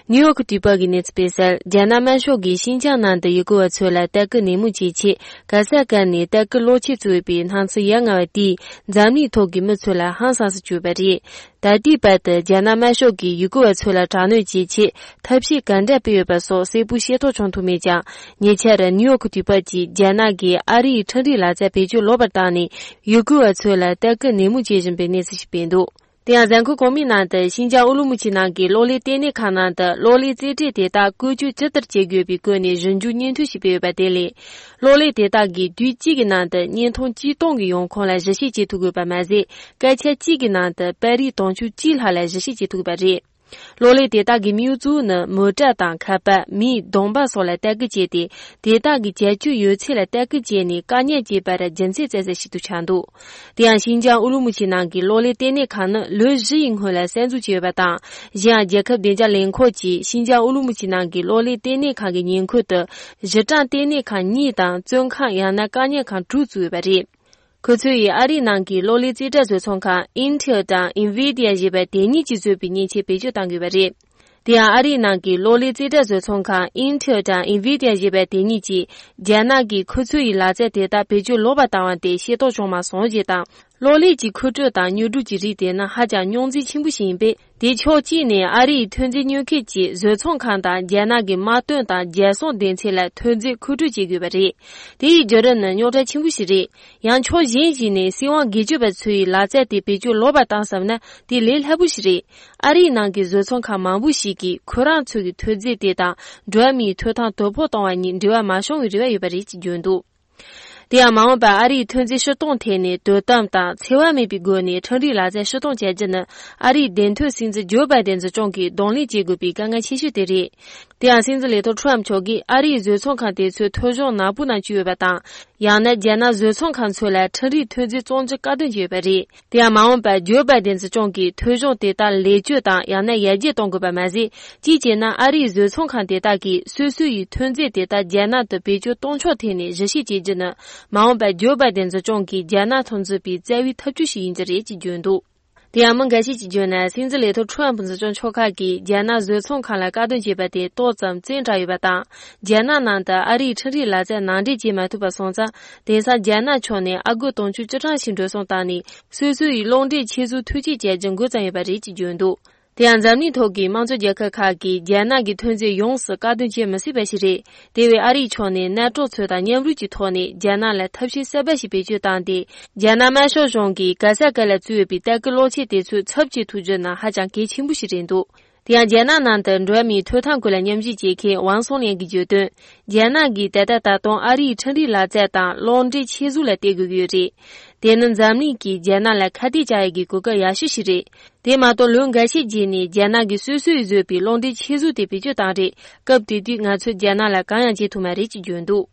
ནིའུ་ཡོག་དུས་བབ་ཀྱི་གནས་ཚུལ་སྤེལ་གསལ། རྒྱ་ནག་དམར་ཤོག་གིས་ཤིན་ཅང་ནང་དུ་ཡུལ་སྐོར་བ་ཚོ་ལ་ལྟ་སྐུལ་ནན་མོ་བྱེད་ཆེད་ག་ས་ག་ནས་ལྟ་སྐུལ་གློག་ཆས་བཙུགས་ཡོད་པའི་སྣང་ཚུལ་ཡ་ང་བ་དེས་འཛམ་གླིང་ཐོག་གི་མི་ཚོ་ལ་ཧང་སངས་སུ་གྱུར་པ་རེད། ད་ལྟའི་བར་དུ་རྒྱ་ནག་དམར་ཤོག་གིས་ཡུལ་སྐོར་བ་ཚོ་ལ་དྲག་གནོན་བྱེད་ཆེད་ཐབས་ཤེས་ག་འདྲ་སྤེལ་ཡོད་པ་སོགས་གསལ་པོ་ཤེས་རྟོགས་བྱུང་ཐུབ་མེད་ཀྱང་། ཉེ་ཆར་ནིའུ་ཡོག་དུས་བབ་ཀྱིས་རྒྱ་ནག་གིས་ཨ་རིའི་ཁྲིམས་རའི་ལག་རྩལ་བེད་སྤྱོད་ལོག་པར་བཏང་ནས་ཡུལ་སྐོར་བ་ཚོ་ལ་ལྟ་སྐུལ་ནན་མོ་བྱེད་བཞིན་པའི་གནས་ཚུལ་ཞིག་སྤེལ་འདུག། དེ་ཡང་གཟའ་འཁོར་གོང་མའི་ནང་དུ་ཤིན་ཅང་ཨུ་ལུ་མུ་ཆི་ནང་གི་གློག་ཀླད་ལྟེ་གནས་ཁང་ནང་དུ་གློག་ཀླད་རྩེད་གྲས་དེ་དག་བཀོལ་སྤྱོད་ཇི་ལྟར་བྱེད་དགོས་པའི་སྐོར་ནས་ཞིབ་འཇུག་སྙན་ཐོ་ཞིག་སྤེལ་ཡོད་པ་དེ་ལས། གློག་ཀླད་དེ་དག་གིས་དུས་གཅིག་གི་ནང་དུ་བརྙན་ཐུང་བཅུ་སྟོང་གི་ཡོང་ཁུངས་ལ་གཞི་བྱེད་བྱེད་ཐུབ་དགོས་པ་མ་ཟད། སྐད་ཆ་གཅིག་གི་ནང་དུ་པར་རིས་དུང་ཕྱུར་གཅིག་ལྷག་ལ་གཞི་བྱེད་བྱེད་ཐུབ་པ་རེད། གློག་ཀླད་དེ་དག་གི་དམིགས་ཡུལ་གཙོ་བོ་ནི་མོ་ཊ་དང་ཁ་པར། མིའི་གདོང་པ་སོགས་ལ་ལྟ་སྐུལ་བྱས་ཏེ། དེ་དག་གི་བྱ་སྤྱོད་ཡོད་ཚད་ལ་ལྟ་སྐུལ་བྱས་ནས་དཀའ་ཉེན་བྱེད་པར་རྒྱུ་མཚན་བཙལ་ས་ཞིག་ཏུ་ཆགས་འདུག། དེ་ཡང་ཤིན་ཅང་ཨུ་ལུ་མུ་ཆི་ནང་གི་གློག་ཀླད་ལྟེ་གནས་ཁང་ནི་ལོ་བཞི་ཡི་སྔོན་ལ་གསར་འཛུགས་བྱས་ཡོད་པ་དང་། གཞན་ཡང་རྒྱལ་ཁབ་བདེ་འཇགས་ལས་ཁུངས་ཀྱིས་ཤིན་ཅང་ཨུ་ལུ་མུ་ཆི་ནང་གི་གློག་ཀླད་ལྟེ་གནས་ཁང་གི་ཉེ་འཁོར་དུ་གཞི་གྲངས་ལྟེ་གནས་ཁང་གཉིས་དང་བཙོན་ཁང་ཡང་ན་བཀག་ཉར་ཁང་དྲུག་བཙུགས་ཡོད་པ་རེད། ཁོ་ཚོ་ཡིས་ཨ་རིའི་ནང་གི་གློག་ཀླད་རྩེ་གྲ་བཟོ་ཚོང་ཁང་Intel དང་Nvidia ཞེས་པ་དེ་གཉིས་ཀྱིས་བཟོས་པའི་མཉེན་ཆས་བེད་སྤྱོད་གཏང་དགོས་པ་རེད། དེ་ཡང་ཨ་རིའི་ནང་གི་གློག་ཀླད་རྩེ་གྲ་བཟོ་ཚོང་ཁང་Intel དང་Nvidia ཞེས་པ་དེ་གཉིས་ཀྱིས་རྒྱ་ནག་གིས་ཁོ་ཚོ་ཡི་ལག་རྩལ་དེ་དག་བེད་སྤྱོད་ལོག་པར་བཏང་བ་དེ་ཤེས་རྟོགས་བྱུང་མ་སོང་ཞེས་དང་། གློག་ཀླད་ཀྱི་མཁོ་སྤྲོད་དང་དངོས་སྒྲུབ་ཀྱི་རིགས་དེ་ནི་ཧ་ཅང་རྙོག་འཛིང་ཆེན་པོ་ཞིག་ཡིན་པས། དེ་ཕྱོགས་གཅིག་ནས་ཨ་རིའི་ཐོན་རྫས་ཉོ་མཁན་གྱིས་བཟོ་ཚོང་ཁང་དང་རྒྱ་ནག་གི་དམག་དོན་དང་རྒྱལ་སྲུང་སྡེ་ཚན་ལ་ཐོན་རྫས་མཁོ་སྤྲོད་བྱེད་དགོས་པ་རེད། དེ་ཡི་བརྒྱུད་རིམ་ནི་རྙོག་དྲ་ཆེན་པོ་ཞིག་རེད། ཡང་ཕྱོགས་གཞན་ཞིག་ནས་སྲིད་དབང་སྒེར་གཅོད་པ་ཚོའི་ལག་རྩལ་དེ་བེད་སྤྱོད་ལོག་པར་བཏང་བསམ་ན་དེ་ལས་སླ་པོ་ཞིག་རེད། ཨ་རིའི་ནང་གི་བཟོ་ཚོང་ཁང་མང་པོ་ཞིག་གིས་ཁོ་རང་ཚོ་གི་ཐོན་རྫས་དེ་དང་འགྲོ་བ་མིའི་ཐོབ་ཐང་དོ་ཕོག་གཏོང་བ་གཉིས་འབྲེལ་བ་མ་བྱུང་བའི་རེ་བ་ཡོད་པ་རེད་ཅེས་བརྗོད་འདུག། དེ་ཡང་མ་འོངས་པར་ཨ་རིའི་ཐོན་རྫས་ཕྱིར་གཏོང་ཐད་ནས་དོ་དམ་དང་འཚེ་བ་མེད་པའི་སྒོ་ནས་ཁྲིམས་རའི་ལག་རྩལ་ཕྱིར་གཏོང་བྱ་རྒྱུ་ནི་ཨ་རིའི་བདེན་དོན་སྲིད་འཛིན་ཇོ་བྷའི་ཌེན་གཞུང་གིས་གདོང་ལེན་བྱེད་དགོས་པའི་དཀའ་ངལ་ཆེ་ཤོས་དེ་རེད། དེ་ཡང་སྲིད་འཛིན་ལས་ཐོག་ཁྲོམ་མཆོག་གིས་ཨ་རིའི་བཟོ་ཚོང་ཁང་དེ་ཚོས་ཐོ་གཞུང་ནག་པོའི་ནང་བཅུག་ཡོད་པ་དང་། ཡང་ན་རྒྱ་ནག་བཟོ་ཚོང་ཁང་ཚོ་ལ་ཁྲིམས་རའི་ཐོན་རྫས་བཙོང་རྒྱུ་བཀག་སྡོམ་བྱས་ཡོད་པ་རེད། དེ་ཡང་མ་འོངས་པར་ཇོ་བྷའི་ཌེན་གཞུང་གིས་ཐོ་གཞུང་དེ་དག་ལེགས་བཅོས་དང་ཡང་ན་ཡར་རྒྱས་གཏོང་དགོས་པ་མ་ཟད། གཅིག་བྱས་ན་ཨ་རིའི་བཟོ་ཚོང་ཁང་དེ་དག་གིས་སོ་སོ་ཡི་ཐོན་རྫས་དེ་དག་རྒྱ་ནག་ཏུ་བེད་སྤྱོད་གཏོང་ཕྱོགས་ཐད་ནས་ཞིབ་བཤེར་བྱེད་རྒྱུ་ནི། མ་འོངས་པར་ཇོ་བྷའི་ཌེན་གཞུང་གིས་རྒྱ་ནག་མཐོང་ཚུལ་པའི་རྩ་བའི་ཐབས་ཇུས་ཤིག་ཡིན་རྒྱུ་རེད་ཅེས་བརྗོད་འདུག། དེ་ཡང་མི་འགའ་ཤས་ཀྱིས་བརྗོད་ན། སྲིད་འཛིན་ལས་ཐོག་ཁྲོམ་འཛིན་སྐྱོང་ཕྱོགས་ཁག་གིས་རྒྱ་ནག་བཟོ་ཚོང་ཁང་ལ་བཀག་སྡོམ་བྱས་པ་དེ་ཏོག་ཙམ་བཙན་དྲགས་ཡོད་པ་དང་། རྒྱ་ནག་ནང་དུ་ཨ་རིའི་ཁྲིམས་རའི་ལག་རྩལ་ནང་འདྲེན་བྱེད་མ་ཐུབ་པ་སོང་ཙང་། དེང་སང་རྒྱ་ནག་ཕྱོགས་ནས་ཨ་སྒོར་དུང་ཕྱུར་བཅུ་གྲངས་ཤིག་འགྲོ་སོང་བཏང་ནས། སོ་སོ་ཡི་གློག་འདྲེན་ཆེད་ཟུར་ཐོལ་སྐྱེད་བྱས་རྒྱུ་འགོ་བརྩམས་ཡོད་པ་རེད་ཅེས་བརྗོད་འདུག་དེ་ཡང་འཛམ་གླིང་ཐོག་གི་དམངས་གཙོ་རྒྱལ་ཁབ་ཁག་གིས་རྒྱ་ནག་གི་ཐོན་རྫས་ཡོངས་སུ་བཀག་སྡོམ་བྱེད་མི་སྲིད་པ་ཞིག་རེད། དེ་བས་ཨ་རིའི་ཕྱོགས་ནས་གནད་གྲོགས་ཚོ་དང་མཉམ་རུབ་ཀྱི་ཐོག་ནས་རྒྱ་ནག་ལ་ཐབས་ཤེས་གསར་པ་ཞིག་བེད་སྤྱོད་བཏང་སྟེ། རྒྱ་ནག་དམར་ཤོག་གཞུང་གིས་ག་ས་ག་ལ་བཙུགས་ཡོད་པའི་ལྟ་སྐུལ་གློག་ཆས་དེ་ཚོའི་ཚབ་བྱེད་ཐུབ་རྒྱུ་ནི་ཧ་ཅང་གལ་ཆེན་པོ་ཞིག་རེད་འདུག་དེ་ཡང་རྒྱ་ནག་ནང་དུ་འགྲོ་བ་མིའི་ཐོབ་ཐང་སྐོར་ལ་མཉམ་ཞིབ་བྱེད་མཁན་ཝང་སུང་ལིན་གྱིས་བརྗོད་དོན། རྒྱ་ནག་གིས་ད་ལྟ་ད་དུང་ཨ་རིའི་ཁྲིམས་རའི་ལག་རྩལ་དང་གློག་འདྲེན་ཆེད་ཟུར་ལ་བལྟ་དགོས་ཀྱི་ཡོད་རེད། དེ་ནི་འཛམ་གླིང་གིས་རྒྱ་ནག་ལ་ཁ་གཏད་བཅག་ཡས་ཀྱི་གོ་སྐབས་ཡག་ཤོས་ཤིག་རེད། དེ་མ་གཏོགས་ལོ་འགའ་ཤས་རྗེས་ནས་རྒྱ་ནག་གིས་སོ་སོས་བཟོས་པའི་གློག་འདྲེན་ཆེད་ཟུར་དེ་བེད་སྤྱོད་བཏང་རེད། སྐབས་དེ་དུས་ང་ཚོས་རྒྱ་ནག་ལ་གང་ཡང་བྱེད་ཐུབ་མ་རེད་ཅེས་བརྗོད་འདུག་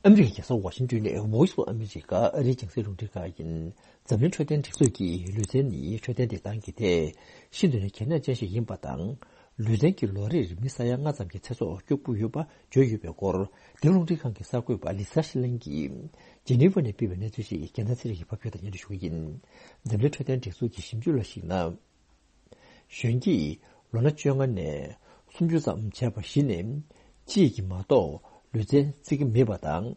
ཨ་མི་རི་ཀའི་རྒྱལ་ས་ཝ་ཤིང་ཏོན་ནས་Voice of America ཨ་རིའི་རྒྱང་སྲིང་རླུང་འཕྲིན་ཁང་ཡིན། འཛམ་གླིང་འཕྲོད་བསྟེན་སྒྲིག་འཛུགས་ཀྱིས་ལུས་རྩལ་ནི་འཕྲོད་བསྟེན་བདེ་ཐང་གི་ཐད་ཤིན་ཏུ་ནས་གལ་གནད་ཅན་ཞིག་ཡིན་པ་དང་། ལུས་རྩལ་གྱིས་ལོ་རེར་མི་ས་ཡ་ལྔ་ཙམ་གྱི་ཚེ་སྲོག་སྐྱོབ་ཀྱི་ཡོད་པ་བརྗོད་ཡོད་པའི་སྐོར། འདི་རླུང་འཕྲིན་ཁང་གི་གསར་འགོད་པ་ལི་ས་ཤི་ལིན་གྱིས་ཇི་ནི་ཝ་ནས་སྤེལ་བའི་གནས་ཚུལ་ཞིག་རྒྱལ་མཚན་ཚེ་རིང་གིས་ཕབ་སྒྱུར་དང་སྙན་སྒྲོན་ཞུ་གི་ཡིན། འཛམ་གླིང་འཕྲོད་བསྟེན་སྒྲིག་འཛུགས་ཀྱི་ཞིབ་འཇུག་ལ་གཞིགས་ན། གཞོན་སྐྱེས་ལོ་ན་བཅོ་ལྔ་ནས་སུམ་ཅུ་ཙམ་བྱས་པ་བཞི་ནས་གཅིག་གིས་མ་གཏོགས་ལུས་རྩལ་རྩེ་གི་མེད་པ་དང་།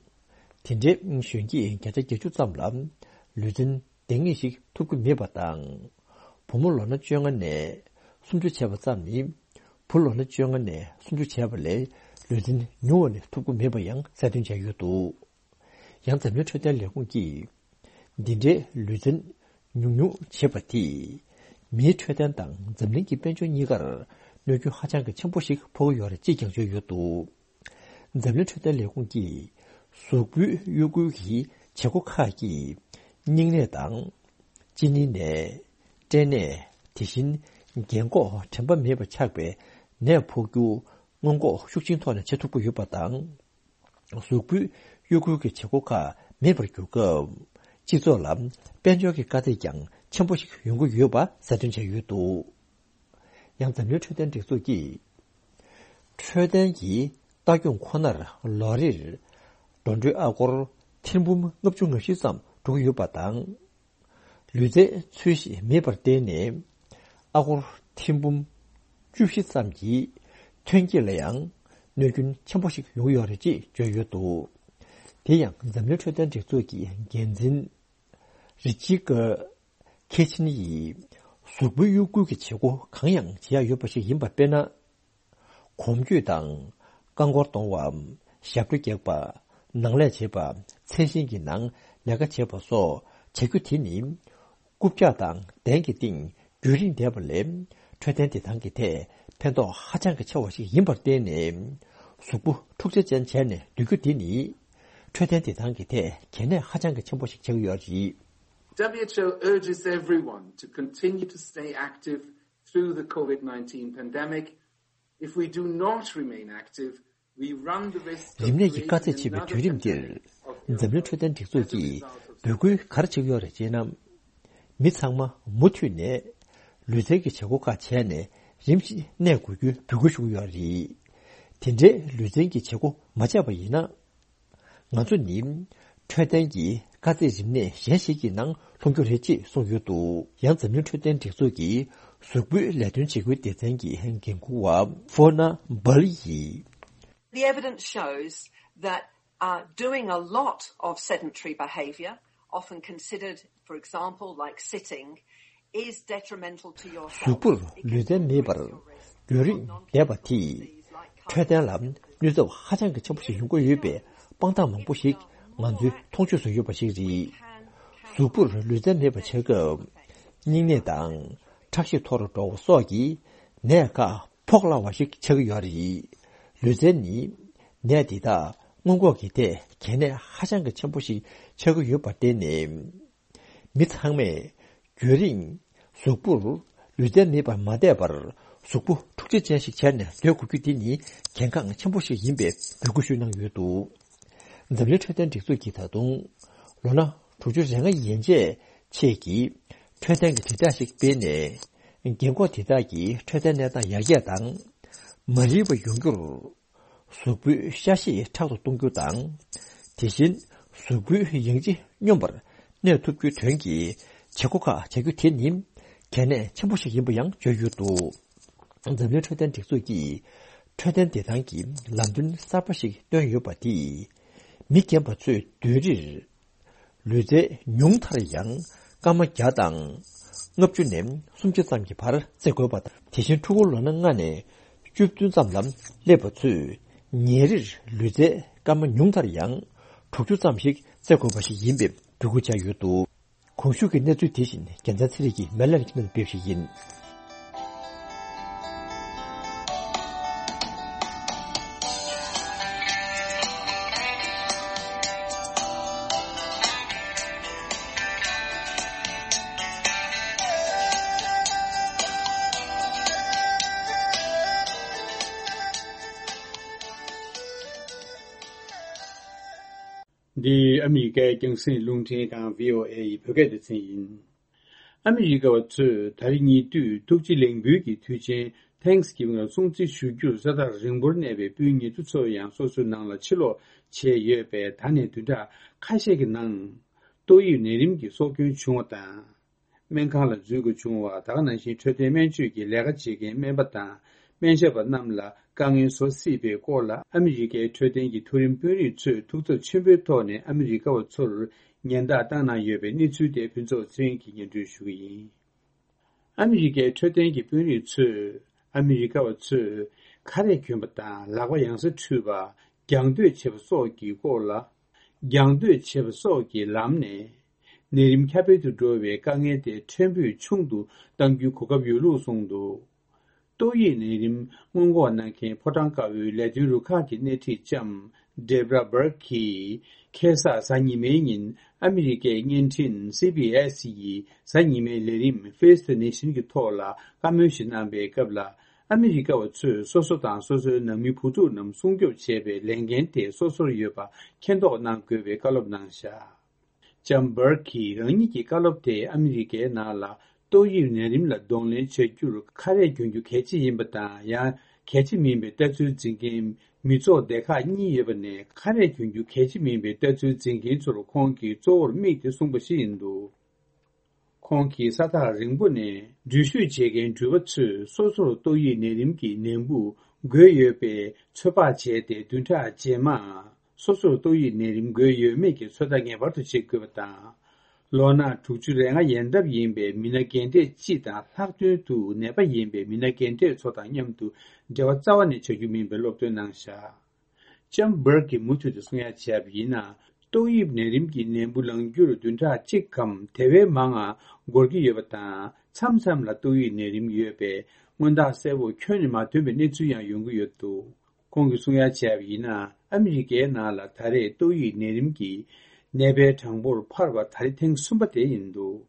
དེ་འདྲའི་གཞོན་སྐྱེས་བརྒྱ་ཆ་བརྒྱད་ཅུ་ཙམ་ལ་ལུས་རྩལ་འདང་ངེས་ཤིག་ཐོབ་ཀྱི་མེད་པ་དང་། བུ་མོ་ལོ་ན་བཅོ་ལྔ་ནས་སུམ་ཅུ་བྱས་པ་ཙམ་ནི་བུ་ལོ་ན་བཅོ་ལྔ་ནས་སུམ་ཅུ་བྱས་པ་ལས་ལུས་རྩལ་ཉུང་བ་ནས་ཐོབ་ཀྱི་མེད་པ་ཡང་གསལ་སྟོན་བྱས་ཡོད་འདུག་ཡང་འཛམ་གླིང་འཕྲོད་བསྟེན་ལས་ཁུངས་ཀྱིས། འདི་འདྲའི་ལུས་རྩལ་ཉུང་ཉུང་བྱེད་པ་དེས། མིའི་འཕྲོད་བསྟེན་དང་འཛམ་གླིང་གི་དཔལ་འབྱོར་གཉིས་ཀར་གནོད་སྐྱོན་ཧ་ཅང་གི་ཆེན་པོ་ཞིག་ཕོག་གི་ཡོད་རེད་ཅེས་ཀྱང་བརྗོད་ཡོད་འདུག་འཛམ་གླིང་འཕྲོད་བསྟེན་ལས་ཁུངས་ཀྱིས། གཟུགས་པོའི་གཡོ་འགུལ་གྱི་བྱེད་སྒོ་ཁག་གིས། སྙིང་ནད་དང་། གཅིན་སྙི་ནད། སྐྲན་ནད། དེ་བཞིན། རྒན་འཁོགས་དྲན་པ་མེད་པ་ཆགས་པའི་ནད་ཕོག་རྒྱུ། སྔོན་འགོག་ཤུགས་ཆེན་ཐོག་ནས་བྱེད་ཐུབ་ཀྱི་ཡོད་པ་དང་། གཟུགས་པོའི་གཡོ་འགུལ་གྱི་བྱེད་སྒོ་ཁག་མེད་པར་གྱུར་སྐབས། སྤྱི་ཚོགས་ལ་དཔལ་འབྱོར་གྱི་དཀའ་ཚེགས་ཀྱང་ཆེན་པོ་ཞིག་ཡོང་གི་ཡོད་པ་གསལ་སྟོན་བྱས་ཡོད་འདུག་ཡང་འཛམ་གླིང་འཕྲོད་བསྟེན་སྒྲིག་འཛུགས་ཀྱིས། འཕྲོད་བསྟེན་གྱི་ལྟ་སྐྱོང་ཁོ་ནར་ལོ་རེར་འགྲོ་གྲོན་ཨ་སྒོར་ཐེར་འབུམ་ལྔ་བཅུ་ང་བཞི་ཙམ་འགྲོ་གི་ཡོད་པ་དང་། ལུས་རྩལ་ཚུལ་བཞིན་མེད་པར་བརྟེན་ནས། ཨ་སྒོར་ཐེར་འབུམ་བཅུ་བཞི་ཙམ་གྱི་ཐོན་སྐྱེད་ལ་ཡང་གནོད་སྐྱོན་ཆེན་པོ་ཞིག་ཡོང་གི་ཡོད་རེད་ཅེས་བརྗོད་ཡོད་འདུག་དེ་ཡང་འཛམ་གླིང་འཕྲོད་བསྟེན་སྒྲིག་འཛུགས་ཀྱི་འགན་འཛིན་རི་ཅི་ཀ་ཁེ་ཆིན་ཡིས། གཟུགས་པོའི་གཡོ་འགུལ་གྱི་བྱེད་སྒོ་གང་ཡང་བྱེད་ཡ་ཡོད་པ་ཞིག་ཡིན་པ་དཔེར་ན། གོམ་བགྲོད་དང་། རྐང་འཁོར་གཏོང་བ། ཞབས་བྲོ་རྒྱག་པ། ནང་ལས་བྱེད་པ། ཚན་ཞིང་གི་ནང་ལས་ཀ་བྱེད་པ་སོགས་བྱ་རྒྱུ་དེ་ནི། རྐུབ་བཀྱག་དང་གདན་གྱི་སྟེང་རྒྱུན་རིང་བསྡད་པ་ལས། འཕྲོད་བསྟེན་བདེ་ཐང་གི་ཐད་ཕན་ཐོགས་ཧ་ཅང་གི་ཆེ་བ་ཞིག་ཡིན་པར་བརྟེན་ནས། གཟུགས་པོ་འཁྲུག་ཆ་ཅན་བྱས་ནས་སྡོད་རྒྱུ་དེ་ནི། འཕྲོད་བསྟེན་བདེ་ཐང་གི་ཐད་གལ་གནད་ཧ་ཅང་གི་ཆེན་པོ་ཞིག་ཆགས་ཀྱི་ཡོད་རེད། W H O urges everyone to continue to stay active through the COVID nineteen pandemic. If we do not remain active, we run the risk of རིམས་ནད་ཀྱི་དཀའ་ཚེགས་ཆེ་བའི་དུས་རིམ་འདིར། འཛམ་གླིང་འཕྲོད་བསྟེན་སྒྲིག་འཛུགས་ཀྱིས་འབོད་སྐུལ་ག་རེ་བྱེད་ཀྱི་ཡོད་རེད་ཅེ་ན། མི་ཚང་མ་མུ་མཐུད་ནས་ལུས་རྩལ་གྱི་བྱེད་སྒོ་ཁག་བྱས་ནས་རིམ་བཞིན་གནས་དགོས་རྒྱུའི་འབོད་སྐུལ་ཞུ་གི་ཡོད་རེད། དེ་འདྲའི་ལུས་རྩལ་གྱི་བྱེད་སྒོ་མ་བྱས་པ་ཡིན་ན། ང་ཚོ་ནི་འཕྲོད་བསྟེན་གྱི་དཀའ་ཚེགས་རིམས་ནད་གཞན་ཞིག་གི་ནང་ལྷུང་རྒྱུ་རེད་ཅེས་གསུངས་ཡོད་འདུག་ཡང་འཛམ་གླིང་འཕྲོད་བསྟེན་སྒྲིག་འཛུགས་ཀྱི་གཟུགས་པོའི་ལས་དོན་བྱེད་སྒོའི་སྡེ་ཚན་གྱི་འགན་འཁུར་བ་ཧྥོ་ན་སྦལ་ཡིས། The evidence shows that uh, doing a lot of sedentary behaviour, often considered, for example, like sitting, is detrimental to your health. གཟུགས་པོར་ལུས་རྩལ་མེད་པར་རྒྱུན་རིང་བསྡད་པ་དེས་འཕྲོད་བསྟེན་ལ་གནོད་ཚབས་ཧ་ཅང་གི་ཆེན་པོ་ཞིག་ཡོང་གི་ཡོད་པའི་དཔང་རྟགས་མང་པོ་ཞིག་ང་ཚོའི་མཐོང་ཆོས་སུ་ཡོད་པ་ཞིག་རེད། གཟུགས་པོར་ལུས་རྩལ་མེད་པ་བྱེད་སྐབས་སྙིང་ནད་དང་ཁྲག་ཤེད་མཐོ་རུ་འགྲོ་བ་སོགས་ཀྱི་ནད་ཁག་ཕོག་སླ་བ་ཞིག་ཆགས་ཀྱི་ཡོད་རེད། ལུས་རྩལ་ནི་ནད་འདི་དག་སྔོན་འགོག་གི་ཐད་གལ་གནད་ཧ་ཅང་གི་ཆེན་པོ་ཞིག་ཆགས་ཀྱི་ཡོད་པར་བརྟེན་ནས། མི་ཚང་མས་རྒྱུན་རིང་གཟུགས་པོར་ལུས་རྩལ་མེད་པར་མ་བསྡད་པར་གཟུགས་པོ་འཁྲུག་ཆ་ཅན་ཞིག་བྱས་ནས་སྡོད་དགོས་རྒྱུ་དེ་ནི་གལ་འགངས་ཆེན་པོ་ཞིག་ཡིན་པའི་འབོད་སྐུལ་ཞུས་གནང་ཡོད་འདུག་འཛམ་གླིང་འཕྲོད་བསྟེན་སྒྲིག་འཛུགས་ཀྱིས་ད་དུང་ལོ་ན་དྲུག་ཅུ་རེ་ལྔ་ཡན་ཆད་ཆེད་ཀྱི་ འཕྲོད་བསྟེན་གྱི་དྲིལ་བསྒྲགས་ཤིག་སྤེལ་ནས། རྒན་འཁོགས་དེ་དག་གི་འཕྲོད་བསྟེན་གནས་སྟངས་ཡར་རྒྱས་དང་། མ་རིག་པ་ཡོང་རྒྱུར་གཟུགས་པོའི་ཤ་ཤེད་དྲག་ཏུ་གཏོང་རྒྱུ་དང་། དེ་བཞིན་གཟུགས་པོའི་ཡང་ལྕི་སྙོམས་པར་གནས་ཐུབ་རྒྱུའི་དོན་གྱི་བྱེད་སྒོ་ཁག་བྱ་རྒྱུ་དེ་ནི་གལ་གནད་ཆེན་པོ་ཞིག་ཡིན་པ་ཡང་བརྗོད་ཡོད་འདུག། འཛམ་གླིང་འཕྲོད་བསྟེན་སྒྲིག་འཛུགས་ཀྱིས་འཕྲོད་བསྟེན་བདེ་ཐང་གི་ལམ་སྟོན་གསར་པ་ཞིག་བཏོན་ཡོད་པ་དེས། མི་རྒན་པ་ཚོས་བདུན་རེར་ལུས་རྩལ་ཉུང་མཐར་ཡང་སྐར་མ་བརྒྱ་དང་ལྔ་བཅུ་ནས་སུམ་ཅུ་ཙམ་གྱི་བར་རྩེ་དགོས་པ་དང་། དེ་བཞིན་ཕྲུ་གུ་ལོ་ན་ལྔ་ནས་བཅུ་བདུན་ཙམ་ལ་སླེབས་པ་ཚོས་ཉིན་རེར་ལུས་རྩལ་སྐར་མ་ཉུང་མཐར་ཡང་དྲུག་ཅུ་ཙམ་ཞིག་རྩེ་དགོས་པ་ཞིག་ཡིན་པའི་འབོད་སྐུལ་བྱས་ཡོད་འདུག། གོང་ཞུས་ཀྱི་གནས་ཚུལ་དེ་བཞིན་རྒྱལ་མཚན་ཚེ་རིང་གིས་མེ་ལན་གྱི་ནང་སྤེལ་ཞིག་ཡིན། འདི་ཨ་མི་རི་ཀའི་རྒྱང་སྲིང་རླུང་འཕྲིན་ཁང་བྷི་ཨོ་ཨེ་ཡི་བོད་སྐད་སྡེ་ཚན་ཡིན། ཨ་མི་རི་ཀ་བ་ཚོས་ད་རེས་ཉེ་དུས་ཐུགས་རྗེ་ལེགས་འབུལ་གྱི་དུས་ཆེན་Thanksgiving་ལ་སྲུང་བརྩི་ཞུ་རྒྱུར་ས་ཐག་རིང་པོར་གནས་པའི་སྤུན་ཉེ་དུ་ཚོ་ཡང་སོ་སོའི་ནང་ལ་ཕྱིར་ལོག་བྱས་ཡོད་པས། ད་ནས་བདུན་ཕྲག་ཁ་ཤས་ཀྱི་ནང་ཏོག་དབྱིབས་ནད་རིམས་ཀྱི་སྲོག་སྐྱོན་བྱུང་བ་དང་། སྨན་ཁང་ལ་འཛུལ་དགོས་བྱུང་བ། ད་ག་ནང་བཞིན་འཕྲོད་བསྟེན་སྨན་བཅོས་ཀྱི་ལས་ཀ་བྱེད་མཁན་སྨན་པ་དང་སྨན་ཞབས་པ་རྣམས་ལ་དཀའ་ངལ་བཟོ་སྲིད་པའི་སྐོར་ལ། ཨ་མི་རི་ཀའི་འཕྲོད་བསྟེན་གྱི་མཐོ་རིམ་དཔོན་རིགས་ཚོས་ཐུགས་འཚབ་ཆེན་པོའི་ཐོག་ནས་ཨ་མི་རི་ཀ་བ་ཚོར་ཉེན་བརྡ་བཏང་གནང་ཡོད་པའི་གནས་ཚུལ་དེ་ཕུན་ཚོགས་ཚེ་རིང་གིས་སྙན་སྒྲོན་ཞུ་གི་ཡིན། ཨ་མི་རི་ཀའི་འཕྲོད་བསྟེན་གྱི་དཔོན་རིགས་ཚོས་ཨ་མི་རི་ཀ་བ་ཚོས་ཁ་རས་གྱོན་པ་དང་ལག་པ་ཡང་སེ་འཁྲུད་པ། རྒྱང་སྡོད་བྱེད་པ་སོགས་ཀྱི་སྐོར་ལ། རྒྱང་སྡོད་བྱེད་པ་སོགས་ཀྱི་ལམ་ནས་ནད་རིམས་ཁྱབ་སྤེལ་དུ་འགྲོ་བའི་དཀའ་ངལ་དེ་ཕྲན་བུ་ཆུང་དུ་གཏང་རྒྱུའི་གོ་སྐབས་ཡོད་ལུགས་གསུངས་འདུག། ཏོག་དབྱིབས་ནད་རིམས་སྔོན་འགོག་གནང་མཁན་ཕོ་བྲང་དཀར་པོའི་ལས་དོན་རུ་ཁག་གི་སྣེ་ཁྲིད་ལྕམ་Deborah Birx་གིས་ཁ་སང་གཟའ་ཉི་མའི་ཉིན་ཨ་མི་རི་ཀའི་བརྙན་འཕྲིན་སི་བི་ཨེས་ཡི་གཟའ་ཉི་མའི་ལས་རིམ་Face the Nation་གྱི་ཐོག་ལ་བཀའ་མོལ་ཞིག་གནང་པའི་སྐབས་ལ། ཨ་མི་རི་ཀ་བ་ཚོས་སོ་སོ་དང་སོ་སོའི་ནང་མི་བུ་ཕྲུག་རྣམས་སྲུང་སྐྱོབ་བྱེད་པའི་ལས་འགན་དེ་སོ་སོར་ཡོད་པ་མཁྱེན་རྟོགས་གནང་དགོས་པའི་བཀའ་སློབ་གནང་བཞག། ལྕམ་Birx་གིས་རང་ཉིད་ཀྱི་བཀའ་སློབ་དེ་ཨ་མི་རི་ཀའི་ནང་ལ་ཏོག་དབྱིབས་ནད་རིམས་ལ་གདོང་ལེན་བྱ་རྒྱུར་ཁ་རས་གྱོན་རྒྱུ་གལ་ཆེ་ཡིན་པ་དང་། ཡང་གལ་ཆེ་མིན་པའི་ལྟ་ཚུལ་འཛིན་མཁན་མི་ཚོགས་སྡེ་ཁག་གཉིས་ཡོད་པ་ནས། ཁ་རས་གྱོན་རྒྱུ་གལ་ཆེ་མིན་པའི་ལྟ་ཚུལ་འཛིན་མཁན་ཚོར་ཁོང་གིས་གཙོ་བོར་དམིགས་ཏེ་གསུངས་པ་ཞིག་ཡིན་འདུག། ཁོང་གིས་ས་ཐག་རིང་པོ་ནས་འགྲུལ་བཞུད་བྱེད་མཁན་འགྲུལ་པ་ཚོས་སོ་སོར་ཏོག་དབྱིབས་ནད་རིམས་ཀྱི་ནད་འབུ་འགོས་ཡོད་པའི་ཚོད་དཔག་བྱས་ཏེ། བདུན་ཕྲག་རྗེས་མ་སོ་སོར་ཏོག་དབྱིབས་ནད་རིམས་འགོས་ཡོད་མེད་ཀྱི་ཚོད་ལྟ་ངེས་པར་དུ་བྱེད་དགོས་པ་དང་། ལོ་ན་དྲུག་ཅུ་རེ་ལྔ་ཡན་འདབ་ཡིན་པའི་མི་སྣ་རྒན་གྲས་སྤྱི་དང་། ལྷག་དོན་དུ་ནད་པ་ཡིན་པའི་མི་སྣ་རྒན་གྲས་ཚོ་དང་མཉམ་དུ་འབྲེལ་བ་རྩ་བ་ནས་བྱ་རྒྱུ་མིན་པའི་སློབ་སྟོན་གནང་བཞག། ལྕམ་Birx་གིས་མུ་མཐུད་དུ་གསུང་ཡ་བྱས་པ་ཡིན་ན། ཏོག་དབྱིབས་ནད་རིམས་ཀྱི་ནད་འབུ་ལངས་རྒྱུར་བདུན་ཕྲག་གཅིག་གམ་དེ་བས་མང་ང་འགོར་གྱི་ཡོད་པ་དང་། མཚམས་མཚམས་ལ་ཏོག་དབྱིབས་ནད་རིམས་ཡོད་པའི་མངོན་རྟགས་གསལ་པོ་ཁྱོན་ནས་མ་ཐོན་པའི་གནས་ཚུལ་ཡང་ཡོང་གི་ཡོད་འདུག། ཁོང་གིས་གསུང་ཡ་བྱས་པ་ཡིན་ན། ཨ་མི་རི་ཀའི་ནང་ལ་ད་རེས་ཏོག་དབྱིབས་ནད་རིམས་ཀྱི་ནད་པའི་གྲངས་འབོར་འཕར་བ་ད་རེས་ཐེངས་གསུམ་པ་དེ་ཡིན་འདུག།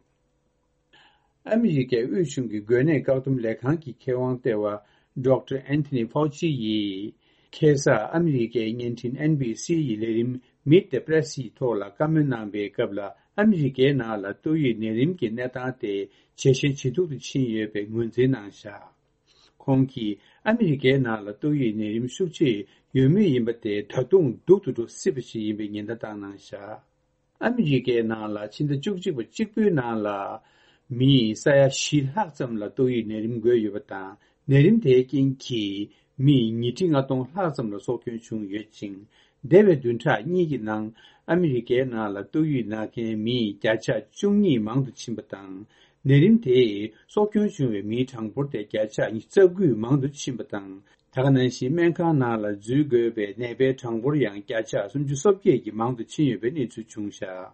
ཨ་མི་རི་ཀའི་དབུས་གཞུང་གི་འགོས་ནད་བཀག་སྡོམ་ལས་ཁང་གི་མཁས་དབང་ལྟེ་བ་Doctor Anthony Fauci་ཡིས་ཁ་སང་ཨ་མི་རི་ཀའི་བརྙན་འཕྲིན་ཨེན་བྷི་སི་ཡི་ལས་རིམ་Meet the Press་ཡི་ཐོག་ལ་བཀའ་མོལ་གནང་པའི་སྐབས་ལ། ཨ་མི་རི་ཀའི་ནང་ལ་ཏོག་དབྱིབས་ནད་རིམས་ཀྱི་གནས་སྟངས་དེ་ཇེ་ཞན་ཇེ་སྡུག་ཏུ་ཕྱིན་ཡོད་པའི་ངོས་འཛིན་གནང་བཞག། ཁོང་གིས་ཨ་མི་རི་ཀའི་ནང་ལ་ཏོག་དབྱིབས་ནད་རིམས་ཤུགས་ཆེ་ཡོད་མུས་ཡིན་པ་དེ་ད་དུང་སྡུག་ཏུ་འགྲོ་སྲིད་པ་ཞིག་ཡིན་པའི་ཉེན་བརྡ་བཏང་གནང་བཞག། ཨ་མི་རི་ཀའི་ནང་ལ་ཕྱི་ཟླ་བཅུ་གཅིག་པ་གཅིག་པུའི་ནང་ལ་མི་ས་ཡ་བཞི་ལྷག་ཙམ་ལ་ཏོག་དབྱིབས་ནད་རིམས་འགོས་ཡོད་པ་དང་། ནད་རིམས་དེའི་རྐྱེན་གྱིས་མི་ཉིས་ཁྲི་ལྔ་སྟོང་ལྷག་ཙམ་ལ་སྲོག་སྐྱོན་བྱུང་ཡོད་ཅིང་། འདས་པའི་བདུན་ཕྲག་གཉིས་ཀྱི་ནང་ཨ་མི་རི་ཀའི་ནང་ལ་ཏོག་དབྱིབས་ན་མཁན་མི་བརྒྱ་ཆ་བཅུ་གཉིས་མང་དུ་ཕྱིན་པ་དང་། ནད་རིམས་དེས་སྲོག་སྐྱོན་བྱུང་བའི་མིའི་གྲངས་འབོར་དེ་བརྒྱ་ཆ་ཉི་ཤུ་རྩ་དགུ་མང་དུ་ཕྱིན་པ་དང་། ད་ག་ནང་བཞིན་སྨན་ཁང་ནང་ལ་འཛུལ་དགོས་པའི་ནད་པའི་གྲངས་འབོར་ཡང་བརྒྱ་ཆ་སུམ་ཅུ་སོ་བརྒྱད་ཀྱིས་མང་དུ་ཕྱིན་ཡོད་པའི་གནས་ཚུལ་བྱུང་བཞག།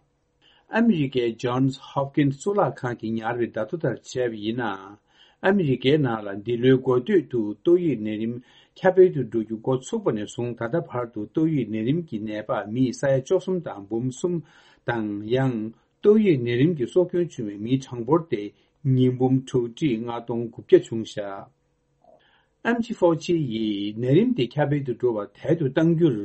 ཨ་མི་རི་ཀའི་Johns Hopkins་གཙུག་ལག་ཁང་གིས་ཉར་བའི་བརྡ་ཐོ་ལྟར་བྱས་པ་ཡིན་ན། ཨ་མི་རི་ཀའི་ནང་ལ་འདི་ལོའི་འགོ་སྟོད་དུ་ཏོག་དབྱིབས་ནད་རིམས་ཁྱབ་སྤེལ་དུ་འགྲོ་རྒྱུ་འགོ་ཚུགས་པ་ནས་བཟུང་། ད་ལྟ་བར་དུ་ཏོག་དབྱིབས་ནད་རིམས་ཀྱི་ནད་པ་མི་ས་ཡ་བཅུ་གསུམ་དང་འབུམ་གསུམ་དང་། ཡང་ཏོག་དབྱིབས་ནད་རིམས་ཀྱི་སྲོག་སྐྱོན་བྱུང་བའི་མིའི་གྲངས་འབོར་དེ་ཉིས་འབུམ་དྲུག་ཁྲི་ལྔ་སྟོང་དགུ་བརྒྱ་བྱུང་བཞག། ཨེམ་ཆི་ཧྥའོ་ཆི་ཡིས་ནད་རིམས་དེ་ཁྱབ་སྤེལ་དུ་འགྲོ་བ་དལ་དུ་གཏང་རྒྱུར།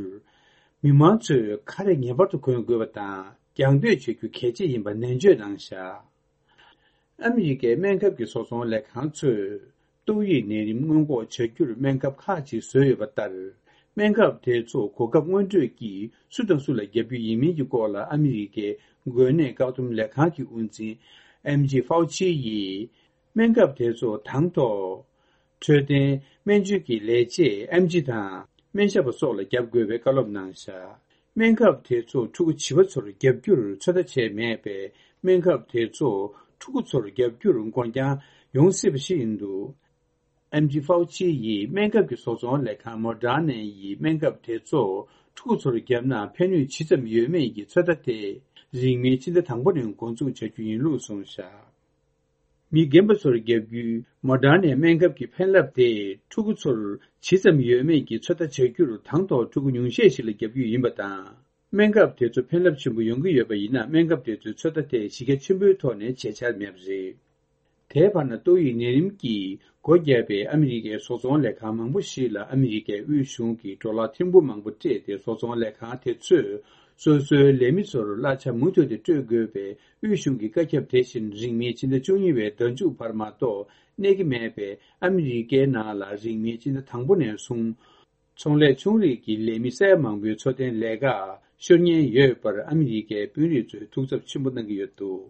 མི་མང་ཚོས་ཁ་རས་ངེས་པར་དུ་གོན་དགོས་པ་དང་། རྒྱང་སྡོད་བྱེད་རྒྱུ་གལ་ཆེ་ཡིན་པ་ནན་བརྗོད་གནང་བཞག། ཨ་མི་རི་ཀའི་སྨན་ཁབ་ཀྱི་བཟོ་ཚོང་ལས་ཁང་ཚོས་ཏོག་དབྱིབས་ནད་རིམས་སྔོན་འགོག་བྱ་རྒྱུར་སྨན་ཁབ་ཁག་ཅིག་བཟོས་ཡོད་པ་ལྟར། སྨན་ཁབ་དེ་ཚོ་གོ་སྐབས་སྔོན་སྤྲོད་ཀྱིས་སུ་དང་སུ་ལ་བརྒྱབ་རྒྱུ་ཡིན་མིན་གྱི་སྐོར་ལ་ཨ་མི་རི་ཀའི་འགོས་ནད་བཀག་སྡོམ་ལས་ཁང་གི་དབུ་འཛིན་ཨེམ་ཇི་ཧྥའོ་ཆི་ཡིས། སྨན་ཁབ་དེ་ཚོ་དང་ཐོག་འཕྲོད་བསྟེན་སྨན་བཅོས་ཀྱི་ལས་བྱེད་ཨེམ་ཆི་དང་སྨན་ཞབས་པ་སོགས་ལ་བརྒྱབ་དགོས་པའི་བཀའ་སློབ་གནང་བཞག་སྨན་ཁབ་དེ་ཚོ་ཕྲུ་གུ་བྱིས་པ་ཚོར་བརྒྱབ་རྒྱུར་ཚོད་ལྟ་བྱས་མེད་པས། སྨན་ཁབ་དེ་ཚོ་ཕྲུ་གུ་ཚོར་བརྒྱབ་རྒྱུར་འགོར་འགྱངས་ཡོང་སྲིད་པ་ཞིག་ཡིན་འདུག་ཨེམ་ཆི་ཧྥའོ་ཆི་ཡིས་སྨན་ཁབ་ཀྱི་བཟོ་ཚོང་ལས་ཁང་མོ་ཌར་ནན་ཡིས་སྨན་ཁབ་དེ་ཚོ་ཕྲུ་གུ་ཚོར་བརྒྱབ་ན་ཕན་ནུས་ཇི་ཙམ་ཡོད་མེད་ཀྱི་ཚོད་ལྟ་དེ་རིང་མིན་སྤྱི་ཟླ་དང་པོ་ནས་འགོ་འཛུགས་བྱ་རྒྱུ་ཡིན་ལུགས་གསུངས་བཞག་མི་རྒན་པ་ཚོར་བརྒྱབ་རྒྱུའི་མོ་ཌར་ནའི་སྨན་ཁབ་ཀྱི་ཕན་རླབས་དེ་ཕྲུ་གུ་ཚོར་ཇི་ཙམ་ཡོད་མེད་ཀྱི་ཚོད་ལྟ་བྱ་རྒྱུར་དང་ཐོག་ཕྲུ་གུ་ཉུང་ཤས་ཤིག་ལ་བརྒྱབ་རྒྱུ་ཡིན་པ་དང་། སྨན་ཁབ་དེ་ཚོ་ཕན་རླབས་ཆེན་པོ་ཡོང་གི་ཡོད་པ་ཡིན་ན། སྨན་ཁབ་དེ་ཚོའི་ཚོད་ལྟ་དེ་གཞི་རྒྱ་ཆེན་པོའི་ཐོག་ནས་བྱེད་འཆར་མེད་པ་རེད། དེའི་བར་ན་ཏོག་དབྱིབས་ནད་རིམས་ཀྱིས་སྒོ་བརྒྱབ་པའི་ཨ་མི་རི་ཀའི་བཟོ་ཚོང་ལས་ཁང་མང་པོ་ཞིག་ལ་ཨ་མི་རི་ཀའི་དབུས་གཞུང་གིས་ཌོ་ལར་ཐེར་འབུམ་མང་པོ་སྤྲད་དེ། བཟོ་ཚོང་ལས་ཁང་དེ་ཚོས་སོ་སོའི་ལས་མི་ཚོར་གླ་ཆ་མུ་མཐུད་དེ་སྤྲོད་དགོས་པའི་དབུས་གཞུང་གི་བཀའ་ཁྱབ་དེ་བཞིན་རིང་མིན་ཕྱི་ཟླ་བཅུ་གཉིས་པའི་ཟླ་མཇུག་བར་མ་གཏོགས་གནས་ཀྱི་མེད་པས། ཨ་མི་རི་ཀའི་ནང་ལ་རིང་མིན་ཕྱི་ཟླ་དང་པོ་ནས་བཟུང་། ཚོང་ལས་ཆུང་རིགས་ཀྱི་ལས་མི་སེར་མང་པོའི་འཚོ་རྟེན་ལས་ཀ་ཤོར་ཉེན་ཡོད་པར་ཨ་མི་རི་ཀའི་དཔོན་རིགས་ཚོས་ཐུགས་འཚབ་ཆེན་པོ་གནང་གི་ཡོད་འདུག་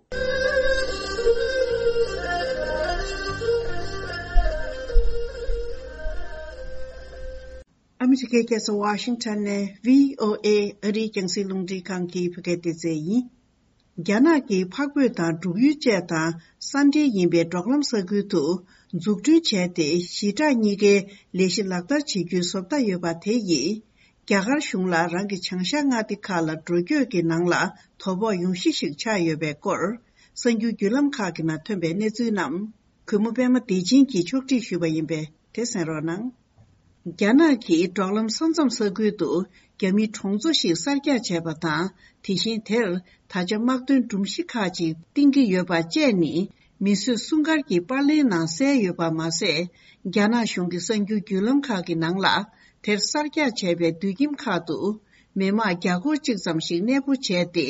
ཨ་མི་རི་ཀའི་རྒྱལ་ས་ཝ་ཤིང་ཊོན་ནས་བྷི་ཨོ་ཨེ་ཨ་རིའི་རྒྱང་སྲིང་རླུང་འཕྲིན་ཁང་གི་བོད་སྐད་སྡེ་ཚན་ཡིན། རྒྱ་ནག་གིས་འཕགས་བོད་དང་འབྲུག་ཡུལ་བཅས་དང་ས་འབྲེལ་ཡིན་པའི་འབྲོག་ལམ་ས་ཁུལ་དུ་འཛུགས་སྐྲུན་བྱས་ཏེ། ཞི་དྲག་གཉིས་ཀའི་ལས་གཞི་ལག་བསྟར་བྱེད་རྒྱུའི་བཟོ་ལྟ་ཡོད་པ་དེ་ཡིས། རྒྱ་གར་གཞུང་ལ་རང་གི་བྱང་ཤར་མངའ་སྡེ་ཁག་ལ་འགྲོ་སྐྱོད་ཀྱི་ནང་ལ་དོ་ཕོག་ཡོང་གཞི་ཞིག་ཆགས་ཡོད་པའི་སྐོར། གསར་འགྱུར་བརྒྱུད་ལམ་ཁག་གི་ནང་ཐོན་པའི་གནས་ཚུལ་རྣམས། གུས་མོ་པད་མ་བདེ་ཆེན་གྱིས་ཕྱོགས་སྒྲིག་ཞུས་པ་ཡིན་པས། དེ་གསན་རོགས་གནང་། རྒྱ་ནག་གིས་འབྲོག་ལམ་ས་མཚམས་ས་ཁུལ་དུ་རྒྱ་མིའི་གྲོང་ཚོ་ཞིག་གསར་རྒྱག་བྱས་པ་དང་། དེ་བཞིན་དེར་ད་ཆ་དམག་དོན་སྒྲོམ་གཞི་ཁག་ཅིག་བཏིང་གི་ཡོད་པ་བཅས་ནི། མིས་བཟོས་སྲུང་སྐར་གྱི་པར་ལེན་ནང་གསལ་ཡོད་པ་མ་ཟད། རྒྱ་ནག་གཞུང་གི་གསར་འགྱུར་བརྒྱུད་ལམ་ཁག་གི་ནང་ལ། དེར་གསར་རྒྱག་བྱས་པའི་དུད་ཁྱིམ་ཁག་ཏུ། མི་དམངས་བརྒྱ་སྐོར་གཅིག་ཙམ་ཞིག་གནས་སྤོ་བྱས་ཏེ།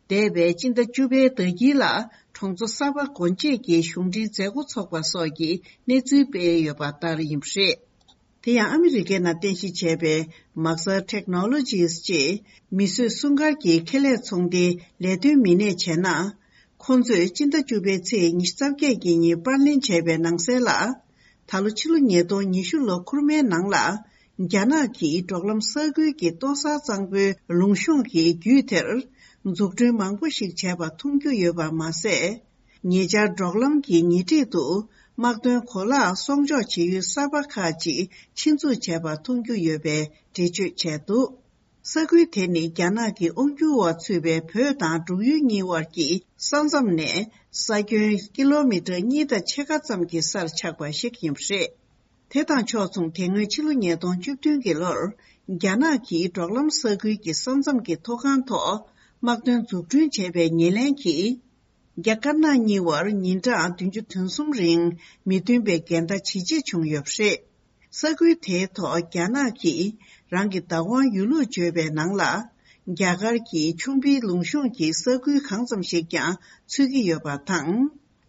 འདས་པའི་སྤྱི་ཟླ་བཅུ་པའི་ཟླ་དཀྱིལ་ལ། གྲོང་ཚོ་གསར་པ་སྒོ་འབྱེད་ཀྱི་གཞུང་འབྲེལ་མཛད་སྒོ་འཚོགས་པ་སོགས་ཀྱི་གནས་ཚུལ་སྤེལ་ཡོད་པ་ལྟར་ཡིན་པ་རེད། དེ་ཡང་ཨ་མི་རི་ཀའི་ནང་རྟེན་གཞི་བྱས་པའི་Maxar Technologies ཅེས་མིས་བཟོས་སྲུང་སྐར་གྱི་ཁེ་ལས་ཚོང་སྡེའི་ལས་དོན་མི་སྣས་བྱས་ན། ཁོང་ཚོས་སྤྱི་ཟླ་བཅུ་པའི་ཚེས་ཉི་ཤུ་རྩ་བརྒྱད་ཀྱི་ཉིན་པར་ལེན་བྱས་པའི་ནང་གསལ་ལ། ད་ལོ་ཕྱི་ལོ་ཉིས་སྟོང་ཉི་ཤུ་ལོ་འཁོར་མའི་ནང་ལ། རྒྱ་ནག་གིས་འབྲོག་ལམ་ས་ཁུལ་གྱི་ལྟོ་གཟར་གཙང་པོའི་ལུང་གཤོང་གི་རྒྱུད་དེར། འཛུགས་སྐྲུན་མང་པོ་ཞིག་བྱས་པ་མཐོང་རྒྱུ་ཡོད་པ་མ་ཟད། ཉེ་ཆར་འབྲོག་ལམ་གྱི་ཉེ་འཁྲིས་དུ་དམག་དོན་གོ་ལག་སྲུང་སྐྱོབ་བྱེད་ཡུལ་གསར་པ་ཁག་ཅིག་ཆེད་འཛུགས་བྱས་པ་མཐོང་རྒྱུ་ཡོད་པའི་འགྲེལ་བརྗོད་བྱས་འདུག་ས་ཁུལ་དེ་ནི་རྒྱ་ནག་གི་དབང་སྒྱུར་འོག་ཚུད་པའི་བོད་དང་འབྲུག་ཡུལ་གཉིས་དབར་གྱི་ས་མཚམས་ནས་ས་ཁྱོན་ཀི་ལོ་མི་ཊར་གཉིས་དང་ཕྱེད་ཀ་ཙམ་གྱི་སར་ཆགས་པ་ཞིག་ཡིན་པ་རེད། དེ་དང་ཕྱོགས་མཚུངས། དེ་སྔོན་ཕྱི་ལོ་ཉིས་སྟོང་བཅུ་བདུན་གྱི་ལོར། རྒྱ་ནག་གིས་འབྲོག་ལམ་ས་ཁུལ་གྱི་ས་མཚམས་ཀྱི་ཐོག་ཁང་ཐོག་དམག་དོན་འཛུགས་སྐྲུན་བྱས་པའི་ཉེར་ལེན་གྱིས། རྒྱ་དཀར་ནག་གཉིས་བར་ཉིན་གྲངས་བདུན་ཅུ་དོན་གསུམ་རིང་མི་མཐུན་པའི་འགལ་ཟླ་ཇི་ཆེ་བྱུང་ཡོད་པ་རེད། ས་ཁུལ་དེའི་ཐོག་རྒྱ་ནག་གིས་རང་གི་བདག་དབང་ཡོད་ལུགས་བརྗོད་པའི་ནང་ལ། རྒྱ་གར་གྱི་ཆུ་འབིའི་ལུང་གཤོང་གི་ས་ཁུལ་གང་ཙམ་ཞིག་ཀྱང་ཚུད་ཀྱི་ཡོད་པ་དང་།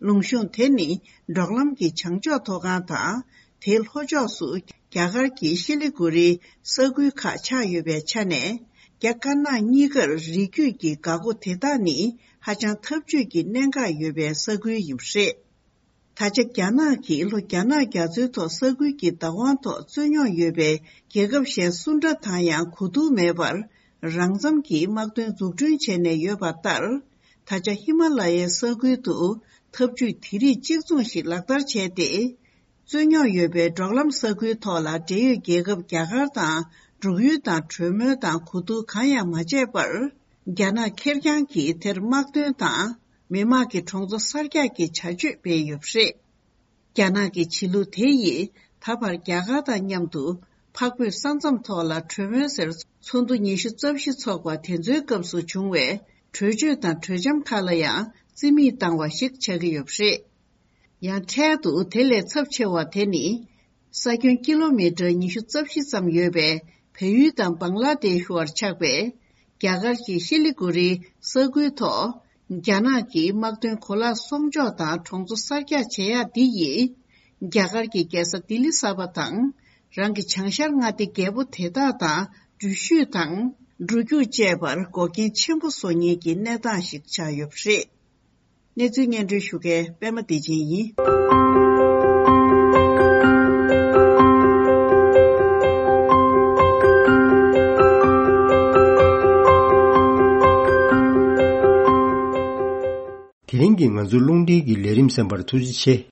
ལུང་གཤོང་དེ་ནི་འབྲོག་ལམ་གྱི་བྱང་ཕྱོགས་ཐོག་ཁང་དང་། དེའི་ལྷོ་ཕྱོགས་སུ་རྒྱ་གར་གྱི་ཤི་ལི་གུ་རིའི་ས་ཁུལ་ཁག་ཆགས་ཡོད་པའི་ཆ་ནས། རྒྱ་དཀར་ནག་གཉིས་ཀར་རིགས་རྒྱུད་ཀྱི་འགག་སྒོ་དེ་དག་ནི་ཧ་ཅང་འཐབ་ཇུས་ཀྱི་གནད་འགག་ཡོད་པའི་ས་ཁུལ་ཡིན་པ་རེད། ད་ཆ་རྒྱ་ནག་གིས་ལྷོ་རྒྱ་ནག་རྒྱ་མཚོའི་ཐོག་ས་ཁུལ་གྱི་བདག་དབང་ཐོག་རྩོད་རྙོག་ཡོད་པའི་རྒྱལ་ཁབ་གཞན་སུ་འདྲ་དང་ཡང་གོ་བསྡུར་མེད་པར། རང་འཚམ་གྱིས་དམག་དོན་འཛུགས་སྐྲུན་བྱས་ནས་ཡོད་པ་ལྟར། ད་ཆ་ཧི་མ་ལ་ཡའི་ས་ཁུལ་དུ་འཐབ་ཇུས་དེ་རིགས་གཅིག་མཚུངས་ཤིག་ལག་བསྟར་བྱས་ཏེ། རྩོད་རྙོག་ཡོད་པའི་འབྲོག་ལམ་ས་ཁུལ་ཐོག་ལ་འབྲེལ་ཡོད་རྒྱལ་ཁབ་རྒྱ་གར་དང་འབྲུག་ཡུལ་དང་གྲོས་མོལ་དང་གོ་བསྡུར་གང་ཡང་མ་བྱས་པར། རྒྱ་ནག་ཁེར་རྐྱང་གིས་དེར་དམག་དོན་དང་མི་དམངས་ཀྱི་གྲོང་ཚོ་གསར་རྒྱག་གི་བྱ་སྤྱོད་སྤེལ་ཡོད་པ་རེད། རྒྱ་ནག་གི་བྱེད་ལུགས་དེ་ཡིས་ད་བར་རྒྱ་གར་དང་མཉམ་དུ་འཕགས་བོད་ས་མཚམས་ཐོག་ལ་གྲོས་མོལ་ཟེར་ཚོགས་འདུ་ཉི་ཤུ་རྩ་བཞི་འཚོགས་པ་དེ་ཚོའི་སྐབས་སུ་བྱུང་བའི་གྲོས་ཆོད་དང་གྲོས་འཆམ་ཁག་ལ་ཡང་རྩིས་མེད་བཏང་བ་ཞིག་ཆགས་ཀྱི་ཡོད་པ་རེད། ཡང་འཕྲལ་དུ་དེ་ལས་ཚབས་ཆེ་བ་དེ་ནི། ས་ཁྱོན་ཀི་ལོ་མི་ཊར་ཉི་ཤུ་རྩ་བཞི་ཙམ་ཡོད་པའི་བལ་ཡུལ་དང་བང་ལ་དེཤ་བར་ཆགས་པའི་རྒྱ་གར་གྱི་ཤི་ལི་གུ་རིའི་ས་ཁུལ་ཐོག་ རྒྱ་ནག་གི་དམག་དོན་གོ་ལག་སྲུང་སྐྱོབ་དང་གྲོང་ཚོ་གསར་རྒྱག་བྱེད་ཡག་འདི་ཡིས། རྒྱ་གར་གྱི་རྒྱལ་ས་ལྡི་ལི་གསར་པ་དང་། རང་གི་བྱང་ཤར་མངའ་སྡེ་རྒྱལ་པོ་དེ་དག་དང་འགྲུལ་བཞུད་དང་འགྲོ་རྒྱུག་བཅས་པར་འགོག་རྐྱེན་ཆེན་པོ་བཟོ་མཁན་གྱི་གནས་སྟངས་ཤིག་ཆགས་ཡོད་པ་རེད། གནས་ཚུལ་སྙན་སྒྲོན་ཞུ་མཁན་པད་མ་བདེ་ཆེན་ཡིན། དེ་རིང་གི་ང་ཚོའི་རླུང་འཕྲིན་གྱི་ལས་རིམ་གསན་པར་ཐུགས་རྗེ་ཆེ།